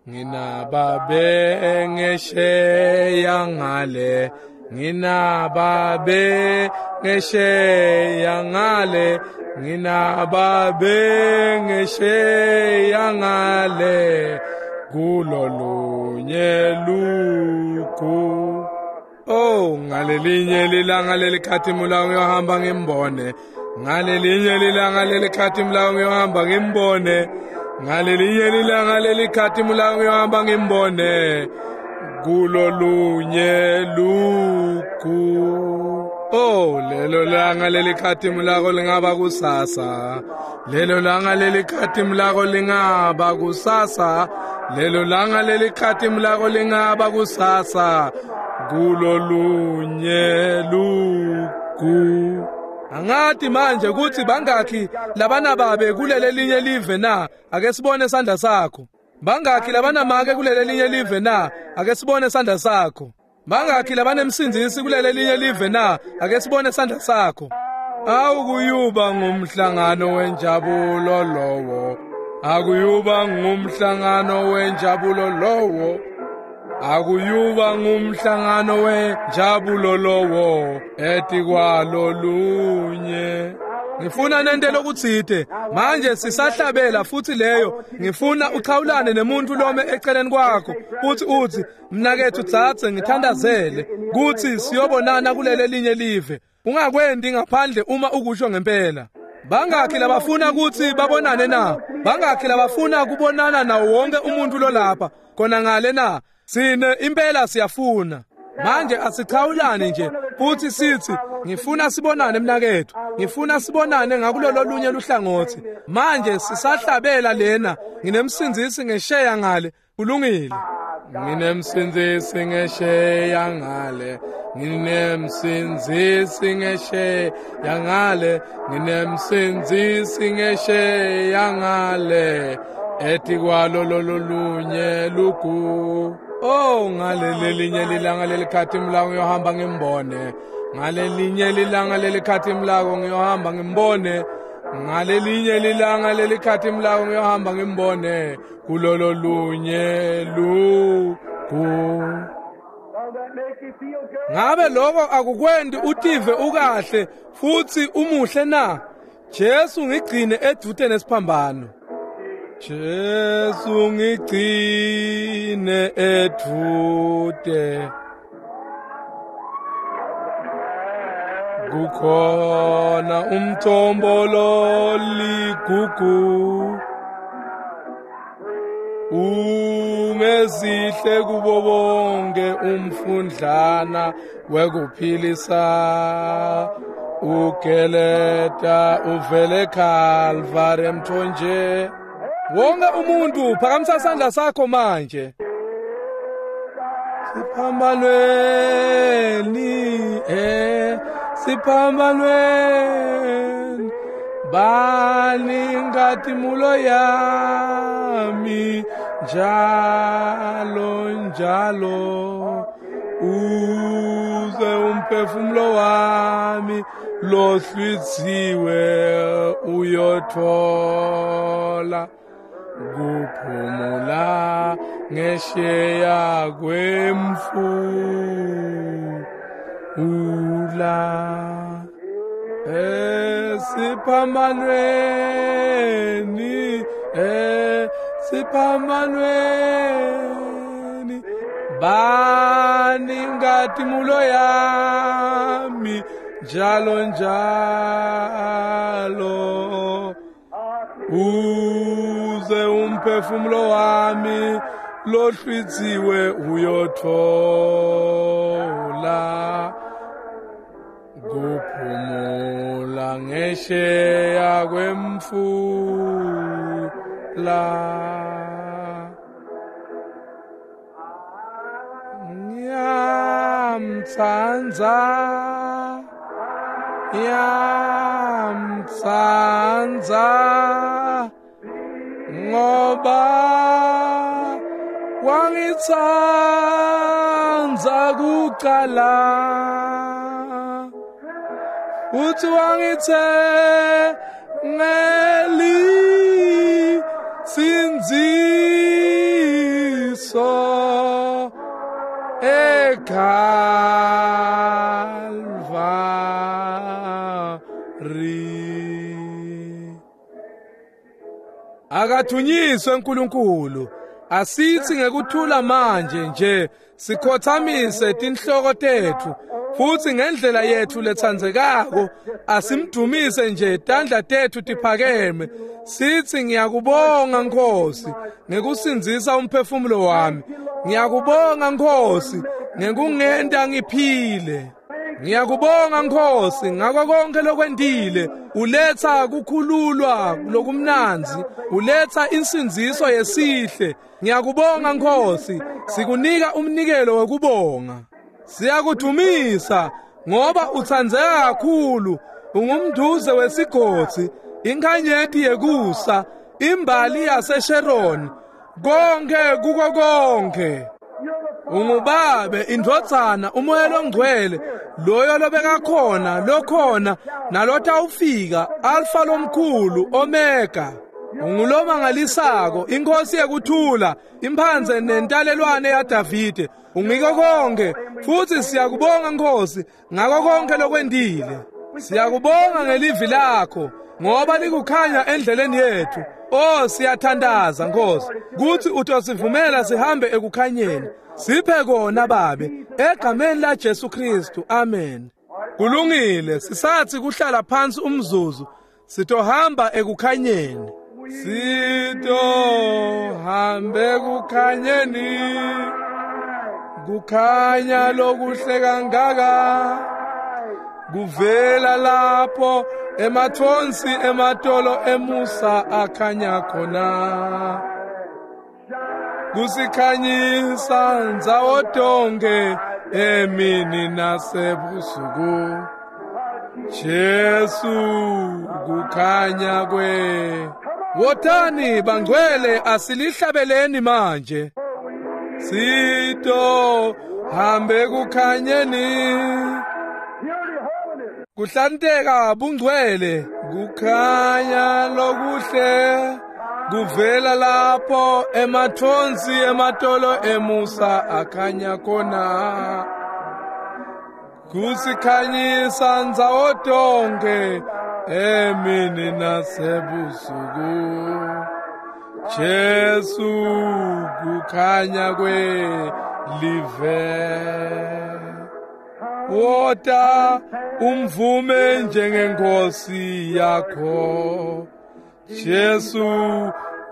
Speaker 1: Nginababe ngesheya ngale, nginababe ngesheya ngale, nginababe ngesheya ngale, kulolunye lugu. Oh, ngalelinye lilanga lelikhathimula ngiyohamba ngimbone, ngalelinye lilanga lelikhathimula ngiyohamba ngimbone, ngalelinye lilanga lelikhathimula ngiyohamba ngimbone, kulolunye lugu. Oh, lelo langa lelikhathimulako lingaba kusasa, lelo langa lelikhathimulako lingaba kusasa, lelo langa lelikhathimulako lingaba kusasa, kulolunye lugu. Angathi manje ukuthi bangakhi labanababe kulele linye live na? Ake sibone sandla sakho. Bangakhi labanamake kulele linye live na? Ake sibone sandla sakho. Bangakhi labanemsindzisi kulele linye live na? Ake sibone sandla sakho. Awukuyuba ngumhlangano wenjabulo lowo, akuyuba ngumhlangano wenjabulo lowo, akuyuba ngumhlangano wenjabulo lowo etikwalo lunye. Ngifuna nente lokutsite manje sisahlabela futhi leyo. Ngifuna uchawulane nemuntu lome eceleni kwakho futhi uthi, mnakethu tsatse ngithandazele kuthi siyobonana kulele linye live. Ungakwendi ngaphandle uma ukusho ngempela. Bangakhi labafuna kuthi babonane na? Bangakhi labafuna kubonana nawo wonke umuntu lolapha khona ngale na? Sine impela siyafuna. Manje asichawulane nje futhi sithi, ngifuna sibonane mnakethu, ngifuna sibonane ngakulolo lunye luhlangothi. Manje sisahlabela lena, nginemsindzisi ngesheya ngale. Kulungile. Nginemsindzisi ngesheya ngale, nginemsindzisi ngesheya ngale, nginemsindzisi ngesheya ngale, etikwalo lolunye lugu. Oh, ngalelinye lilanga lelikhathimulako ngiyohamba ngimbone, ngalelinye lilanga lelikhathimulako ngiyohamba ngimbone, ngalelinye lilanga lelikhathimulako ngiyohamba ngimbone, kulolo lunye lugu. Ngabe lokho akukwendi utive ukahle futhi umuhle na? Jesu ngigcine edvute nesiphambano. Jesu ngigcine edvute kukhona umthombo loligugu ungezihle kubo bonke umfundlana wekuphilisa ugeleta uvele Calvary emthonje. Wonke umuntu phakamisa isandla sakho manje. Siphambanweni siphambanweni bani ngatimbulo yami njalo njalo uze umphefumulo wami lohlwitsiwe uyothola kuphumula ngesheya kwemfula esiphambanweni esiphambanweni bani ngatimbulo yami njalo njalo uze umphefumulo wami lohlwitsiwe uyothola kuphumula ngesheya kwemfula. Ngiyamtsandza ngiyamtsandza ngoba wangitsandza kucala uthi wangithengeli sindziso eKalvari. Akathunyiswe uNkulunkulu. Asithi ngekuthula manje nje sikhothamise tinhloko tethu futhi ngendlela yethu letsandzekako asimdumise nje tandla tethu tiphakeme sithi ngiyakubonga Nkosi ngekusindzisa umphefumulo wami, ngiyakubonga Nkosi ngekungenta ngiphile, ngiyakubonga Nkosi ngako konke lokwentile. Uletha kukhululwa lokumnandzi, uletha insindziso yesihle. Ngiyakubonga Nkosi, sikunika umnikelo wekubonga. Siyakudumisa ngoba utsandzeka kakhulu, ungumduze wesigodzi, inkanyeti yekusa, imbali yaseSharon, konke kuko konke. Ungubabe, indvodzana, umoya longcwele, loyo lobekakhona, lokhona, nalotawufika, Alfa lomkhulu, Omega. Ungulomangalisako, inkosi yekuthula, imphandze nentalelwane yaDavide. Ungiko konke, futhi siyakubonga Nkosi ngako konke lokwentile. Siyakubonga ngelivi lakho ngoba likukhanya endleleni yethu. Oh, siyathandaza Nkosi kuthi utosivumela sihambe ekukhanyeni. Siphe kona Babe, egameni la Jesu Kristu, amen. Kulungile, sisathi kuhlala phansi umzuzu, sitohamba ekukhanyeni. Sitohambe ekukhanyeni, kukhanya lokuhle kangaka, kuvela lapho emathonsi ematolo emusa akhanya khona, kusikhanyisa ndzawo tonke emini nasebusuku. Jesu kukhanya kwe. Wotani bangcwele, asilihlabeleni manje. Sito hambe kukhanyeni, kuhlanteka bungcwele, kukhanya lokuhle kuvela lapho emathonsi ematolo emusa akhanya khona, kusikhanyisa ndzawo tonke emini nasebusuku. Jesu kukhanya kwelive. Wota umvume njengenkosi yakho. Jesu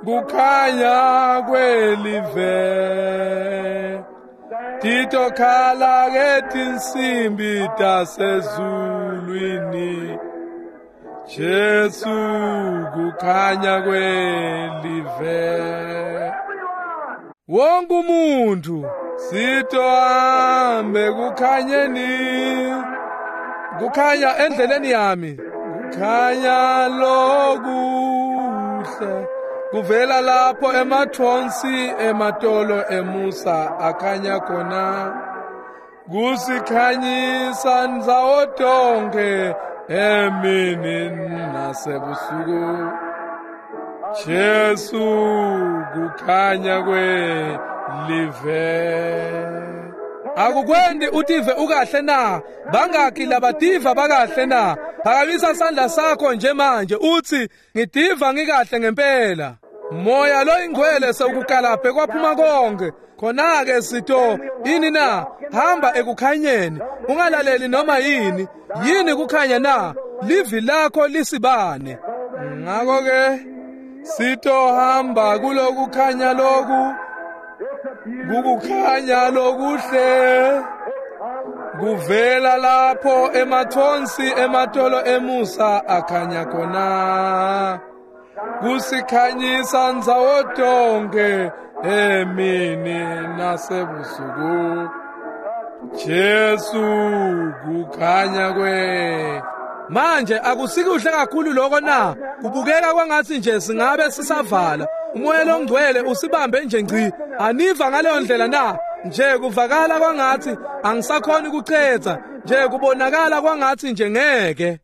Speaker 1: kukhanya kwelive. Titokhala ke tinsimbi tasezulwini. Jesu kukhanya kwelive. Wonke umuntu sitohambe kukhanyeni, kukhanya endleleni yami, kukhanya lokuhle kuvela lapho emathonsi ematolo emusa akhanya khona, kusikhanyisa ndzawo tonke emini nasebusuku. Jesu kukhanya kwelive. Akukwendi utive ukahle na? Bangaki labativa bakahle na? Phakamisa sandla sakho nje manje uthi ngitiva ngikahle ngempela. Moya lo ingcwele sewukukalaphe kwaphuma konke. Khona-ke sito ini na? Hamba ekukhanyeni, ungalaleli noma yini. Yini kukhanya na? Livi lakho lisibane. Ngakho-ke sitohamba kulokukhanya loku, kukukhanya lokuhle kuvela lapho emathonsi ematolo emusa akhanya khona, kusikhanyisa ndzawo tonke emini nasebusuku. Jesu kukhanya kwe. Manje akusikuhle kakhulu lokho na? Kubukeka kwangathi nje singabe sisavala. Umoya longcwele usibambe nje ngci. Aniva ngaleyo ndlela na? Nje kuvakala kwangathi angisakhoni ukucetha, nje kubonakala kwangathi nje ngeke.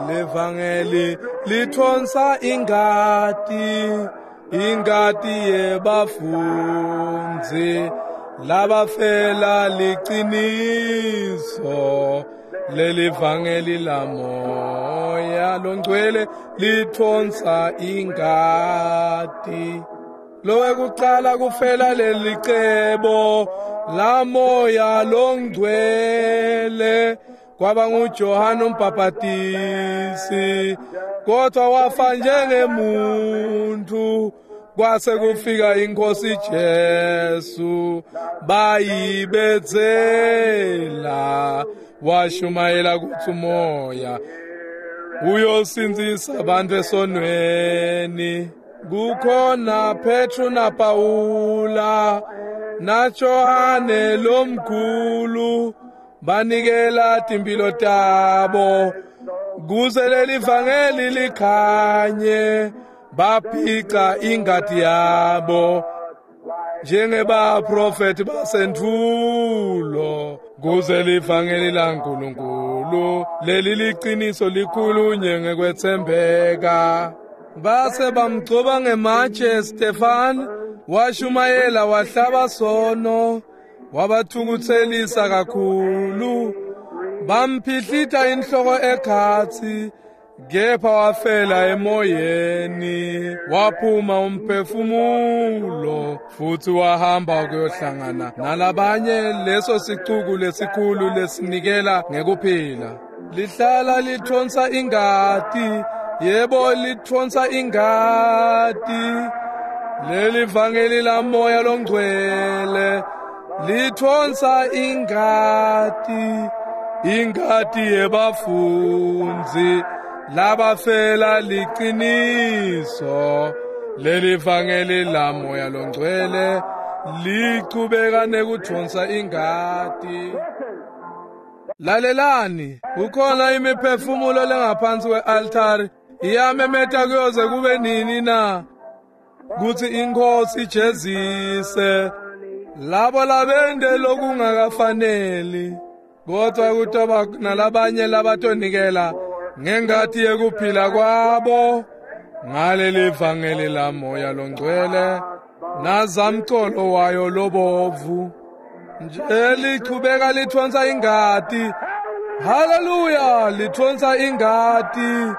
Speaker 1: Levangeli lithonsa ingati, ingati yebafunzi labafela liqiniso. Leli vangeli lamoya longcwele lithonsa ingati. Lowekuqala kufela leli cebo lamoya longcwele kwaba nguJohane umbhaphatisi, kodwa wafa njengemuntu. Kwase kufika inkosi Jesu bayibethela, washumayela kuthi umoya uyosindzisa abantu esonweni. Kukhona Petru na Paula na Johane lomkhulu banikela timpilo tabo kuze leli vangeli likhanye, baphica ingati yabo njengebaprofeti basentfulo kuze livangeli laNkulunkulu leli liqiniso likhulunye ngekwethembeka. Base bamgcoba ngematshe Stefan, washumayela wahlaba sono, wabathukuthelisa kakhulu, bamphihlita inhloko ekhatsi, kepha wafela emoyeni, waphuma umphefumulo futhi wahamba ukuyohlangana nalabanye leso sicuku lesikhulu lesinikela ngekuphila. Lihlala lithonsa ingati, yebo lithonsa ingati. Leli vangeli lamoya longcwele lithonsa ingati, ingati yebafunzi labafela liqiniso. Leli vangeli lamoya longcwele lichubeka nekuthonsa ingati. Lalelani, kukhona imiphefumulo lengaphansi kwe-altari iyamemeta kuyoze kube nini na kuthi inkosi ijezise labo labende lokungakafaneli, kodwa kutoba nalabanye labatonikela ngengati yekuphila kwabo ngaleli vangeli lamoya longcwele nazamcolo wayo lobovu. Nje lichubeka lithonsa ingati. Haleluya, lithonsa ingati.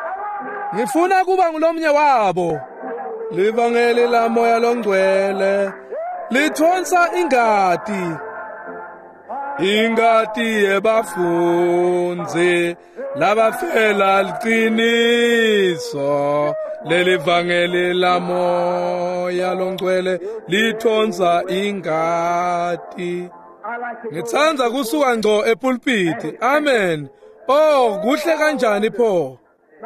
Speaker 1: Ngifuna kuba ngulomnye wabo. Livangeli la moya longcwele lithonsa ingati, ingati yebafundzi labafela liqiniso. Leli vangeli la moya longcwele lithonsa ingati. Ngitsandza kusuka ngco epulpiti. Amen. Oh, kuhle kanjani pho.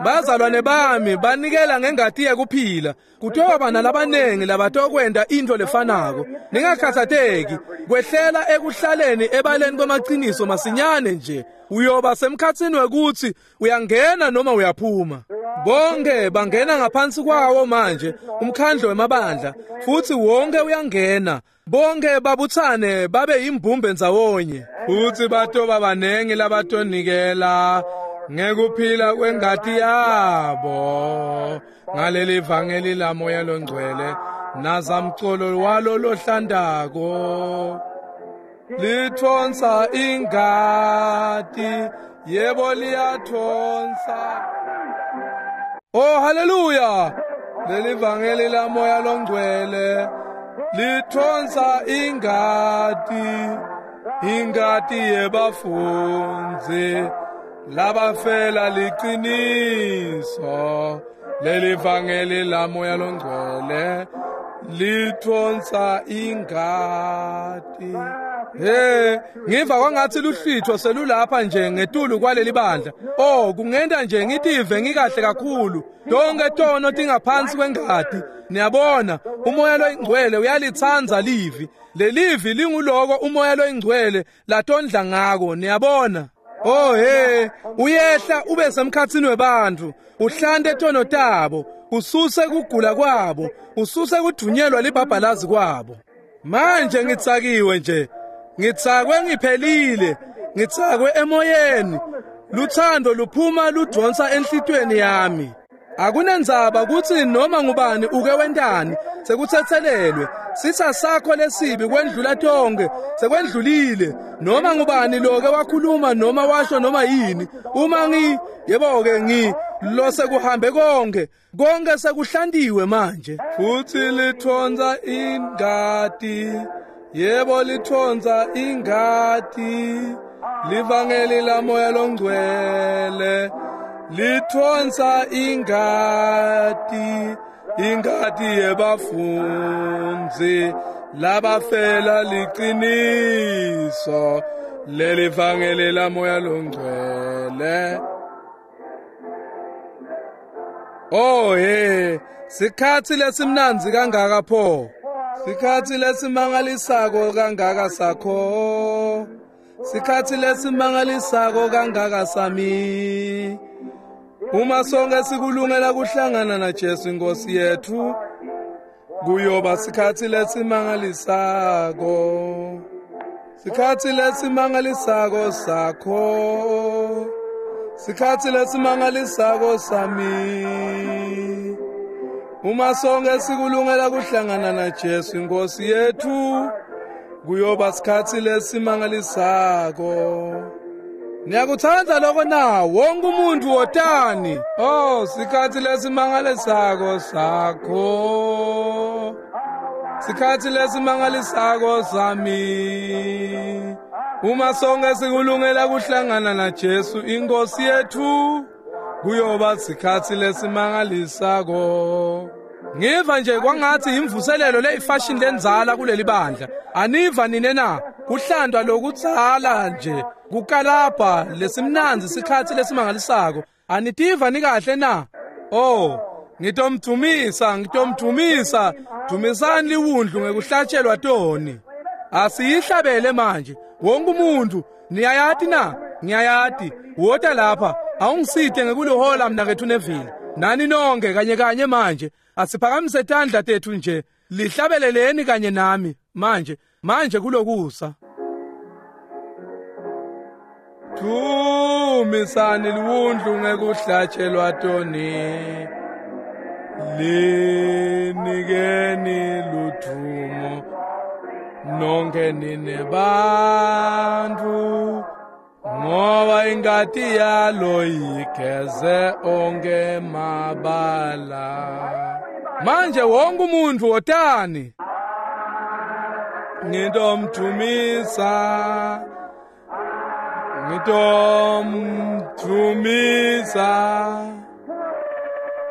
Speaker 1: Bazalwane bami banikela ngengati yekuphila. Kutoba nalabanengi labatokwenda into lefanako. Ningakhathateki, kwehlela ekuhlaleni ebaleni kwamaqiniso masinyane nje. Uyoba semkhatsini wekuthi uyangena noma uyaphuma. Bonke bangena ngaphansi kwawo manje umkhandlo wemabandla, futhi wonke uyangena. Bonke babuthane babe yimbumbe ndzawonye, futhi batoba banengi labatonikela ngekuphila kwengati yabo ngaleli vangeli la moya longcwele nazamcolo walo lohlandako. Lithonsa ingati, yebo liyathonsa. Oh, haleluya! Leli vangeli la moya longcwele lithonsa ingati, ingati yebafundzi labafela liqiniso. Leli vangeli la moya longcwele lithonsa ingati. Hey, ngiva kwangathi luhlitho selulapha nje ngetulu kwaleli bandla. Oh, kungenda nje ngitive ngikahle kakhulu. Tonke tono tingaphansi kwengati. Niyabona, umoya loyingcwele uyalitsandza livi. Lelivi linguloko umoya loyingcwele latondla ngako, niyabona. Oh hey, uyehla ube semkhatsini webantfu, uhlante tono tabo, ususe kugula kwabo, ususe kudunyelwa libhabhalazi kwabo. Manje ngitsakiwe nje. Ngitsakwe ngiphelile, ngitsakwe emoyeni. Luthando luphuma ludonsa enhlitweni yami. Akunendzaba kutsi noma ngubani uke wentani, sekutsetselelwe. Sitsa sakho lesibi kwendlula tonke, sekwendlulile. Noma ngubani loke wakhuluma noma washo noma yini, uma ngi yebo-ke ngi lo sekuhambe konke, konke sekuhlantiwe manje. Futhi lithonsa ingati, yebo lithonsa ingati. Livangeli la moya longcwele lithonsa ingati, ingati yebafundzi labafela liqiniso. Leli vangeli la moya longcwele. Oh hey, sikhatsi lesimnandzi kangaka pho. Sikhatsi lesimangalisako kangaka sakho. Sikhatsi lesimangalisako kangaka sami. Uma sonke sikulungela kuhlangana na Jesu inkosi yethu, kuyoba sikhatsi lesimangalisako. Sikhatsi lesimangalisako sakho. Sikhatsi lesimangalisako sami. Uma sonke sikulungela kuhlangana na Jesu inkosi yethu, kuyoba sikhatsi lesimangalisako. Niyakutsandza lokho na? Wonke umuntu wotani. Oh, sikhatsi lesimangalisako sakho. Sikhatsi lesimangalisako sami. Uma sonke sikulungela kuhlangana na Jesu inkosi yethu, kuyoba sikhatsi lesimangalisako. Ngiva nje kwangathi imvuselelo leyifashion lenzala kuleli bandla. Aniva nine na? Kuhlandwa lokutsala nje kukalapha lesimnandzi sikhatsi lesimangalisako. Anitiva nikahle na? Oh, ngitomdumisa, ngitomdumisa. Dumisani liwundlu ngekuhlatshelwa toni. Asiyihlabele manje. Wonke umuntu, niyayati na? Ngiyayati. Wota lapha, awungisite ngekulihola mnakethu Neville. Nani nonke kanye kanye manje. Asiphakamise tandla tethu nje. Lihlabeleleni kanye nami manje, manje kulokusa. Dumisani liwundlu ngekuhlatshelwa toni. Linikeni ludvumo nonke nine bantfu, ngoba ingati yalo igeze onke mabala. Manje wonke umuntu wotani. Ngitomdumisa, ngitomdumisa.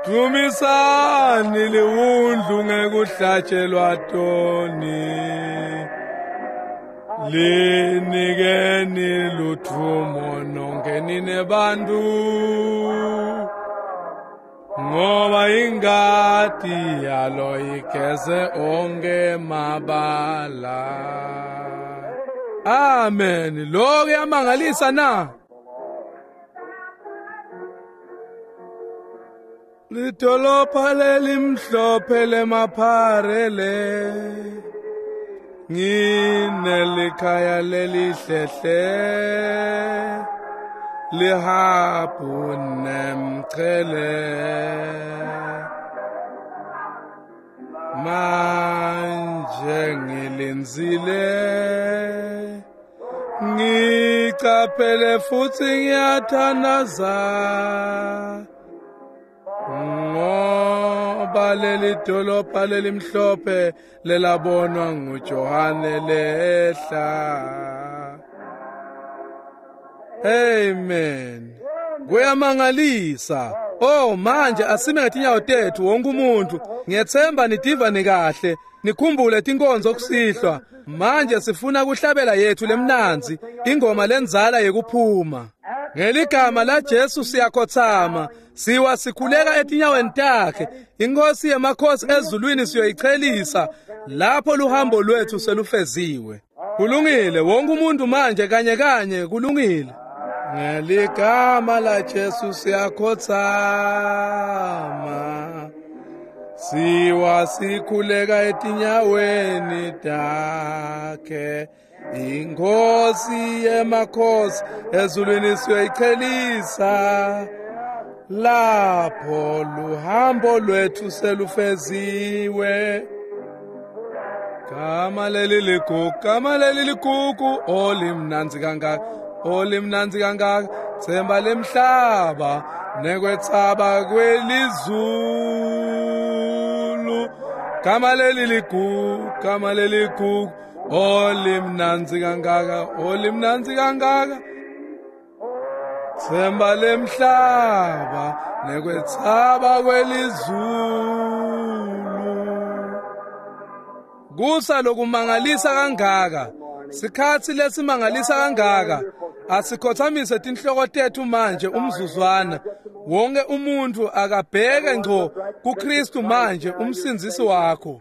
Speaker 1: Dumisani liwundlu ngekuhlatshelwa toni. Linikeni luthumo nonke nine bantu, ngoba ingati yalo igeze onke mabala. Amen. Lokho kuyamangalisa na? Lidolopha lelimhlophe lemapharele, nginelikhaya lelihlehle, lihabhu nemchele. Manje ngilindzile, ngicaphele futsi ngiyathandaza, ngoba leli dolopha lelimhlophe lelabonwa nguJohane lehla. Amen. Kuyamangalisa. Oh, manje asime ngetinyawo tethu wonke umuntu. Ngiyethemba nitiva nikahle. Nikhumbule tinkonzo kusihlwa. Manje sifuna kuhlabela yethu lemnanzi, ingoma lenzala yekuphuma. Ngeligama la Jesu siyakhothama, siwa sikhuleka etinyaweni takhe. Inkosi yemakhosi ezulwini siyoyichelisa lapho luhambo lwethu selufeziwe. Kulungile, wonke umuntu manje kanye kanye kulungile. Ngeligama la Jesu siyakhothama, siwa sikhuleka etinyaweni takhe. Inkosi yemakhosi ezulwini siyoyichelisa lapho luhambo lwethu selufeziwe. Gama leli ligugu, gama leli ligugu, olimnanzi kangaka, olimnanzi kangaka, themba lemhlaba nekwetsaba kwelizulu. Gama leli ligugu, gama leli ligugu, olimnanzi kangaka, olimnanzi kangaka, themba lemhlaba nekwetsaba kwelizulu. Kusa lokumangalisa kangaka, sikhatsi lesimangalisa kangaka. Asikhothamise tinhloko tethu manje umzuzwana. Wonke umuntu akabheke ngco kuKristu manje umsindzisi wakho.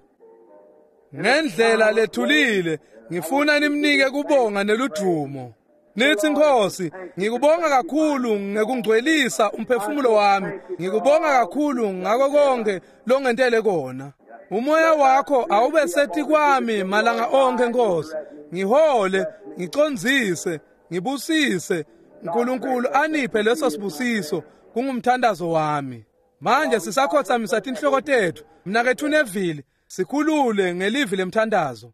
Speaker 1: Ngendlela lethulile ngifuna nimnike kubonga neludumo. Nithi Nkosi, ngikubonga kakhulu ngekungcwelisa umphefumulo wami. Ngikubonga kakhulu ngako konke longentele kona. Umoya wakho awube sethi kwami malanga onke Nkosi. Ngihole, ngicondzise, ngibusise. uNkulunkulu aniphe leso sibusiso, kungumthandazo wami. Manje sisakhothamisa tinhloko tethu. Mnakethu Neville, sikhulule ngelivi lemthandazo.